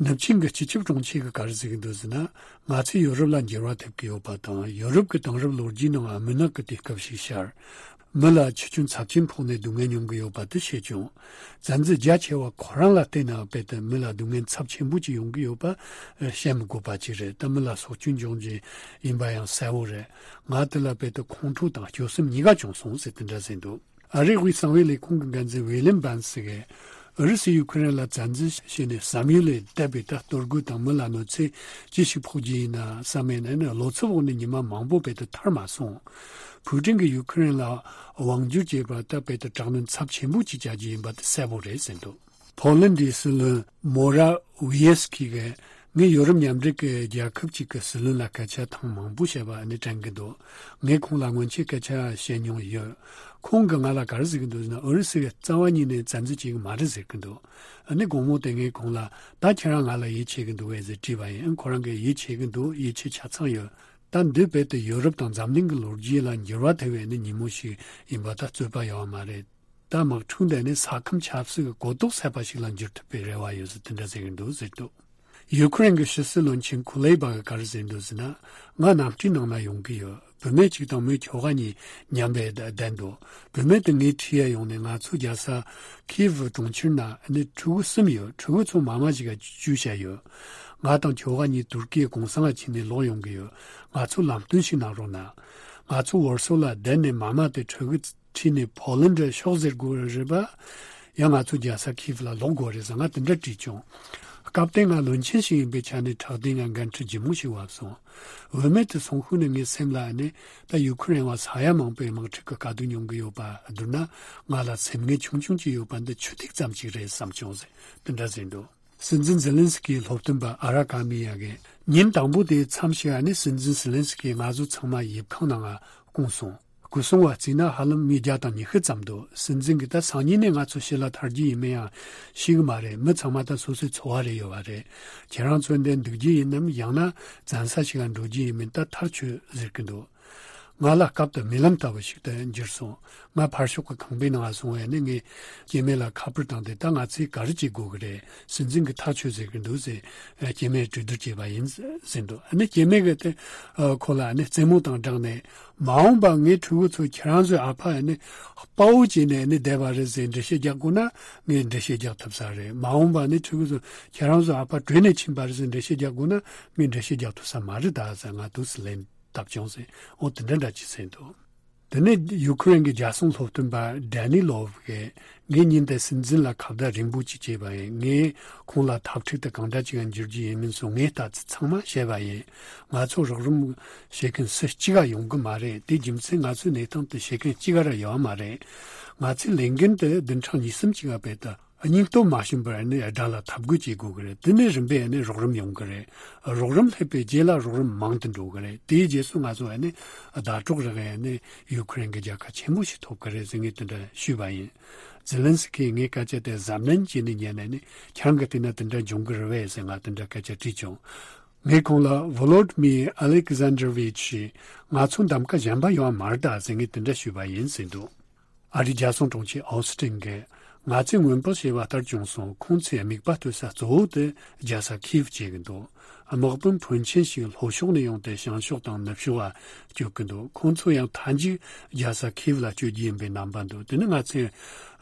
ནུབ་ཆིངས་ཀྱི་སྤྱི་ཁྱབ་དྲུང་ཆེ་གིས་ག་རེ་ཟེར་གྱི་འདུག་ཟེར་ན། ང་ཚོས་ཡོ་རོབ་ལ་འགྱུར་བ་ཐེབས་ཀྱི་ཡོད་པ་དང་། ཡོ་རོབ་ཀྱི་དེང་རབས་ལོ་རྒྱུས་ནང་མུན་ནག་གི་དུས་སྐབས་ཤིག་ཤར། མི་ལ་འཆི་སྐྱོན་ཚབས་ཆེན་ཕོག་ནས་སྡུག་བསྔལ་མྱོང་གི་ཡོད་པ་དེ་ཤེས་བྱུང་། བཙན་འཛུལ་རྒྱ་ཆེ་བ་ཁོ་རང་ལ་བརྟེན་ནས་རྦད་དེ་མི་ལ་སྡུག་བསྔལ་ཚབས་ཆེན་པོ་ཅིག་ཡོང་གི་ཡོད་པ་བཤད་མི་དགོས་པ་ཅིག་རེད། ད་མི་ལ་སྲོག་སྐྱོན་འབྱུང་རྒྱུ་ཡིན་པ་ཡང་གསལ་བོ་རེད། ང་དེ་ལ་རྦད་དེ་ཁོང་ཁྲོ་དང་སྐྱོ་སེམས་གཉིས་ཀ་བྱུང་སོང་ཟེར་དེ་འདྲ་ཟེར་འདུག་ཨ་རིའི་དབུས་གསང་བའི་ལས་ཁུངས་ཀྱི་འགན་འཛིན་ཝི་ལིམ་བན་སི་གིས། ཨུ་རུ་སུས་ཡུ་ཁུ་རེན་ལ་བཙན་འཛུལ་བྱས་ནས་བསམ་ཡུལ་ལས་འདས་པའི་ད་གཏོར་རྒོལ་དང་མི་ལ་གནོད་འཚེ་ཅི་ཞིག་ཕོག་རྒྱུ་ཡིན་ན་བསམ་མེད་ནས་ནི། བློ་འཚབ་འོག་ནས་ཉི་མ་མང་པོ་རྦད་དེ་ཐར་མ་སོང་། ཕུའུ་ཀྲིན་གྱིས་ཡུ་ཁུ་རེན་ལ་དབང་བསྒྱུར་བྱས་པ་ད་རྦད་དེ་དྲག་གནོན་ཚབས་ཆེན་པོ་ཅིག་བྱ་རྒྱུ་ཡིན་པ་དེ་གསལ་པོ་རེད་ཟེར་འདུག་ཕོ་ལན་ཌིའི་སྲིད་བློན་མོ་ར་ཝི་ཡེ་སི་ཁི་གིས། ངས་ཡོ་རོབ་མཉམ་འབྲེལ་གྱི་རྒྱལ་ཁབ་ཅིག་གི་སྲིད་བློན་ལ་སྐད་ཆ་ཐེངས་མང་པོ་བཤད་པ་ནི་དྲན་གྱི་འདུག་ངས་ཁོང་ལ་སྔོན་ཆད་སྐད་ཆ་བཤད་མྱོང་ཡོད། ཁོང་གིས་ང་ལ་ག་རེ་ཟེར་གྱི་འདུག་ཟེར་ན། ཨུ་རུ་སུས་རྩ་བ་ཉིད་ནས་བཙན་འཛུལ་བྱེད་ཀྱི་མ་རེད་ཟེར་གྱི་འདུག་ཨ་ནི་དགོང་མོ་དེ་ངས་ཁོང་ལ། ད་ཁྱེད་རང་ང་ལ་ཡིད་ཆེས་ཀྱི་འདུག་གས་ཟེར་དྲིས་པ་ཡིན། ཁོ་རང་གིས་ཡིད་ཆེས་ཀྱི་འདུག་ཡིད་ཆེས་ཆ་ཚང་ཡོད། ད་འདི་རྦད་དེ་ཡོ་རོབ་དང་འཛམ་གླིང་གི་ལོ་རྒྱུས་ལ་འགྱུར་བ་ཐེབས་པའི་ནི་ཉིན་མོ་ཞིག་ཡིན་པ་ད་རྩོད་པ་ཡོད་མ་རེད། ད་དམག་འཁྲུག་འདི་ནི་ས་ཁམས་ཆབ་སྲིད་ཀྱི་གོ་རྟོགས་ཟད་པ་ཞིག་ལ་འགྱུར་ཐུབ་པའི་རེ་བ་ཡོད་ཟེར་དེ་འདྲ་ཟེར་གྱི་འདུག་ཟེར་འདུག་ཡུ་ཁུ་རེན་གྱི་ཕྱི་སྲིད་བློན་ཆེན་ཁུ་ལེ་བ་གིས་ག་རེ་ཟེར་འདུག་ཟེར་ན། ང་གནམ་གྲུའི་ནང་ན་ཡོང་གི་ཡོད། བུད་མེད་གཅིག་དང་མོའི་ཁྱོ་ག་གཉིས་མཉམ་པོ་བསྡད་འདུག་བུད་མེད་དེ་ངའི་འཁྲིས་ཡར་ཡོང་ནས་ང་ཚོ་རྒྱལ་ས་ཁིའེབ་གྲོང་ཁྱེར་ན་ནི་ཕྲུ་གུ་གསུམ་ཡོད། ཕྲུ་གུ་ཚོ་མ་མ་ཞིག་ག་བཅུག་བཞག་ཡོད། ང་དང་ཁྱོ་ག་གཉིས་ཏུར་ཀིའི་གུང་སེང་ལ་ཕྱིན་ནས་ལོག་ཡོང་གི་ཡོད། ང་ཚོ་ལམ་སྟོན་ཞིག་གནང་རོགས་གནང་། ང་ཚོ་ཝོར་སོ་ལ་བསྡད་ནས་མ་མ་དེ་ཕྲུ་གུ་ཁྲིད་ནས་ཕོ་ལན་ཌི་ཕྱོགས་ཟེར་དགོས་རེད་པ། ཡང་ང་ཚོ་རྒྱལ་ས་ཁིའེབ་ལ་ལོག་དགོས་རེད་ཟེར་ང་དེ་འདྲ་དྲིས་བྱུང་། སྐབས་དེ་ང་བློན་ཆེན་ཞིག་ཡིན་པའི་ཆ་ནས་ཕྲག་སྟེང་ང་འགན་འཁྲི་ལྗིད་མོ་ཞིག་བབས་སོང་། བུད་མེད་དེ་སོང་ཤུལ་ནས་ངའི་སེམས་ལ་ནི་ད་ཡུ་ཁུ་རེན་བ་ས་ཡ་མང་པོའི་དམག་འཁྲུག་གི་དཀའ་སྡུག་མྱོང་གི་ཡོད་པ་བསྡུར་ན། ང་ལ་སེམས་ངལ་ཆུང་ཆུང་ཅིག་ཡོད་པ་འདི་ཆུ་ཐིགས་ཙམ་ཅིག་རེད་བསམ་བྱུང་ཟེར་དེ་འདྲ་ཟེར་འདུག་སྲིད་འཛིན་ཛེ་ལན་སི་ཀིའི་སློབ་སྟོན་པ་ཨ་ར་ཀ་མི་ཡ་གིས། ཉིན་དང་པོ་དེའི་མཚམས་ཤིག་ཨ་ནི་སྲིད་འཛིན་ཛེ་ལན་སི་ཀིས་ང་ཚོ་ཚང་མ་ཡིབ་ཁང་ནང་ང་བསྐུངས་སོང་། སྐུ་སྲུང་བ་བརྩིས་ན་ཧ་ལམ་མི་བརྒྱ་དང་ཉི་ཤུ་ཙམ་འདུག་སྲིད་འཛིན་གྱིས་ད་སང་ཉིན་ནས་ང་ཚོ་ཕྱི་ལ་ཐར་རྒྱུ་ཡིན་མིན་ཡང་ཤེས་ཀྱི་མ་རེད། མི་ཚང་མ་ད་སོ་སོའི་འཚོ་བ་རེ་ཡོད་པ་རེད། ཁྱེད་རང་ཚོ་འདིར་འདུག་རྒྱུ་ཡིན་ནམ། ཡང་ན་བཙན་ས་ཞིག་ལ་འགྲོ་རྒྱུ་ཡིན་མིན་ད་ཐག་ཆོད་ཟེར་གྱི་འདུག་ང་ལ་སྐབས་དེ་རྨི་ལམ་ལྟ་བུ་ཞིག་ཏུ་འགྱུར་སོང་། ང་ཕར་ཕྱོགས་ཀྱི་ཁང་པའི་ནང་ང་སོང་བས་ནི་ངས་སྐྱེ་དམན་ལ་ཁ་པར་བཏང་སྟེ། ད་ང་ཚོས་ག་རེ་བྱེད་དགོས་ཀྱི་རེད། སྲིད་འཛིན་གྱིས་ཐག་ཆོད་ཟེར་གྱི་འདུག་ཟེར་སྐྱེ་དམན་གྲོས་བསྡུར་བྱས་པ་ཡིན་ཟེར་འདུག་ཨ་ནི་སྐྱེ་དམན་གྱིས་དེ་ཁོ་ལ་ནི་རྩེད་མོ་དང་སྦྲགས་ནས། མ་འོངས་པ་ངའི་ཕྲུ་གུ་ཚོ་ཁྱེད་རང་ཚོའི་ཨ་ཕ་ནི་དཔའ་བོ་བྱས་ནས་ནི་བསྡད་པ་རེད་ཟེར་འགྲེལ་བཤད་རྒྱག་དགོས་ན་ངས་འགྲེལ་བཤད་རྒྱག་ཐུབ་ས་རེད། མ་འོངས་པ་ནི་ཕྲུ་གུ་ཚོ་ཁྱེད་རང་ཚོའི་ཨ་ཕ་བྲོས་ནས་ཕྱིན་པ་རེད་ཟེར་འགྲེལ་བཤད་རྒྱག་དགོས་ན་ངས་འགྲེལ་བཤད་རྒྱག་ཐུབ་ས་མ་རེད་ད་ཟེར་ང་འདུག་སེ་ལན། བཏབ་བྱུང་ཟེར། འོ་དེ་འདྲ་འདྲ་ཅིག་ཟེར་འདུག་དེ་ནས་ཡུ་ཁུ་རེན་གྱི་རྒྱལ་སྲུང་སློབ་སྟོན་པ་ཌེ་ནི་ལོབ་གིས། ངས་ཉིན་དེ་སྲིད་འཛིན་ལ་ཁ་བརྡ་རིང་པོ་ཅིག་བྱས་པ་ཡིན། ངས་ཁོང་ལ་འཐབ་འཁྲུག་དེ་གང་འདྲ་ཅིག་འགྱུར་རྒྱུ་ཡིན་མིན་སོགས་ངས་ལྟ་ཚུལ་ཚང་མ་བཤད་པ་ཡིན། ང་ཚོ་རོགས་རམ་བྱེད་མཁན་སུ་གཅིག་ག་ཡོང་གི་མ་རེད། དེའི་རྒྱུ་མཚན་ང་ཚོའི་གནས་སྟངས་དེ་བྱེད་མཁན་གཅིག་ག་ར་ཡོད་མ་རེད། ང་ཚོའི་ལས་འགན་དེ་བདུན་ཕྲག་གཉིས་གསུམ་ཅིག་ག་བེད་དུ། སྙིང་སྟོབས་མ་ཞུམ་པར་ནི་དགྲ་ལ་འཐབ་རྒོལ་བྱེད་དགོས་ཀྱི་རེད། དེ་ནས་རིམ་པས་ནི་རོགས་རམ་ཡོང་གི་རེད། རོགས་རམ་སླེབས་པའི་རྗེས་ལ་རོགས་རམ་མང་དུ་འགྲོ་གི་རེད། དེའི་རྗེས་སུ་ང་ཚོ་ནི་ཟླ་གྲོགས་རག་ནི་ཡུ་ཁུ་རེན་གྱི་རྒྱལ་ཁ་ཆེན་པོ་ཞིག་ཐོབ་ཀྱི་རེད་ཟེར། ངས་དེ་འདྲ་ཞུས་པ་ཡིན། ཛེ་ལན་སི་ཁིས་ངའི་སྐད་ཆ་དེ་གཟབ་ནན་བྱས་ནས་ཉན་ནས་ནི། ཁྱེད་རང་གིས་བལྟས་ན་དེ་འདྲ་འབྱུང་གི་རེད་བས་ཟེར། ང་དེ་འདྲ་སྐད་ཆ་དྲིས་བྱུང་། ངས་ཁོང་ལ། ཝོ་ལོ་ཌི་མིར་ཨ་ལེག་ཟན་དྲ་ཝིཆ། ང་ཚོ་གདམ་ག་གཞན་པ་ཡོད་མ་རེད་ད་ཟེར། ངས་དེ་འདྲ་ཞུས་པ་ཡིན་ཟེར་འདུག་ཨ་རིའི་རྒྱལ་སྲུང་དྲུང་ཆེ་ཨོ་སི་ཏིན་གྱིས། ང་ཚོས་སྔོན་དཔག་བྱས་པ་ལྟར་བྱུང་སོང་། ཁོང་ཚོའི་དམིགས་པ་གཏོད་ས་གཙོ་བོ་དེ་རྒྱལ་ས་ཁིབ་བྱེད་ཀྱི་འདུག་དམག་དཔོན་ཕོན་ཆེན་ཞིག་ལྷོ་ཕྱོགས་ནས་ཡོང་སྟེ་བྱང་ཕྱོགས་དང་ནུབ་ཕྱོགས་ལ་བསྐྱོད་ཀྱི་འདུག་ཁོང་ཚོ་ཡང་མཐའ་མཇུག་རྒྱལ་ས་ཁིབ་ལ་བསྐྱོད་རྒྱུ་ཡིན་པའི་རྣམ་པ་འདུག་དེ་ནི་ང་ཚོས་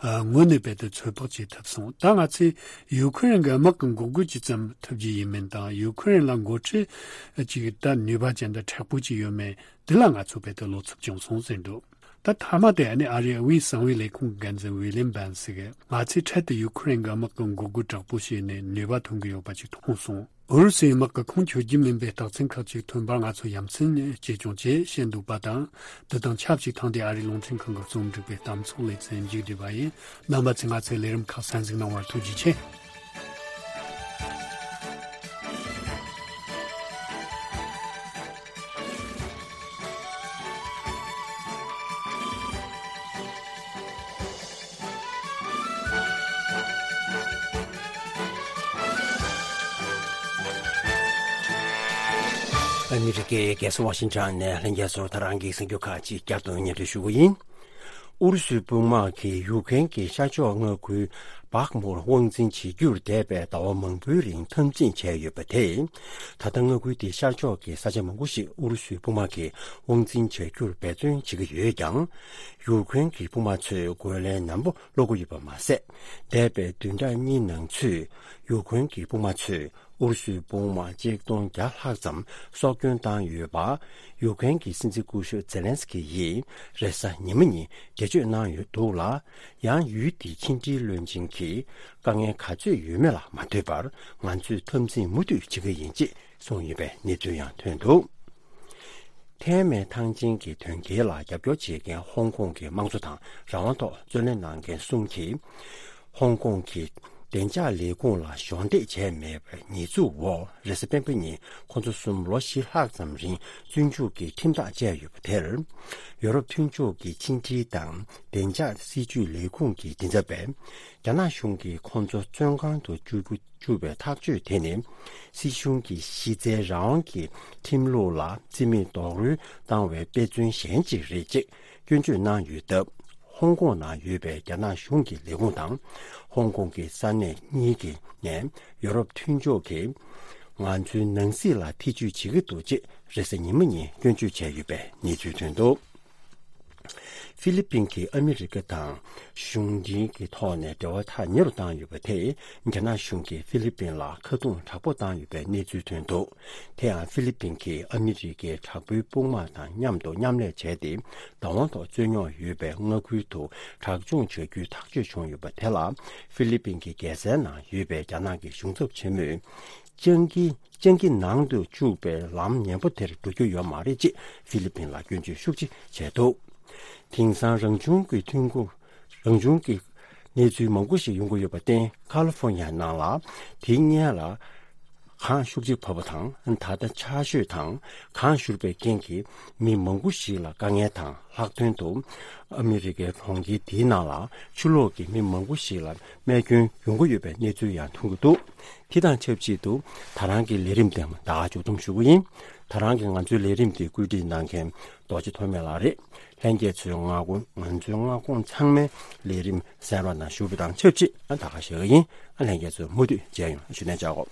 ཨ་དངོས་གནས་རྦད་དེ་ཚོད་དཔག་བྱེད་ཐུབ་སོང་། ད་ང་ཚོས་ཡུ་ཁུ་རེན་གྱི་དམག་གི་འགོག་རྒོལ་ཇི་ཙམ་ཐུབ་རྒྱུ་ཡིན་མིན་དང་། ཡུ་ཁུ་རེན་ལ་འགོ་ཁྲིད་ཅིག་ད་ནུས་པ་ཅན་དང་མཁྲེགས་པོ་ཅིག་ཡོད་མེད། དེ་ལ་ང་ཚོ་རྦད་དེ་བློ་འཚབ་བྱུང་སོང་ཟེར་འདུག་ད་མཐའ་མ་དེ་ནི་ཨ་རིའི་དབུས་གསང་བའི་ལས་ཁུངས་འགན་འཛིན་ཝི་ལིམ་བན་སི་གིས། ང་ཚོས་འཕྲལ་དུ་ཡུ་ཁུ་རེན་གྱི་དམག་གི་འགོག་རྒོལ་དྲག་པོ་བྱས་ནས་ནུས་པ་ཐོན་གྱི་ཡོད་པ་ཅིག་མཐོང་སོང་། ཨུ་རུ་སུའི་དམག་གི་ཁུངས་འཁྱོལ་རྒྱུ་མིན་པའི་རྟགས་མཚན་ཁག་ཅིག་ཐོན་པར་ང་ཚོ་ཡ་མཚན་སྐྱེས་བྱུང་ཅེས་བཤད་འདུག་པ་དང་། འདི་དང་ཆབས་ཅིག་ཐེངས་འདིའི་ཨ་རིའི་རླུང་འཕྲིན་ཁང་གི་རྩོམ་སྒྲིག་པའི་གཏམ་ཚོགས་ལེ་ཚན་མཇུག་བསྒྲིལ་བ་ཡིན། རྣམ་པ་ཚོས་ང་ཚོའི་ལས་རིམ་ཁག་གསན་གཟིགས་གནང་བར་ཐུགས་རྗེ་ཆེ། ཨ་མི་རི་ཀའི་རྒྱལ་ས་ཝ་ཤིང་ཊོན་ནས་ལྷན་རྒྱས་ཚོར་ད་རང་གི་གསར་འགྱུར་ཁག་ཅིག་བསྐྱར་དུ་སྙན་སྒྲོན་ཞུ་གི་ཡིན། ཨུ་རུ་སུའི་དཔུང་དམག་གིས་ཡུཀ་རེན་གྱི་ཤར་ཕྱོགས་མངའ་ཁུལ་བག་མུར་དབང་འཛིན་བྱེད་རྒྱུར་འདས་པའི་ཟླ་བ་མང་པོའི་རིང་འཐབ་འཛིང་བྱས་ཡོད་པ་དེས། ད་ལྟ་མངའ་ཁུལ་དེའི་ཤར་ཕྱོགས་ཀྱི་ས་ཆ་མང་པོ་ཞིག་ཨུ་རུ་སུའི་དཔུང་དམག་གིས་དབང་འཛིན་བྱ་རྒྱུར་འབད་བརྩོན་བྱེད་ཀྱི་ཡོད་ཀྱང་། ཡུཀ་རེན་གྱི་དཔུང་དམག་ཚོས་རྒོལ་ལན་ནན་པོ་སློག་གི་ཡོད་པ་མ་ཟད། འདས་པའི་བདུན་ཕྲག་གཉིས་ནང་ཚུད་ཡུཀ་རེན་གྱི་དཔུང་དམག་ཚོས་ཨུ་རུ་སུའི་དཔུང་དམག་ཆིག་སྟོང་བརྒྱ་ལྷག་ཙམ་སྲོག་སྐྱོན་བཏང་ཡོད་པ། ཡུཀ་རེན་གྱི་སྲིད་འཛིན་སྐུ་ཞབས་ཛེ་ལན་སི་ཀི་ཡིས་རེས་གཟའ་ཉི་མ་ཉིན་འགྲེལ་བརྗོད་གནང་ཡོད་འདུག་ལ། ཡང་ཡུལ་དེའི་ཕྱི་འབྲེལ་བློན་ཆེན་གྱིས་དཀའ་ངལ་ག་ཚོད་ཡོད་མེད་ལ་མ་ལྟོས་པར། ང་ཚོས་འཐབ་འཛིང་མུ་མཐུད་བྱེད་ཀྱི་ཡིན་ཅེས་གསུངས་ཡོད་པའི་གནས་ཚུལ་ཡང་ཐོན་འདུག་ཐའེ་མེན་ཐང་ཆེན་གྱི་དོན་རྐྱེན་ལ་རྒྱབ་སྐྱོར་བྱེད་མཁན་ཧོང་ཀོང་གི་དམངས་གཙོ་དང་རང་དབང་ཐོག་རྩོད་ལེན་གནང་མཁན་གསུམ་གྱིས། ཧོང་ཀོང་གི་བདེ་འཇགས་ལས་ཁུངས་ལ་གཞོགས་འདེགས་བྱས་མེད་པའི་ཉེས་འཛུགས་འོག་རེས་གཟའ་སྤེན་པ་ཉིན་ཁོ་ཚོ་གསུམ་ལོ་བཞི་ལྷག་ཙམ་རིང་བཙོན་འཇུག་གི་ཁྲིམས་ཐག་བཅད་ཡོད་པ་དེར། ཡོ་རོབ་མཐུན་ཕྱོགས་ཀྱི་ཕྱི་འབྲེལ་དང་བདེ་འཇགས་སྲིད་ཇུས་ལས་ཁུངས་ཀྱི་མགྲིན་ཚབ་པས། རྒྱ་ནག་གཞུང་གིས་ཁོ་ཚོ་བཙོན་ཁང་དུ་བཅུག་བཅུག་པའི་ཐག་གཅོད་དེ་ནི། སྲིད་གཞུང་གི་གཞི་རྩའི་རང་དབང་གི་ཁྲིམས་ལུགས་ལ་བརྩི་མེད་རྡོག་རོལ་བཏང་བའི་དཔེ་མཚོན་གཞན་ཅིག་རེད་ཅེས་སྐྱོན་བརྗོད་གནང་ཡོད་སྟབས། ཧོང་ཀོང་ནང་ཡོད་པའི་རྒྱ་ནག་གཞུང་གི་ལས་ཁུངས་དང་། ཧོང་ཀོང་གི་ས་གནས་གཉིས་ཀྱི་ནས་ཡོ་རོབ་མཐུན་ཕྱོགས་ཀྱིས་ང་ཚོའི་ནང་སྲིད་ལ་ཐེ་ཇུས་བྱེད་ཀྱི་འདུག་ཅེས་རེས་གཟའ་ཉི་མ་ཉིན་སྐྱོན་བརྗོད་བྱས་ཡོད་པའི་གནས་ཚུལ་ཐོན་འདུག་ཧྥི་ལི་པིན་གྱིས་ཨ་མི་རི་ཀ་དང་གཞུང་འབྲེལ་གྱི་ཐོག་ནས་འབྲེལ་བ་ཐག་ཉེ་རུ་བཏང་ཡོད་པ་དེས། རྒྱ་ནག་གཞུང་གིས་ཧྥི་ལི་པིན་ལ་ཁ་རྡུང་དྲག་པོ་བཏང་ཡོད་པའི་གནས་ཚུལ་ཐོན་འདུག་དེ་ཡང་ཧྥི་ལི་པིན་གྱིས་ཨ་མི་རི་ཀའི་དྲག་པོའི་དཔུང་དམག་དང་མཉམ་དུ་མཉམ་ལས་བྱས་ཏེ། བདག་དབང་ཐོག་རྩོད་རྙོག་ཡོད་པའི་མངའ་ཁུལ་དུ་དྲག་སྦྱོང་བྱ་རྒྱུའི་ཐག་གཅོད་བྱུང་ཡོད་པ་དེ་ལ། ཧྥི་ལི་པིན་གྱི་རྒྱལ་སའི་ནང་ཡོད་པའི་རྒྱ་ནག་གི་གཞུང་ཚབ་ཆེན་མོས། སྤྱང་ཀི་སྤྱང་ཀི་ནང་དུ་བཅུག་པའི་ལམ་ངན་པ་དེར་འགྲོ་རྒྱུ་ཡོད་མ་རེད་ཅེས་ཧྥི་ལི་པིན་ལ་སྐྱོན་བརྗོད་ཤུགས་ཆེ་བྱས་འདུག་དེང་སང་རང་བྱུང་གི་ཐོན་ཁུངས། རང་བྱུང་གི་གནས་ཚུལ་མང་པོ་ཞིག་ཡོང་གི་ཡོད་པར་བརྟེན། ཁ་ལི་ཧྥོ་ནི་ཡ་ནང་ལ་དེའི་སྔོན་ལ་གངས་ཤུགས་ཆེ་བབས་པ་དང་། ད་ལྟ་ཆར་ཞོད་དང་གངས་བཞུར་བའི་རྐྱེན་གྱིས་མི་མང་པོ་ཞིག་ལ་དཀའ་ངལ་དང་། ལྷག་དོན་དུ་ཨ་མི་རི་ཀའི་གྲོང་ཁྱེར་དེའི་ནང་ལ་ཆུ་ལོག་གིས་མི་མང་པོ་ཞིག་ལ་རྨས་སྐྱོན་ཡོང་གི་ཡོད་པའི་གནས་ཚུལ་ཡང་ཐོན་གྱི་འདུག་དེ་དང་ཆབས་ཅིག་ཏུ་ད་རང་གི་ལས་རིམ་དེ་ད་ག་མཇུག་བསྡོམས་ཞུ་གི་ཡིན། ད་རང་གིས་ང་ཚོའི་ལས་རིམ་དེ་བཀོད་སྒྲིག་གནང་མཁན་རྡོ་རྗེ་ཐོགས་མེད་ལགས་རེད། ལྷན་རྒྱས་ཚོས་མངའ་ཁོངས། ང་ཚོའི་མངའ་ཁོངས་ཚང་མའི་ལས་རིམ་གསན་རོགས་གནང་ཞུ་བ་དང་ཆབས་ཅིག་ད་ག་ཞུ་གི་ཡིན། ལྷན་རྒྱས་ཚོ་མུ་མཐུད་མཇལ་ཡོང་ཞུ་ནས་བྱ་གོ།